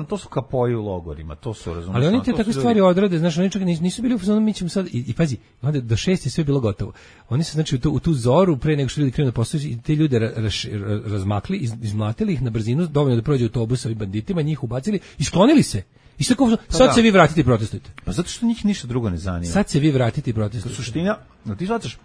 to su kapoji u logorima, to su, razumiješ. Ali oni te takve stvari odrade, znaš, oni čak nisu bili u fazonu, mi ćemo sad, i pazi, onda do 6 je sve bilo gotovo. Oni su, znači, u tu zoru, pre nego što ljudi krenu da postaju, i te ljude razmakli, izmlatili ih na brzinu, dovoljno da prođe autobus ovim banditima, njih ubacili i sklonili se. I sad se vi vratite i protestujete. Pa zato što njih ništa drugo ne zanima. Sad se vi vratite i protestujete. Suština, ti shvataš,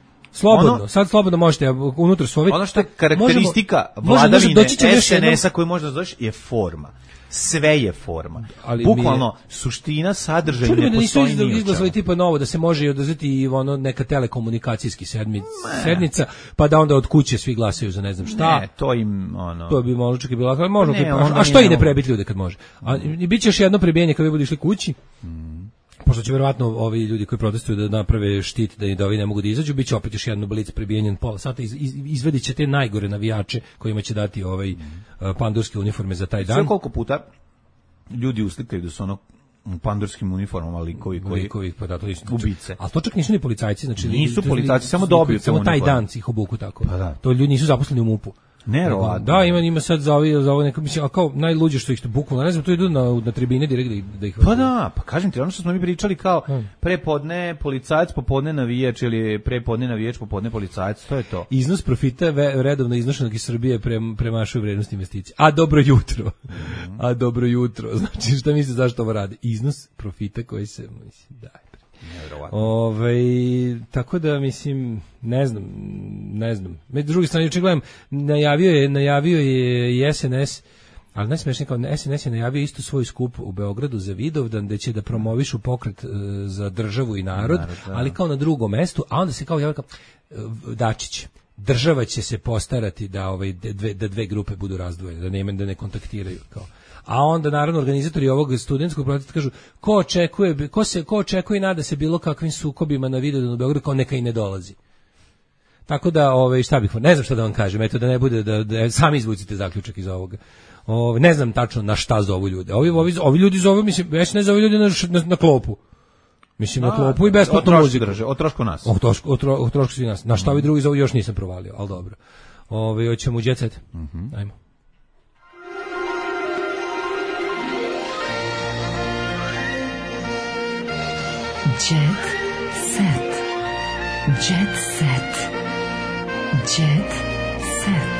sad slobodno možete, unutra su ovi... Ono što je karakteristika vladavine SNS-a koju možda zoveš je forma. Sve je forma. Bukvalno, suština, sadržaj ne postoji ni u čemu. Izglasali tipa novo da se može i održati i neka telekomunikacijski sednica, pa da onda od kuće svi glasaju za ne znam šta. Ne, to im, to bi možda čak i bilo, ali možda... A što i ne prebiti ljude kad može? I bit će još jedno prebijenje kad vi budu išli kući, pošto će verovatno ovi ljudi koji protestuju da naprave štit da ovi ne mogu da izađu, bit će opet još jedno blic prebijenjen pola sata, izvedit će te najgore navijače kojima će dati pandurske uniforme za taj dan. Sve koliko puta ljudi uslikaju da su pandurskim uniformama likovi pa da, to ubice. Ali to čak nisu ni policajci, znači nisu policajci, samo dobiju samo taj dan ih obuku tako. To ljudi nisu zaposleni u MUP-u. Da, ima sad za ovo neko, mislim, a kao najluđe što ih bukvalno, ne znam, to idu na tribine direkt da ih... Pa da, pa kažem ti, ono što smo mi pričali kao prepodne policajac, popodne navijač ili prepodne navijač, popodne policajac, to je to. Iznos profita redovno iznošenog iz Srbije premašuje vrednost investicije. A dobro jutro, znači šta misliš zašto ovo radi? Iznos profita koji se, mislim, daj. Tako da mislim ne znam. Med druge strane juče gledam, najavio je i SNS, ali najsmešnije kao SNS je najavio isto svoj skup u Beogradu za Vidovdan gde će da promovišu pokret za državu i narod, ali kao na drugom mestu, a onda se kao javlja Dačić. Država će se postarati da da dve grupe budu razdvojene, da ne kontaktiraju kao. A onda naravno organizatori ovog studentskog protesta kažu ko očekuje i nada se bilo kakvim sukobima na Vidovdanu u Beogradu, kao neka i ne dolazi. Tako da šta bih, ne znam šta da vam kažem, eto da ne bude da sami izvucite zaključak iz ovoga. Ne znam tačno na šta zovu ljude. Ovi ljudi zovu, mislim, već ne zovu ljudi na klopu. Mislim, na klopu i besplatnu muziku. O trošku nas. O trošku svi nas. Na šta ovi drugi zovu još nisam provalio, ali dobro. Hoćemo u Jet Set. Ajmo. Jet set. Jet set. Jet set.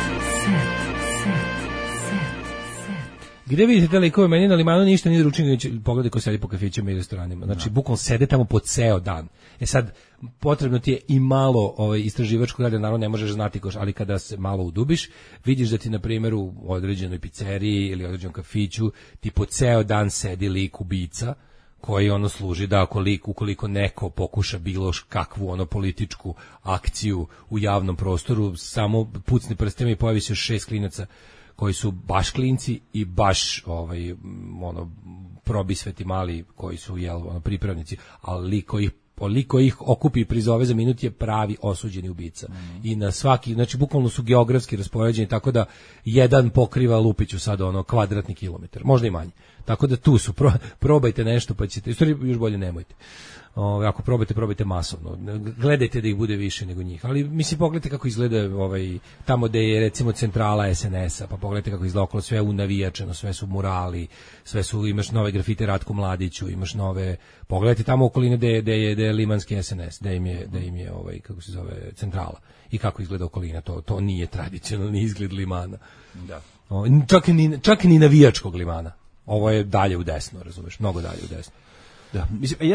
Gde vidite te likove, meni na limanu ništa nije ručinio, pogledaj ko sedi po kafićima i restoranima. Znači, bukvalno sede tamo po ceo dan. Sad, potrebno ti je i malo istraživačkog rada, naravno ne možeš znati, ali kada se malo udubiš, vidiš da ti, na primjer, u određenoj pizzeriji ili određenom kafiću, ti po ceo dan sedi lik ubica, koji služi da ukoliko neko pokuša bilo kakvu političku akciju u javnom prostoru, samo pucni prstima i pojavi se 6 klinaca koji su baš klinci i baš probisveti mali koji su pripravnici, ali koliko ih okupi i prizove za minut je pravi osuđeni ubica. I na svaki, znači bukvalno su geografski raspoređeni tako da jedan pokriva Lupiću sad kvadratni kilometar, možda i manje. Tako da tu su, probajte nešto pa ćete, još bolje nemojte. Ako probajte masovno. Gledajte da ih bude više nego njih. Ali mislim, pogledajte kako izgleda tamo gde je recimo centrala SNS-a, pa pogledajte kako izgleda okolo, sve unavijačeno, sve su murali, imaš nove grafite Ratku Mladiću, imaš nove, pogledajte tamo okoline gde je limanski SNS, gde im je kako se zove, centrala. I kako izgleda okolina, to nije tradicionalni izgled limana. Da. Čak ni navijačkog limana. Ovo je dalje u desno, razumeš, mnogo dalje u desno. Da, mislim,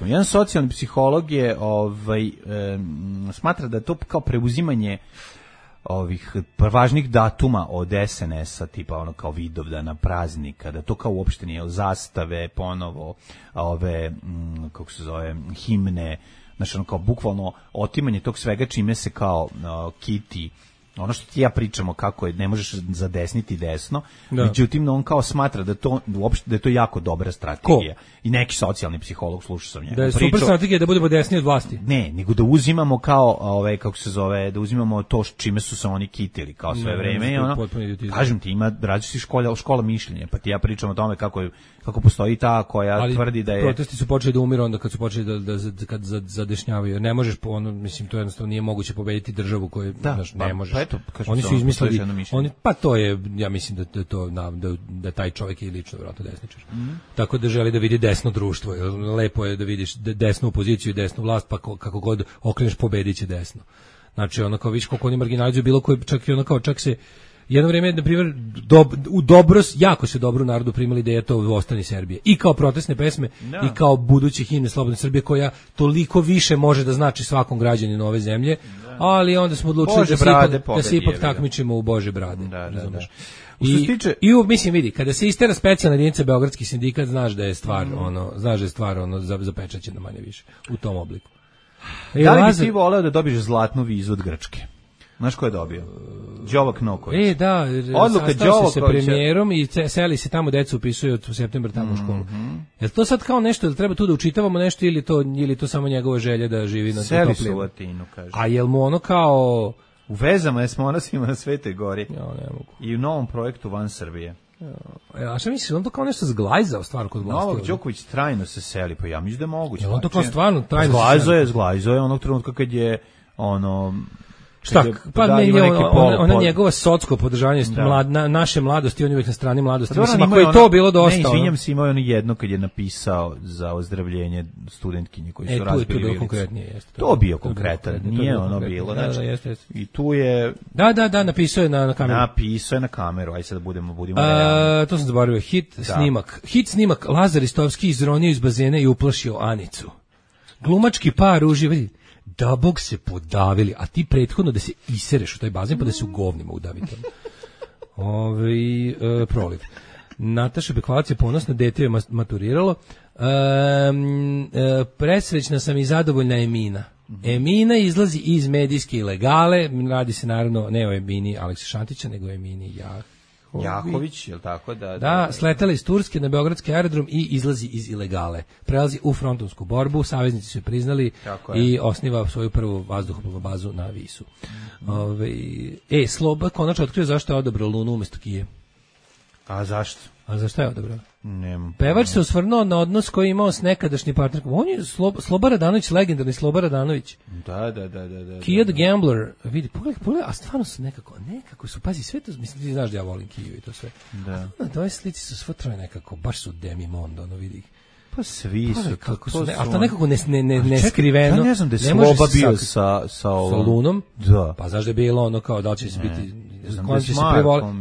jedan socijalni psiholog je smatra da je to kao preuzimanje ovih važnih datuma od SNS-a, tipa kao Vidovdana, praznika, da to kao uopšte nije zastave, ponovo ove, kako se zove, himne, znači kao bukvalno otimanje tog svega čime se kao kiti ono što ti ja pričamo kako je, ne možeš zadesniti desno, međutim on kao smatra da to uopšte da je to jako dobra strategija. I neki socijalni psiholog, slušao sam njega. Da je super strategija da budemo desni od vlasti. Ne, nego da uzimamo kao kako se zove, da uzimamo to čime su se oni kitili kao sve vreme i kažem ti, ima različitih škola mišljenja, pa ti ja pričam o tome kako postoji ta koja tvrdi da je... Protesti su počeli da umiru onda kad su počeli kad zadešnjavaju. Ne možeš, mislim, to jednostavno nije moguće pobediti državu koju ne možeš. Eto, oni su izmislili, pa to je, ja mislim da taj čovjek je lično vjerojatno desničar. Tako da želi da vidi desno društvo. Lepo je da vidiš desnu opoziciju i desnu vlast, pa kako god okreneš pobedit će desno. Znači kao vidiš koliko oni marginalizuju bilo koji, čak se jedno vrijeme, na primjer, jako se dobro u narodu primali ideja to Ostani Serbije. I kao protestne pesme, i kao buduće himne Slobodne Srbije, koja toliko više može da znači svakom građaninu ove zemlje, ali onda smo odlučili da se ipak takmičimo u Bože brade. Mislim, vidi, kada se istera specijalna jedinica Beogradski sindikat, znaš da je stvar zapečaćena manje više u tom obliku. Da li bi ti voleo da dobiješ zlatnu vizu od Grčke? Znaš ko je dobio? Đovak Noković. Da, sastao se premijerom i seli se tamo, deca upisuju od septembra tamo u školu. Je to sad kao nešto, da treba tu da učitavamo nešto ili to samo njegova želja da živi na seli su u Atinu, kaže. A jel mu kao... U vezama je s monasima na Svetoj gori. I u novom projektu van Srbije. A šta misliš, on to kao nešto zglajzao stvar kod vlasti? Novak Đoković trajno se seli, pa ja mislim da je moguće. On to kao stvarno trajno se seli? Zglajzao je onog trenutka kad je šta? Pa ona njegova socsko podržavanje naše mladosti, on je uvijek na strani mladosti. Mislim, ako je to bilo dosta... Ne, izvinjam se, imao je ono jedno kad je napisao za ozdravljenje studentkinje koji su razbili tu je bilo konkretnije, jeste. To bio konkretan, nije ono bilo. I tu je... Da, napisao je na kameru. Napisao je na kameru, aj sad budemo realni. To sam zaboravio, hit snimak, Lazar Istovski izronio iz bazena i uplašio Anicu. Glumački par uživali. Da bog se podavili, a ti prethodno da se isereš u taj bazen pa da se u govnima udavite. Proliv. Nataša Bekvalac je ponosna, dete je maturiralo. Presrećna sam i zadovoljna Emina. Emina izlazi iz medijske ilegale, radi se naravno ne o Emini Aleksa Šantića, nego o Emini Jahović, je li tako? Da, sletala iz Turske na beogradski aerodrom i izlazi iz ilegale. Prelazi u frontovsku borbu, saveznici su je priznali i osniva svoju prvu vazduhoplovnu bazu na Visu. Sloba konačno otkrio zašto je odabrao Lunu umjesto Kije. A zašto? A za šta je odabrao? Nemam. Pevač se osvrnuo na odnos koji je imao s nekadašnjim partnerkom. On je Sloba Radanović, legendarni Sloba Radanović. Da. Kia the Gambler. Vidi, pogledaj, a stvarno su nekako su, pazi, sve to, mislim, ti znaš da ja volim Kiju i to sve. Da. Na ove slici su sve troje nekako, baš su Demi Mondo, ono vidi ih. Pa svi su, kako su, ali to nekako ne skriveno. Ja ne znam da je Sloba bio sa Lunom. Da. Pa znaš da je bilo ono kao da će se biti,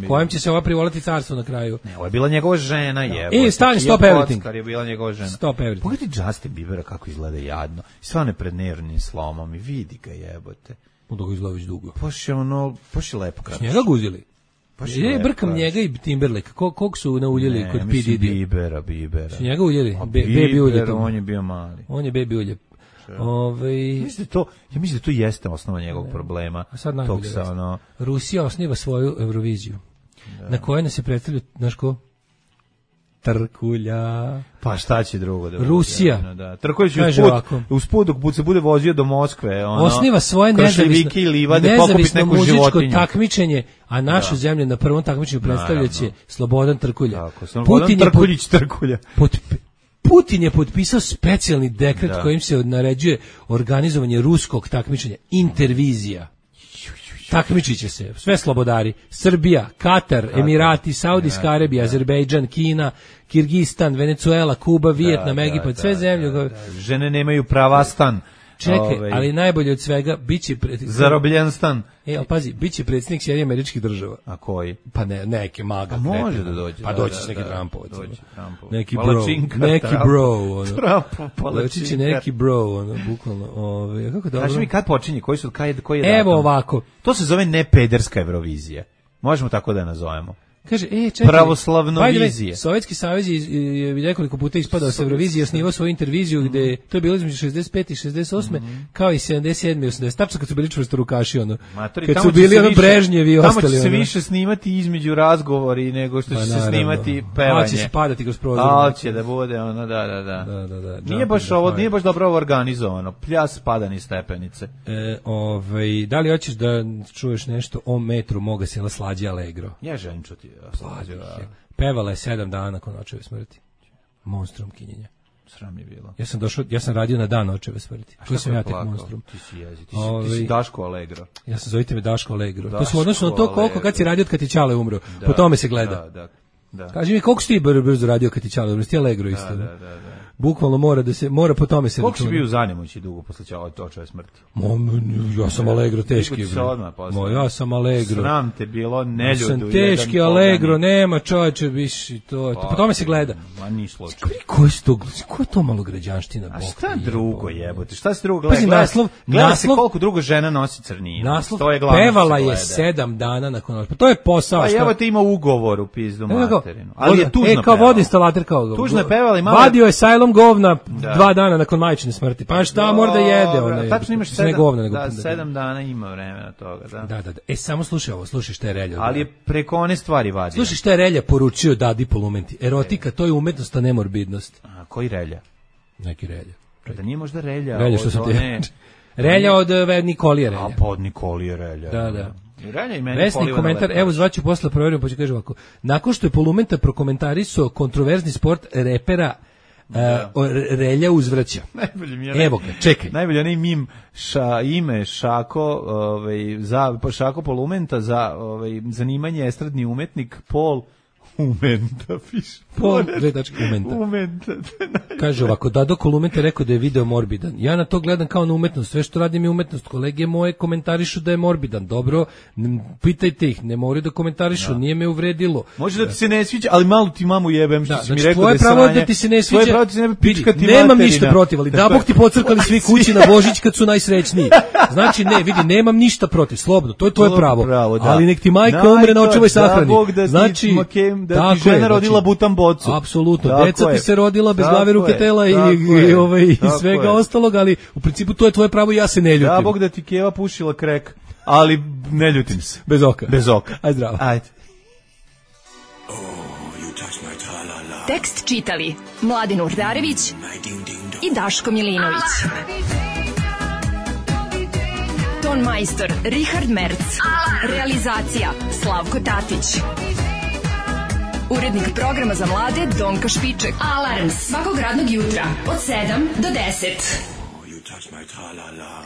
kojem će se ova privoliti carstvo na kraju. Ne, ovo je bila njegova žena, jebo. I stani, stop everything. Kar je bila njegova žena. Stop everything. Pogledaj Justin Biebera kako izgleda jadno. Stvarno je pred nervnim slomom i vidi ga, jebote. Onda ga izgleda već dugo. Baš je lepo kratko. Njega guzili. Je brkam njega i Timberlake. Kog su nauljili kod P. Diddy? Bibera. Su njega uljeli? Baby ulje. On je bio mali. On je baby ulje. Ja mislim da to jeste osnova njegovog problema. Tog Rusija osniva svoju Euroviziju. Na kojoj nas se predstavlja, znaš ko? Trkulja. Pa šta će drugo da bude? Rusija. Da. Trkulja će usput dok se bude vozio do Moskve. Osniva svoje nezavisno muzičko takmičenje, a našu zemlju na prvom takmičenju predstavljaće Slobodan Trkulja. Slobodan Trkuljić Trkulja. Putin je potpisao specijalni dekret kojim se naređuje organizovanje ruskog takmičenja, Intervizija. Takmičit će se sve slobodari: Srbija, Katar, Emirati, Saudijska Arabija, Azerbejdžan, Kina, Kirgistan, Venezuela, Kuba, Vijetnam, Egipat, sve zemlje. Žene nemaju prava stan. Čekaj, ali najbolje od svega biće zarobljen stan. Ali pazi, biće predsjednik Sjedinjenih Američkih Država. A koji? Pa neke maga. A može da dođe. Pa doći će neki Trumpovac. Neki bro. Doći će neki bro, bukvalno. Kako dobro. Kaži mi kad počinje, koji je datum? Evo ovako. To se zove nepederska Eurovizija. Možemo tako da je nazovemo. Kaže, čekaj, pravoslavno vizije. Sovjetski savez je nekoliko puta ispadao sa Eurovizije, osnivao svoju interviziju gde to je bilo između 65 i 68, kao i 77 i 80. Tačno kad su bili čvrstorukaši, kad su bili Brežnjevi i ostali. Tamo će se više snimati između razgovori nego što će se snimati pevanje. Će se padati kroz prozor. Će da bude da. Nije baš dobro organizovano. Pljas padani stepenice. Da li hoćeš da čuješ nešto o metru moga sela Slađe Allegro? Ja želim čuti. Pevala je 7 dana nakon očeve smrti. Monstrum kinjenja. Sram je bilo. Ja sam radio na dan očeve smrti. Tu sam ja tek monstrum. Ti si Daško Allegro. Ja sam zovite me Daško Allegro. To su odnosno na to koliko kad si radio kad ti Ćale umro. Po tome se gleda. Da. Kaži mi koliko si ti brzo radio kad ti Ćale umro? Ti Allegro isto. Da. Bukvalno mora po tome se računa. Koliko si bio u Zanemoći dugo posle očeve smrti? Ja sam Allegro teški. Ja sam Allegro. Sram te bilo, neljudu. Sam teški Allegro, nema čovječe, viši to. Po tome se gleda. Ma ni slučaj. Ko je to malograđanština? A šta drugo jebote? Šta se drugo gleda? Gleda se koliko drugo žena nosi crninu. Naslov pevala je 7 dana nakon očeve. To je posao. Pa evo te ima ugovor u pizdu materinu. Ali je tužno pevala. Kao vodoinstalater kao. Tužno je pevala i malo. Vadio je sajlom govna 2 dana nakon majčine smrti. Pa šta mora da jede? Tačno imaš 7 dana ima vremena toga. Da. Samo slušaj ovo, slušaj šta je Relja. Ali je preko one stvari vadio. Slušaj šta je Relja poručio Dadi Polumenti. Erotika, to je umetnost, a ne morbidnost. A koji Relja? Neki Relja. Da nije možda Relja što sam te... Relja od Nikolije Relja. A pa od Nikolije Relja. Da. Vesni komentar, evo zvaću posle proverim, pa će kaže ovako. Nakon što je Polumenta prokomentarisao kontroverzni sport repera Relja uzvraća. Evo ga, čekaj. Najbolje onaj mim ime Šako, Šako Polumenta za zanimanje estradni umetnik Pol Umenta piše. Umenta. Kaže ovako, Dado Kolumenta rekao da je video morbidan. Ja na to gledam kao na umetnost. Sve što radim je umetnost. Kolege moje komentarišu da je morbidan. Dobro, pitajte ih. Ne moraju da komentarišu. Nije me uvredilo. Može da ti se ne sviđa, ali malo ti mamu jebem što si mi rekao da je sranje. Tvoje pravo da ti se ne sviđa. Tvoje pravo da ti se ne pičkati nemam materina. Ništa protiv, ali da Bog ti pocrkali svi kući na Božić kad su najsrećniji. Znači, nemam ništa protiv. Slobodno, to je tvoje pravo. Ali nek ti majka umre na očevoj sahrani. Znači, da ti žena rodila butan bocu. Apsolutno, deca ti se rodila bez glave, ruke, tela i svega ostalog, ali u principu to je tvoje pravo i ja se ne ljutim. Da, Bog da ti Keva pušila krek, ali ne ljutim se. Bez oka. Ajde zdravo. Ajde. Tekst čitali Mladin Urdarević i Daško Milinović. Ton majstor Richard Merc. Realizacija Slavko Tatić. Urednik programa za mlade Donka Špiček. Alarms svakog radnog jutra od 7 do 10. You touch my tra-la-la.